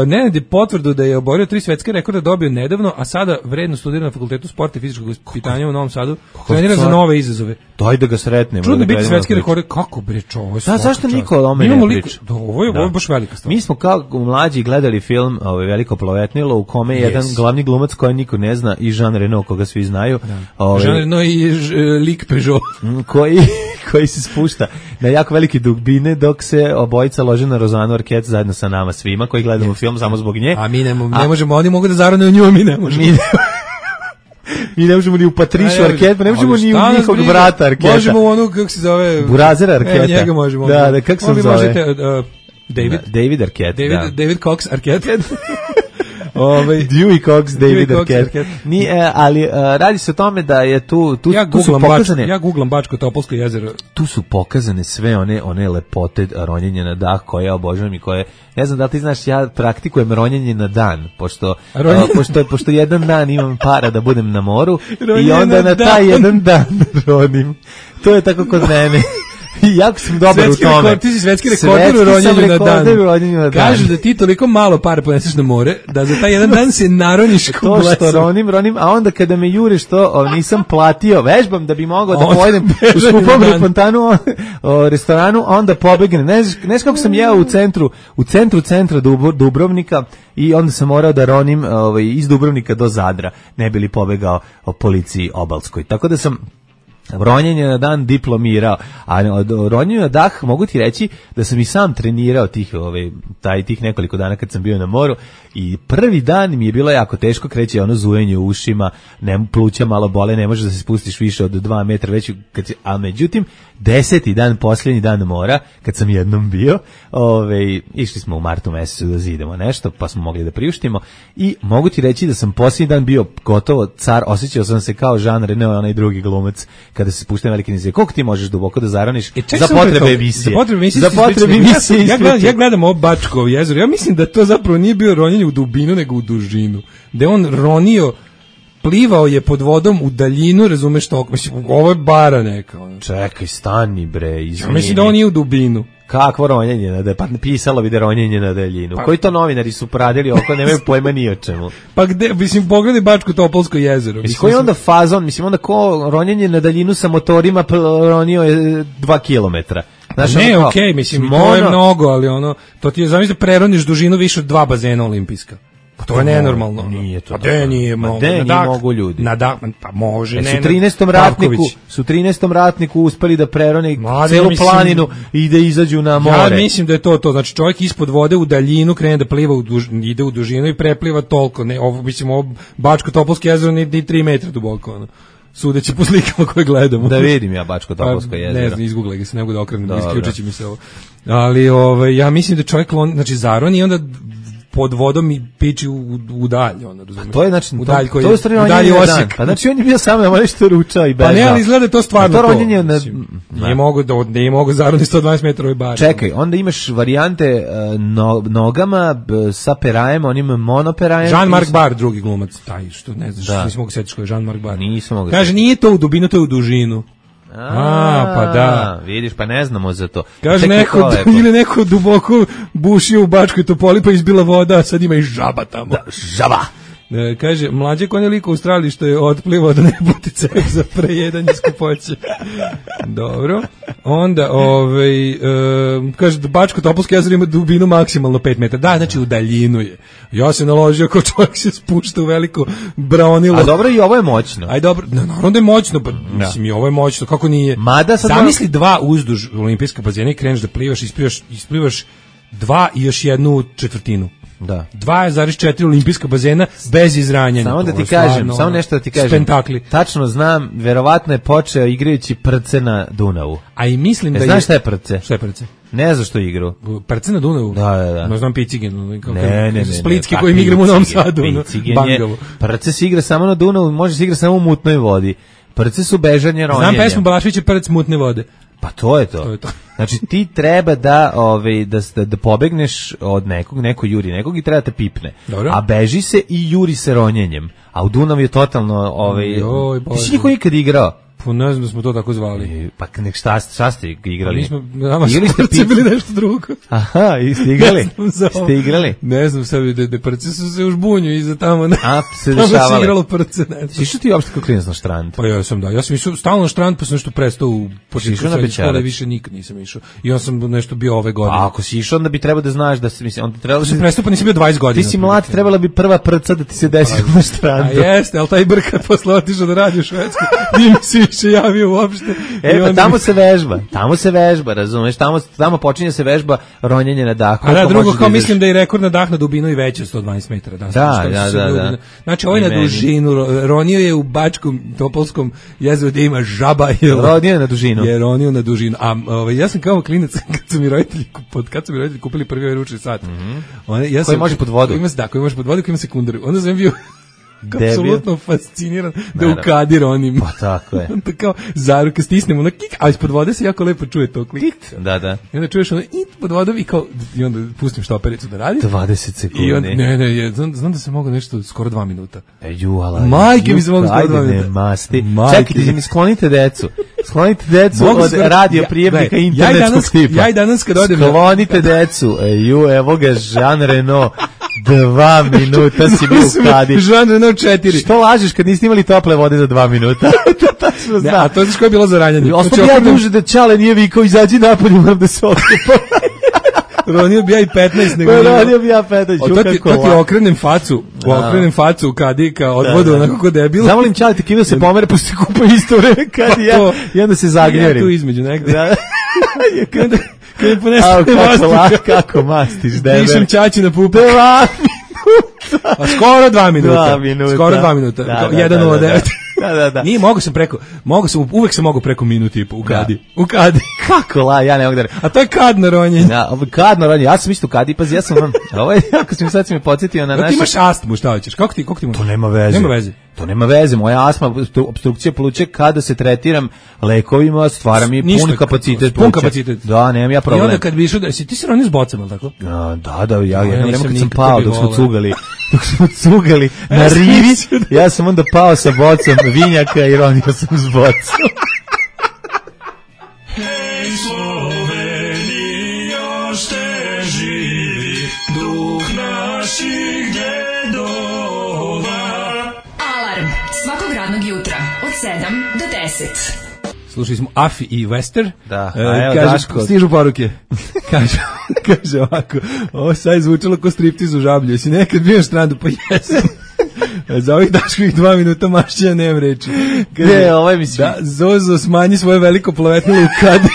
Nenad je potvrdu da je oborio 3 svetske rekorde dobio nedavno, a sada vredno studira na Fakultetu sporta i fizičkog vaspitanja u Novom Sadu. Trenira za nove izazove. Daj da ga sretnemo. Čudno biti svetski rekord. Kako bre čovo? Zašto niko o ome ne priča? Ovo je baš velika stvar. Mi smo kao mlađi gledali film Veliko plavetnilo u kome je jedan glavni glumac koji niko ne zna i Jean Reno koga svi znaju. Jean Reno i lik Peugeot. koji se spušta na jako velike dubine dok se obojica lože na Rozanu Arquette zajedno sa nama svima koji gledamo film samo zbog nje. A mi ne možemo, oni mogu da zarone u nju, mi ne možemo. Mi ne možemo ni u Patrišu Arquette, ne možemo ni u njihovog brata Arquette. Možemo u onu, kako se zove... Burazera Arquette. Njega možemo. Da, kako se zove? David Arquette. David Cox Arquette. Dewey Cox, David Arquette. Ali radi se o tome da je tu su pokazane... Ja googlam Bačko Topolsko jezero. Tu su pokazane sve one lepote ronjenja na dah koje ja obožavam i koje... Ne znam da li ti znaš, ja praktikujem ronjenje na dan, pošto jedan dan imam para da budem na moru i onda na taj jedan dan ronim. To je tako kod mene. Jako sam dobar u tome. Ti si svetski rekorder u ronjenju na dan. Kažu da ti toliko malo para poneseš na more, da za taj jedan dan se naroniš ko blesav. To što ronim, a onda kada me jure što nisam platio, vežbam da bi mogao da pojedem u skupom restoranu, a onda pobegnem. Ne znaš kako sam jeo u centra Dubrovnika i onda sam morao da ronim iz Dubrovnika do Zadra, ne bi li pobegao o policiji obalskoj. Tako da sam ronjenje na dan diplomirao, a ronjenje na dah mogu ti reći da sam i sam trenirao tih nekoliko dana kad sam bio na moru i prvi dan mi je bilo jako teško, kreće ono zujenje u ušima, pluća malo bole, ne možeš da se spustiš više od 2 metra već, a međutim 10. dan, posljednji dan mora, kad sam jednom bio, išli smo u martu mesecu da zidemo nešto, pa smo mogli da priuštimo i mogu ti reći da sam posljednji dan bio gotovo car, osjećao sam se kao Jean Reno, onaj drugi glumac, kada se spušta na velike nizije. Koliko ti možeš duboko da zaroniš za potrebe emisije? Za potrebe emisije. Ja gledam ovo Bačko jezero, ja mislim da to zapravo nije bio ronjenje u dubinu, nego u dužinu. Da je on ronio, plivao je pod vodom u daljinu, razumeš to? Mislim, ovo je bara neka. Čekaj, stani bre, izvini. Ja mislim da on nije u dubinu. Kakvo ronjenje na daljinu? Pa pisalo bi da ronjenje na daljinu. Koji to novinari su pradili oko, nemaju pojma ni o čemu. Pa gde, mislim, pogledaj Bačko Topolsko jezero. Mislim, koji onda fazon, mislim, onda ko ronjenje na daljinu sa motorima ronio je 2 kilometra. Znaš, ne, okej, mislim, to je mnogo, ali ono, to ti je, zamisli, preroniš dužinu više od 2 bazena olimpijska. Pa to je nenormalno. Nije to. Pa nije mogu. Nije mogu ljudi. Pa može, ne. Su 13. ratniku uspeli da prerone celu planinu i da izađu na more. Ja mislim da je to. Znači čovjek ispod vode u daljinu krene da pliva, ide u dužinu i prepliva toliko. Ne, ovo, mislim, ovo Bačko Topolsko jezero ni 3 metra duboko, ono. Sudeći po slikama koje gledamo. Da vidim ja Bačko Topolsko jezero. Ne znam, izgooglaj ga se, ne mogu da okrenem, isključit će mi se ovo. Ali ja mislim da čovjek znači zaroni i onda pod vodom i piči u dalj, ono, razumiješ? To je, znači, u dalj koji to je u dalji Osijek. Pa znači on je bio samo na nešto ručao i bežao. Pa ne, ali izgleda to stvarno to. Ronjenje nije mogo zaroni 120 metara bar. Čekaj, onda imaš varijante nogama sa perajem, onim monoperajem. Jean-Marc Barr, drugi glumac, taj što ne znaš, nisam mogu setiti ko je Jean-Marc Barr. Nisam mogu. Kaže, nije to u dubinu, to je u dužinu. Pa da. Vidiš, pa ne znamo za to. Kaže ili neko duboko bušio u Bačkoj Topoli pa izbila voda, a sad ima i žaba tamo. Da, žaba. Kaže, mlađe konje liko u Australiji što je otplivao da ne buti ceh za prejedanje skupoće. Dobro. Onda, kaže, Bačko Topolsko jezero ima dubinu maksimalno 5 metara. Da, znači u daljinu je. Ja se naložio kao čovjek se spušta u veliko braunilo. A dobro, i ovo je moćno. Aj dobro, naravno da je moćno, pa mislim i ovo je moćno, kako nije. Zamisli 2 uzduž olimpijska bazena i kreneš da plivaš, isplivaš 2 i još 1/4. Da. 2,4 olimpijska bazena bez izranjanja. Samo da ti kažem, samo nešto da ti kažem. Spentakli. Tačno znam, verovatno je počeo igrajući Prce na Dunavu. A i mislim da znaš šta je Prce? Šta je Prce? Ne znaš što igrao. Prce na Dunavu? Da. No znam Picigen. Ne. Splitski koji mi igramo u Novom Sadu. Bangavo. Prce se igra samo na Dunavu, može se igra samo u mutnoj vodi. Prce su bežanje ronjenja. Znam pesmu Balaševića Prc mutne vode. Pa to je to. Znači ti treba da pobegneš od neko juri nekog i treba te pipne. Dobro. A beži se i juri se ronjenjem. A u Dunavu je totalno ti si niko nikad igrao? Pa ne znam da smo to tako zvali. Pa nek šta ste igrali? Igrali ste bili nešto drugo. Aha, ste igrali? Ne znam sad da Prce su se u žbunju i za tamo se dešavale. Tamo se igralo Prce. Si išao ti uopšte kao klinac na štrand? Pa ja sam išao stalno na štrand, pa sam nešto prestao u početku srednje škole, više nikad nisam išao. I on sam nešto bio ove godine. A ako si išao, onda bi trebalo da znaš da se, mislim, onda trebalo da prestao, pa nisam bio 20 godina. Ti si mlad, trebala bi prva prca da ti se desi na štrandu. A jeste, al taj brka posle otišao da radi u Švedsku. Nije mi se više javio uopšte. Pa tamo se vežba, razumeš? Tamo počinje se vežba ronjenje na dahu. A da, drugo, kao mislim da je rekord na dah na dubinu i veći od 112 metara. Da. Znači, ovo je na dužinu, ronio je u Bačkom Topolskom jezeru gdje ima žaba. Ronio je na dužinu. Je ronio na dužinu. A ja sam kao klinac, kad su mi roditelji kupili prvi ručni sat. Koji može pod vodu? Da, koji može pod vodu, koji ima sekundaru. Onda sam bio apsolutno fasciniran da ukadi ronim. Pa tako je. Onda kao zaruka stisnemo ono kik, a ispod vode se jako lepo čuje to klik. Da. I onda čuješ ono pod vodom i onda pustim štopericu da radi. 20 sekundi. I onda, ne, znam da se mogu nešto skoro 2 minuta. Majke mi se mogu skoro 2 minuta. Masti. Čekajte, sklonite decu. Sklonite decu od radio prijemnika internetskog tipa. Ja i danas kad odem. Sklonite decu. Evo ga Jean Reno. 2 minuta si bio u kadi. Jean Reno 4. Što lažeš kad niste imali tople vode za 2 minuta? Tačno znam. A to znaš koje je bilo za ranjanje. Ostavio ja duže da Čale nije vikao, izađi napolje, moram da se okupam. Ronio bi ja i 15. Ronio bi ja 15. To ti okrenem facu u kadika od vodu, onako ko debil. Zavolim Čale, te kivio se pomere, pa se kupa isto vreme kadi ja i onda se zagnjerim. Ja tu između negde. Kako mastiš, debe. Pišem Čači na pupak. 2 minuta. A skoro 2 minuta. Skoro 2 minuta. 1:09. Da. Nije, uvek sam mogao preko minuti i po u kadi. Kako ja ne mogu da. A to je kadno ronjenje. Da, kadno ronjenje. Ja sam isto u kadi, pazi, ja sam ovo je jako sad si me podsjetio na naše. Ti imaš astmu, šta hoćeš? Kako ti imaš? To nema veze. To nema veze. Moja astma, opstrukcija pluća, kada se tretiram lekovima, stvara mi pun kapacitet. Da, nemam ja problem. I onda kad bi išao, ti si ronio s bocama, tako? Da, ja jedno vreme kad sam pao dok smo cugali na rivi, ja sam onda pao sa bocom vinjaka i ronio sam s bocom. Hej Slovenija, Slušali smo Afi i Wester. Da, a evo Daško. Stižu poruke. Kaže ovako, ovo sad je zvučalo ko striptiz u Žablju. Jesi nekad bio na Štrandu? Pa jesam. Za ovih Daškovih 2 minuta mašćenja nemam reči. Kaže, ovaj mislim. Da, Zozo smanji svoje veliko plovetnilo u kadi.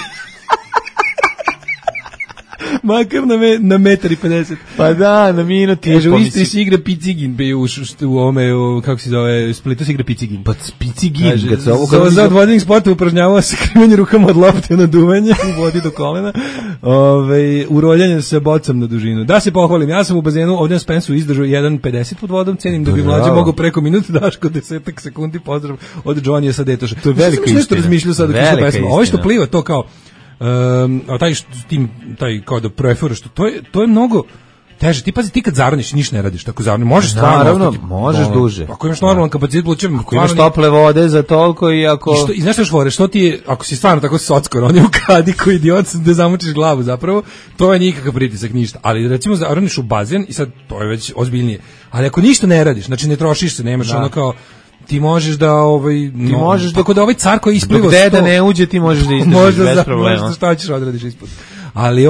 Makar na metar i 50. Pa da, na minut. Kaže, u Istri se igra Picigin, u ovome, kako se zove, Splitu se igra Picigin. Pa Picigin, kad se ovo... Za od vodenih sporta upražnjavao se krivanje rukama od lopte na duvanje u vodi do kolena, uroljanje sa bocom na dužinu. Da se pohvalim, ja sam u bazenu ovdje na Spensu izdržao 1.50 pod vodom, cenim da bi mlađe mogao preko minuta, Daško 10 sekundi, pozdrav od Johnnyja sa Detoša. To je velika istina. Nešto razmišljao sad dok je pesma. Ovo što pliva, to kao... taj kao da preferu što to je mnogo teže. Ti pazi, ti kad zaroniš ništa ne radiš, tako zaroniš možeš stvarno, naravno, možeš duže. Ako imaš normalan kapacitet plućem, ako imaš tople vode za toliko i ako i znaš što fore, što ti je, ako si stvarno tako sockor, on je u kadi koji idiot da zamučiš glavu zapravo, to je nikakav pritisak, ništa. Ali recimo zaroniš u bazen i sad to je već ozbiljnije. Ali ako ništa ne radiš, znači ne trošiš se, nemaš ono kao ti možeš da možeš tako da ovaj car koji ispliva da ne uđe ti možeš da izdržiš bez problema. Možeš šta ćeš odradiš ispod. Ali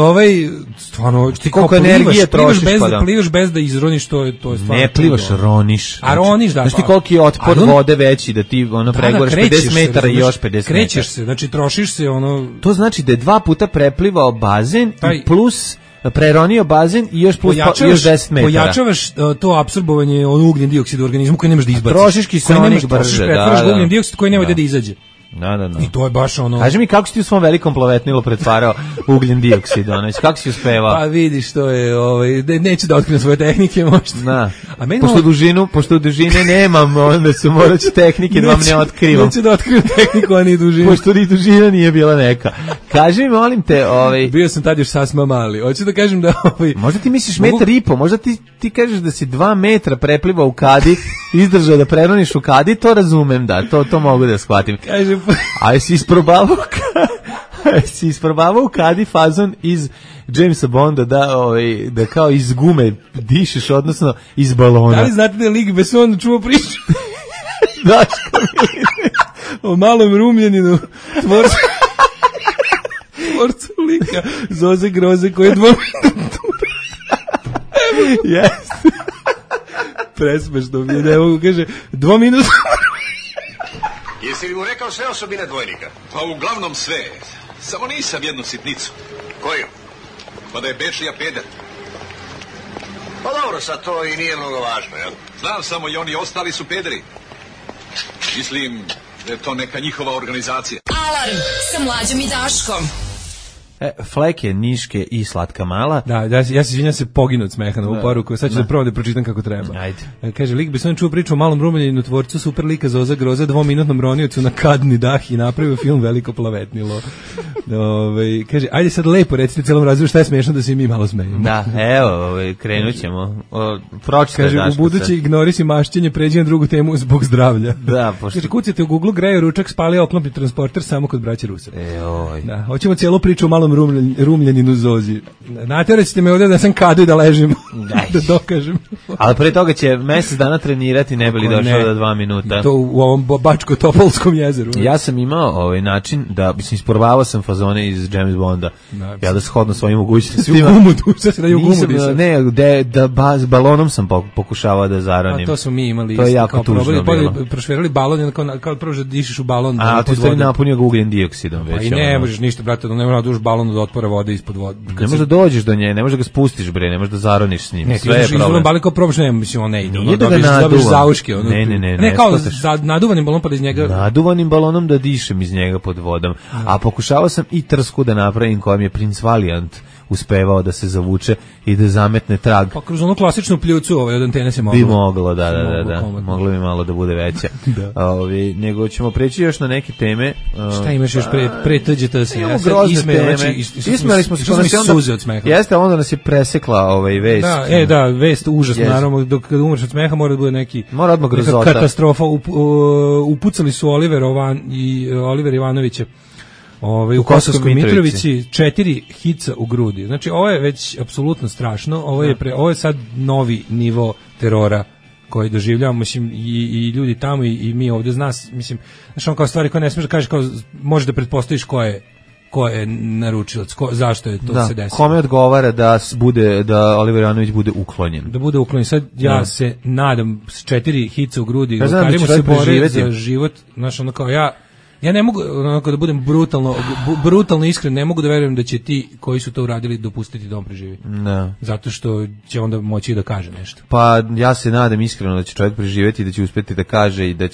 stvarno ti koliko energije trošiš plivaš bez da izroniš, to je stvarno. Ne plivaš, roniš. A roniš, da. Znaš ti koliki je otpor vode veći da ti pregoreš 50 metara i još 50 metara. Krećeš se, znači trošiš se To znači da je 2 puta preplivao bazen i plus preronio bazen i još plus još 10 metara. Pojačavaš to apsorbovanje ugljen dioksid u organizmu koji nemaš da izbaciš. Trošiš kiseonik brže, pretvaraš ugljen dioksid koji nema da izađe. Da. I to je baš ono... Kaži mi kako si ti u svom velikom plovetnilu pretvarao ugljen dioksid, kako si uspevao? Pa vidiš, to je, neću da otkrivim svoje tehnike, možda. Da. Pošto dužine nemam, onda su moraći tehnike da vam ne otkrivam. Neću da otkrivam tehniku, a ni dužinu. Pošto ni dužina nije bila neka. Kaži mi, molim te, Bio sam tad još sasma mali. Hoću da kažem da Možda ti misliš 1,5 m, možda ti kažeš da si 2 metra preplivao u kadi, izdržao da preroniš u kadi, to razumem, da, to mogu da shvatim. Kažem, a jesi isprobavao u kadi fazon iz Jamesa Bonda da kao iz gume dišeš, odnosno iz balona. Da li znate da je Lig Besson čuo priču? Daško o malom rumljaninu tvorcu lika Zoze Groze koji je 2 minuta. Jeste. Presmešno mi je, ne mogu, kaže 2 minuta. Jesi li mu rekao sve osobine dvojnika? Pa uglavnom sve. Samo nisam jednu sitnicu. Koju? Pa da je Bečija peder. Pa dobro, sad to i nije mnogo važno, jel? Znam samo i oni ostali su pederi. Mislim da je to neka njihova organizacija. Alarm sa Mlađom i Daškom. Fleke, Niške i Slatka Mala. Da, ja se izvinjam se poginu od smeha na ovu poruku, sad ću da prvo da pročitam kako treba. Ajde. Kaže, Lik Besson čuo priču o malom rumljaninu tvorcu super lika Zoza Groza, 2-minutnom roniocu na kadni dah i napravio film Veliko plavetnilo. Kaže, ajde sad lepo recite celom razredu šta je smešno da se mi malo smejemo. Da, evo, krenut ćemo. Kaže, u budući ignorisi mašćenje, pređi na drugu temu zbog zdravlja. Da, pošto... Kaže, kucate u Google, greje ručak, spalio oklopni transporter samo kod braće Rusa. Da, hoćemo cijelu priču o malom rumljaninu Zozi. Natjerat ćete me ovdje da sam kadu i da ležim. Da dokažem. Ali pre toga će mjesec dana trenirati, ne bi li došao do 2 minuta. To u ovom Bačko-Topolskom jezeru. Ja sam imao način da, isprobavao sam fazone iz James Bonda. Ja da shodno svojim mogućnostima. U gumu, šta se radi u gumu? Ne, s balonom sam pokušavao da zaronim. A to smo mi imali. To je jako tužno bilo. Prošverali balon, kao prvo da dišeš u balon. A ti ste napunio ga ugljen dioksidom već. Pa i ne možeš ništa, brate, ne možeš da duš balon od otpora vode ispod vode. Ne možeš da dođeš do nje, ne možeš da ga spustiš, bre, ne možeš da zaroniš s njim. Ne, sve je problem. Balon kao probaš, ne, mislim, on ne ide. Nije da ga naduvam. Ne, kao naduvanim balonom pa da iz njega... Naduvanim balonom da dišem iz njega pod vodom. A pokušavao sam i trsku da napravim kojom je Prince Valiant uspevao da se zavuče i da zametne trag. Pa kroz onu klasičnu pljucu od antene se moglo. Bi moglo, da. Moglo bi malo da bude veća. Nego ćemo preći još na neke teme. Šta imaš još pre TGT se? Imamo grozne teme. Ismejali smo se suze od smeha. Jeste, onda nas je presekla vest. Da, vest užasno, naravno, dok umreš od smeha mora da bude mora odmah grozota. Katastrofa. Upucali su Oliver Ivanovića u Kosovskoj Mitrovici 4 hica u grudi. Znači, ovo je već apsolutno strašno. Ovo je sad novi nivo terora koji doživljavamo, mislim, i ljudi tamo i mi ovdje mislim, znaš, on kao stvari koje ne smiješ da kažeš, kao možeš da pretpostaviš ko je naručilac, zašto je to se desilo. Kome odgovara da Oliver Jovanović bude uklonjen. Da bude uklonjen. Sad ja se nadam s 4 hica u grudi, kažemo se bore za život, znaš, ono kao ja ne mogu, onako da budem brutalno iskren, ne mogu da verujem da će ti koji su to uradili dopustiti da on preživi. Da. Zato što će onda moći da kaže nešto. Pa ja se nadam iskreno da će čovjek preživjeti, da će uspjeti da kaže i da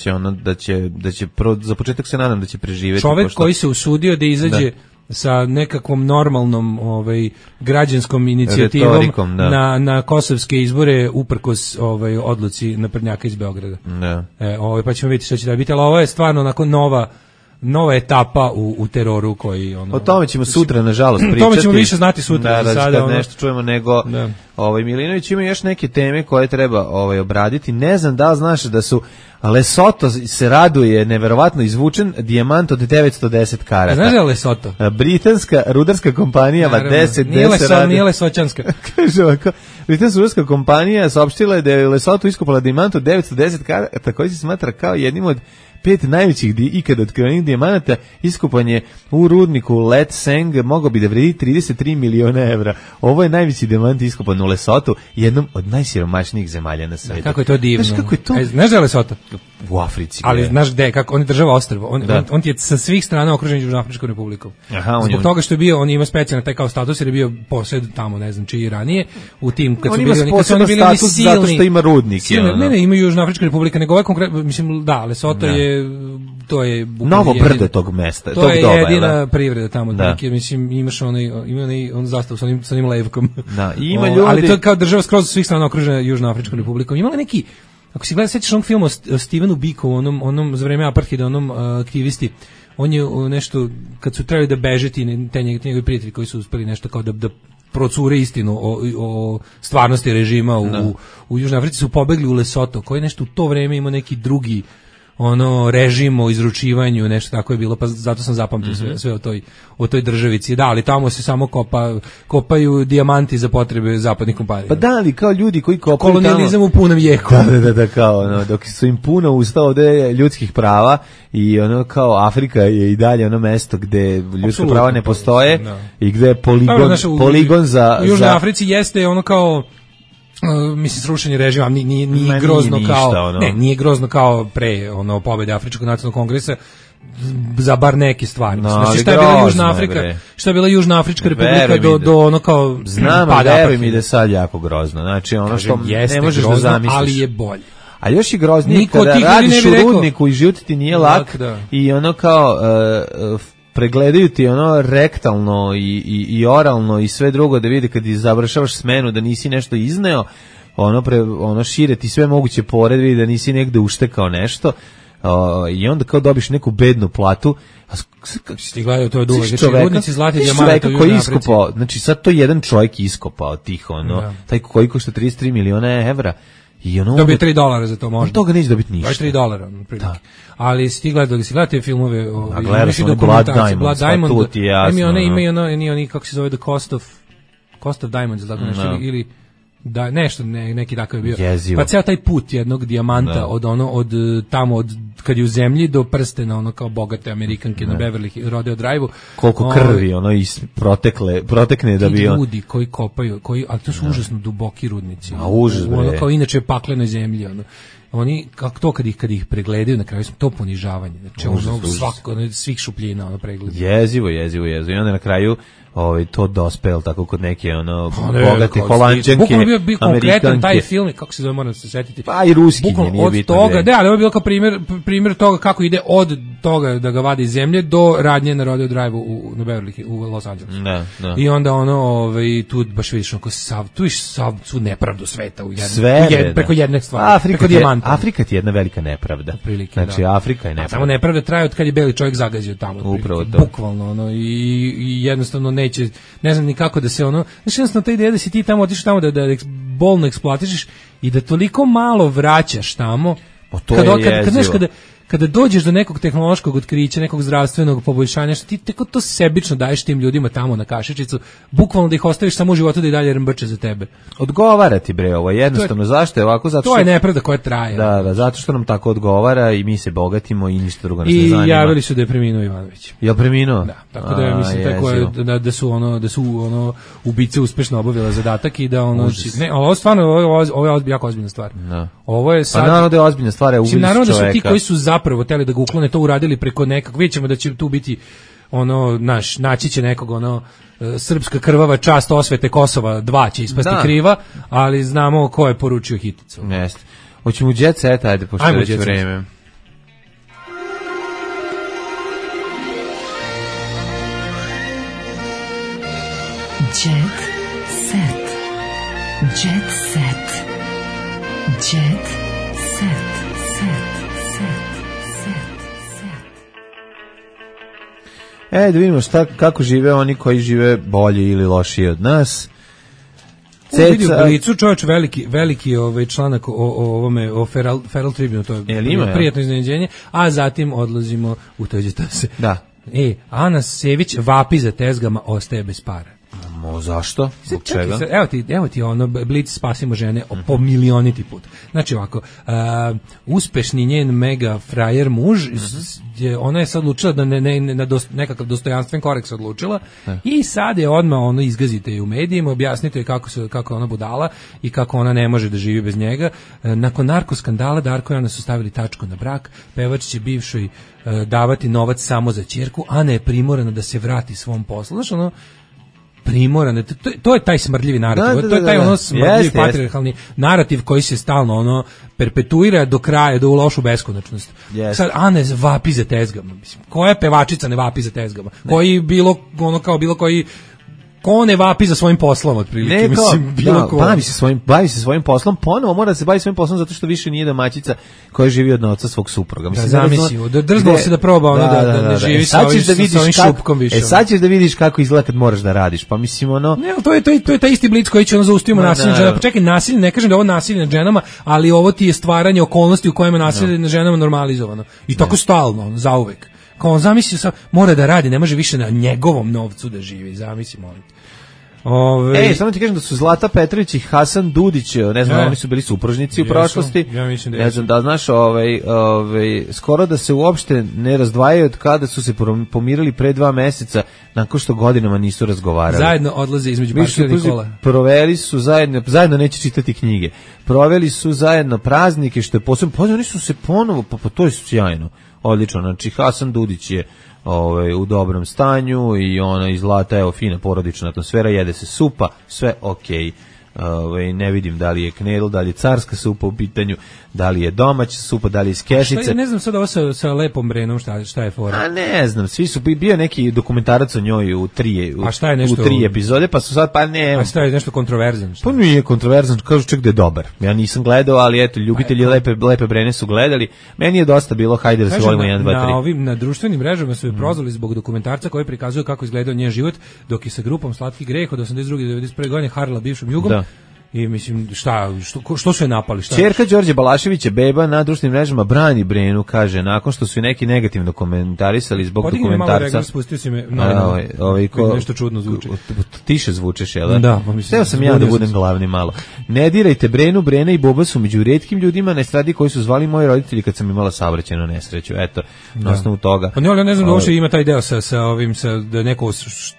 će za početak se nadam da će preživjeti. Čovjek koji se usudio da izađe sa nekakvom normalnom građanskom inicijativom retorikom, na kosovske izbore uprkos odluci naprednjaka iz Beograda. Da. Pa ćemo vidjeti što će da biti, ali ovo je stvarno onako nova etapa u teroru koji o tome ćemo sutra nažalost pričati. O tome ćemo više znati sutra. Da, sad nešto čujemo nego Milinović ima još neke teme koje treba obraditi. Ne znam da li znaš da su Lesotho se raduje neverovatno izvučen dijamant od 910 karata. Znaš da je Lesotho? Britanska rudarska kompanija nije Lesoćanska. Kaže ovako, britanska rudarska kompanija saopštila je da je Lesotho iskopala dijamant od 910 karata koji se smatra kao jednim od 5 najvećih ikada otkrivenih dijamanata. Iskopan je u rudniku Let Seng, mogao bi da vredi 33 miliona evra. Ovo je najveći dijamant iskopan u Lesothu, jednom od najsiromašnijih zemalja na svijetu. Kako je to divno. Znaš kako je to? Znaš da je Lesotho? U Africi. Ali znaš gde, kako on je država ostrvo. On ti je sa svih strana okružen Južnoafričkom republikom. Zbog toga što je bio, on ima specijalno taj kao status jer je bio posjed tamo, ne znam čiji ranije, u tim kad su bili status silni, zato što ima rudnike. Ne, ima Južnoafrička republika, nego ovaj konkretno, mislim, da, Lesotho je to je novo brdo tog mesta, to je jedina privreda tamo, mislim, imaš on zastavu sa onim levkom. Da, ima ljudi. Ali to je kao država skroz svih strana okružena Južnoafričkom republikom. Imala neki, ako si sećaš onog filma o Stevenu Bikovu, onom za vreme apartheida, onom aktivisti, on je nešto, kad su trebali da beže te njegovi prijatelji koji su uspeli nešto kao da procure istinu o stvarnosti režima u Južnoj Africi, su pobegli u Lesotho, koji nešto u to vreme ima neki drugi režim o izručivanju, nešto tako je bilo, pa zato sam zapamtio sve o toj državici. Da, ali tamo se samo kopaju dijamanti za potrebe zapadnih kompanija. Pa da, ali kao ljudi koji kopaju kolonijalizam u punom jeku. Da, kao dok su im puno usta ovde ljudskih prava i kao Afrika je i dalje mesto gde ljudska prava ne postoje i gde je poligon za... U Južnoj Africi jeste kao mislim srušenje režima nije grozno kao nije grozno kao pre pobede Afričkog nacionalnog kongresa za bar neke stvari. Znači šta je bila Južna Afrika, šta je bila Južna Afrička republika do kao znam, veruj mi da je sad jako grozno. Znači što ne možeš da zamisliš. Ali je bolje. A još i groznije kada radiš u rudniku i život ti nije lak i kao pregledaju ti rektalno i oralno i sve drugo da vidi kad završavaš smenu da nisi nešto izneo, šire ti sve moguće pored, vidi da nisi negde uštekao nešto i onda kao dobiš neku bednu platu. Ti gledaju, to je dugo. Znači, rudnici zlati dijamanta u Južnoj Africi. Znači sad to jedan čovjek iskopao tih, taj koji košta 33 miliona evra. Dobije $3 za to možda. Od toga neće dobiti ništa. $3. Ali si ti gledao te filmove, gledao sam Blood Diamond, tu ti je jasno. Ima oni, kako se zove, The Cost of Diamonds, tako nešto, ili da nešto neki takav je bio. Jezivo. Pa ceo taj put jednog dijamanta od tamo kad je u zemlji do prstena kao bogate Amerikanke na Beverly Rodeo Drive-u. Koliko krvi protekne da bi ljudi koji kopaju, ali to su užasno duboki rudnici. A užas bre. Kao inače paklenoj zemlji oni kako to kad ih pregledaju na kraju to ponižavanje. Znači svih šupljina pregled. Jezivo. I onda na kraju to dospel tako kod neke bogate Holanđanke, bukvalno bio konkretan taj film, kako se zove, moram se setiti. Pa i Ruskinje nije bitno. Od toga, ali ovo je bilo kao primjer toga kako ide od toga da ga vadi iz zemlje do radnje na Rodeo Drive-u na Beverly, u Los Angelesu. Da. I onda tu baš vidiš tu iš sav tu nepravdu sveta preko jedne stvari, preko dijamanta. Afrika ti je jedna velika nepravda. Znači Afrika je nepravda. Samo nepravda traje od kad je beli čovjek zagazio tamo. Upravo to. Bukvalno i jednostavno neće, ne znam ni kako da se znači jednostavno ta ideja da si ti tamo otišao tamo da bolno eksploatišeš i da toliko malo vraćaš tamo. To je jezivo. kada dođeš do nekog tehnološkog otkrića, nekog zdravstvenog poboljšanja, što ti tako to sebično daješ tim ljudima tamo na kašičicu, bukvalno da ih ostaviš samo u životu da i dalje rmbrče za tebe. Odgovara ti bre ovo, jednostavno zašto je ovako, zato što to je nepravda koja traje. Da, zato što nam tako odgovara i mi se bogatimo i ništa drugo nas ne zanima. I javili su da je preminuo Ivanović. Jel preminuo? Da, tako da ja mislim tako je da su ubice uspešno obavile zadatak i da ne, ovo stvarno ovo je jako ozbiljna stvar. Da. Ovo je sad pa naravno da je ozbiljna stvar, je ubić čoveka. Naravno da su ti koji su zapravo hteli da ga uklone to uradili preko nekog, vidjet ćemo da će tu biti naći će nekog srpska krvava čast osvete Kosova 2 će ispasti kriva, ali znamo ko je poručio hiticu. Jeste. Hoćemo u jet set, ajde, pošto je već vreme. Jet set. Jet set. Jet set. Da vidimo kako žive oni koji žive bolje ili lošije od nas. Vidi u Blicu, čovječ, veliki članak o Feral Tribune, to je prijatno iznenađenje, a zatim odlazimo u tođe se. Da. Ana Sević vapi za tezgama, ostaje bez para. Zašto? Zbog čega? Evo ti Blic spasimo žene po milioniti put. Znači ovako, uspešni njen mega frajer muž, ona je sad odlučila da nekakav dostojanstven korak se odlučila i sad je odmah izgazite je u medijima, objasnite je kako je ona budala i kako ona ne može da živi bez njega. Nakon narkoskandala Darko i Ana su stavili tačku na brak, pevač će bivšoj davati novac samo za ćerku, Ana je primorana da se vrati svom poslu. Znaš, primorane, to je taj smrdljivi narativ, to je taj smrdljivi patrijarhalni narativ koji se stalno perpetuira do kraja, do u lošu beskonačnost. Sad Ana vapi za tezgama, mislim, koja pevačica ne vapi za tezgama? Koji bilo koji ko ne vapi za svojim poslom otprilike, mislim, bilo ko. Bavi se svojim poslom, ponovo mora da se bavi svojim poslom zato što više nije domaćica koja živi od novca svog supruga. Mislim, da drznuo se da proba da ne živi sa ovim šupkom više. Sad ćeš da vidiš kako izgleda kad moraš da radiš, pa mislim Ne, to je taj isti Blic koji će zaustavimo nasilje nad ženama. Pa čekaj, nasilje, ne kažem da je ovo nasilje nad ženama, ali ovo ti je stvaranje okolnosti u kojima nasilje nad ženama normalizovano. I tako stalno, zauvek. Kao on zamisli mora da radi, ne može više na njegovom novcu da živi, zamisli, molim. Samo ti kažem da su Zlata Petrović i Hasan Dudić, ne znam, oni su bili supružnici u prošlosti. Ja mislim da ne znam da znaš, skoro da se uopšte ne razdvajaju od kada su se pomirili pre 2 meseca, nakon što godinama nisu razgovarali. Zajedno odlaze između parkiranih kola. Proveli su zajedno neće čitati knjige. Proveli su zajedno praznike, što je posebno, oni su se ponovo, pa to je sjajno, odlično. Znači Hasan Dudić je u dobrom stanju i ona iz Zlata, evo, fina porodična atmosfera, jede se supa, sve okej. Ne vidim da li je knedl, da li je carska supa u pitanju, da li je domaća supa, da li je iz kešice. Ja ne znam sad ovo sa Lepom Brenom šta je fora. A ne znam, svi su bio neki dokumentarac o njoj u 3 u epizode, pa su sad A šta je nešto kontroverzan? Pa nije kontroverzan, kažu čak da je dobar. Ja nisam gledao, ali eto, ljubitelji Lepe Brene su gledali. Meni je dosta bilo, hajde da se volimo 1, 2, 3. Na društvenim mrežama su je prozvali zbog dokumentarca koji prikazuje kako izgledao njen život dok je sa grupom Slatki greh od 82. do 91. godine harala bivšom Jugom. I mislim, što su je napali? Ćerka Đorđe Balaševića, beba na društvenim mrežama, brani Brenu, kaže, nakon što su neki negativno komentarisali zbog dokumentarca. Podigni malo spustio si me, nešto čudno zvuči. Tiše zvučeš, jel da? Da. Teo sam ja da budem glavni malo. Ne dirajte Brenu, Brena i Boba su među retkim ljudima na estradi koji su zvali moji roditelji kad sam imala saobraćajnu nesreću. Eto, na osnovu toga. Pa ne znam da uopšte ima taj deo da neko,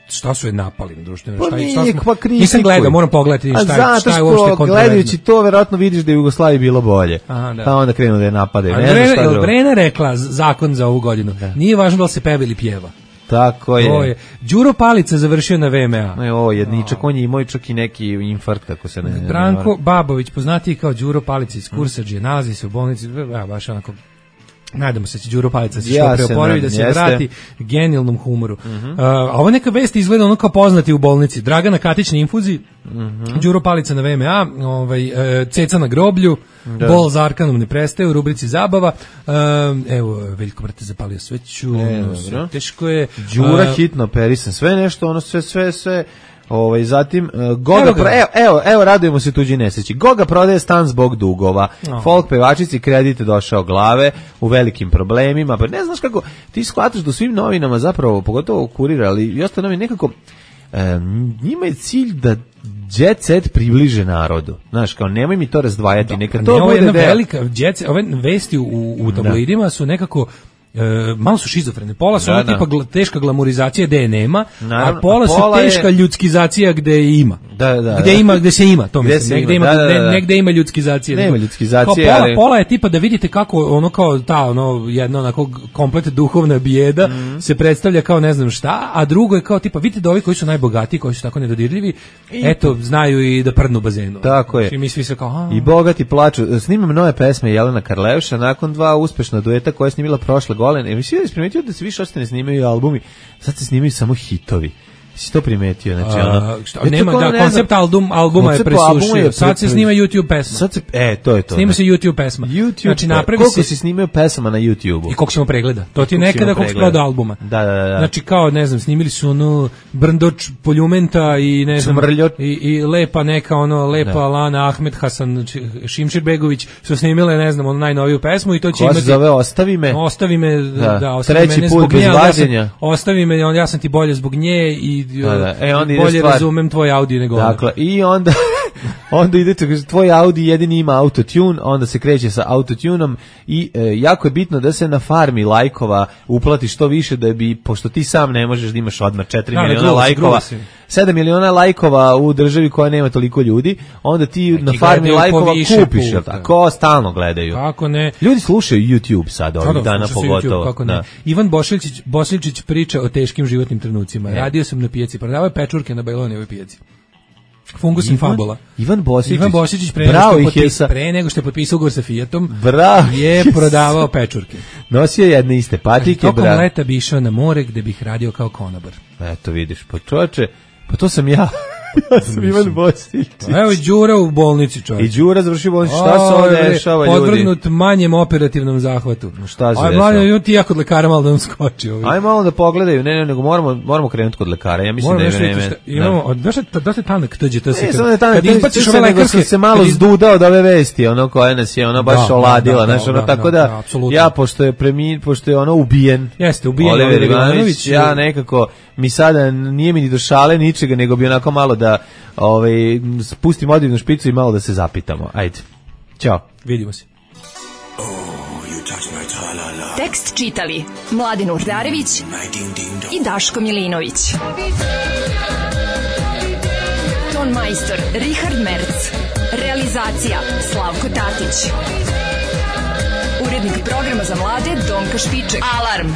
šta su je napali na društvenim mrežama? Nisam gledao, moram pogledati šta je gledajući to, verovatno vidiš da je Jugoslaviji bilo bolje. Pa onda krenu da je napadaju. Brena rekla zakon za ovu godinu. Nije važno da li se peva ili pjeva. Tako je. Đuro Palica završio na VMA. Jedničak, on je imao čak i neki infarkt, kako se ne... Branko Babović, poznatiji kao Đuro Palica iz Kursadžije, nalazi se u bolnici, baš onako... Nadamo se će Đuro Palica se što preoporavi da se vrati genijalnom humoru. A ovo neka vest izgleda ono kao poznati u bolnici. Dragana Katić na infuziji, Đuro Palica na VMA, Ceca na groblju, bol za Arkanom ne prestaje u rubrici zabava. Evo, Veljko Brate zapalio sveću, teško je. Đura hitno operisan, sve nešto, sve Zatim Goga evo radujemo se tuđi nesreći. Goga prodaje stan zbog dugova. Folk pevačici kredit došao glave, u velikim problemima. Pa ne znaš kako ti shvataš da u svim novinama zapravo, pogotovo Kurir, ali i ostalo novine nekako njima je cilj da jet set približe narodu. Znaš, kao nemoj mi to razdvajati, neka to bude velika jet set, ove vesti u tabloidima su nekako malo su šizofrene. Pola su tipa teška glamurizacija gde je nema, a pola su teška ljudskizacija gde je ima. Gde se ima, to mislim. Negde ima ljudskizacija. Nema ljudskizacije. Pola je tipa da vidite kako ono kao ta jedna onako komplet duhovna bijeda se predstavlja kao ne znam šta, a drugo je kao tipa vidite da ovi koji su najbogatiji, koji su tako nedodirljivi, eto znaju i da prdnu u bazenu. Tako je. I mi svi se kao i bogati snimam nove pesme Jelena Karleuša nakon 2 uspešna dueta koje je snimila prošle godine. Mislim da primetio da se više uopšte ne snimaju albumi, sad se snimaju samo hitovi. Si to primetio, znači nema koncept albuma je presušio. Sad se snima YouTube pesma. Sad se to je to. Snima se YouTube pesma. Znači koliko se snimaju pesama na YouTubeu i koliko ćemo pregleda. To ti nekada koliko proda albuma. Da. Znači kao ne znam, snimili su ono Brndoč Poljumenta i ne znam i lepa neka lepa Lana Ahmed Hasan Šimširbegović su snimile ne znam najnoviju pesmu i to će imati. Ko se zove Ostavi me. Ostavi me treći put bez vađenja. Ostavi me, ja sam ti bolje zbog nje i bolje razumem tvoj Audi nego ona. Dakle, i onda idete, tvoj Audi jedini ima autotune, onda se kreće sa autotunom i jako je bitno da se na farmi lajkova uplati što više da bi, pošto ti sam ne možeš da imaš odmah 4 miliona lajkova, 7 miliona lajkova u državi koja nema toliko ljudi, onda ti na farmi lajkova kupiš, tako stalno gledaju. Kako ne? Ljudi slušaju YouTube sad ovih dana pogotovo. Kako ne? Ivan Bosiljčić priča o teškim životnim trenucima. Radio sam na pijaci, prodavao je pečurke na Bajlonijevoj pijaci. Fungus in fabula. Ivan Bosiljčić pre nego što je potpisao ugovor sa Fiatom je prodavao pečurke. Nosio jedne iste patike. Tokom leta bi išao na more gde bih radio kao konobar. Eto vidiš, pa čoveče, pa to sam ja. Ja sam Ivan Bosiljčić. Evo i Đura u bolnici, čovječ. I Đura završi bolnici. Šta se ovdje dešava, ljudi? Podvrgnut manjem operativnom zahvatu. Šta se dešava? Aj, ti ja kod lekara malo da nam skoči. Aj malo da pogledaju. Ne, nego moramo krenuti kod lekara. Ja mislim da je vreme. Imamo, dosta tanak tuđe. Samo je tanak tuđe, nego sam se malo zdudao od ove vesti, ono koja nas je baš oladila. Tako da, ja, pošto je ono ubijen. Jeste, ubijen Oliver Ivanović. Ja nekako, mi sada nije mi ni do šale ničega, nego bi onako malo da spustim odivnu špicu i malo da se zapitamo. Ajde. Ćao. Vidimo se. Tekst čitali Mladen Urdarević i Daško Milinović. Ton majstor Richard Merc. Realizacija Slavko Tatić. Urednik programa za mlade Donka Špiček. Alarm.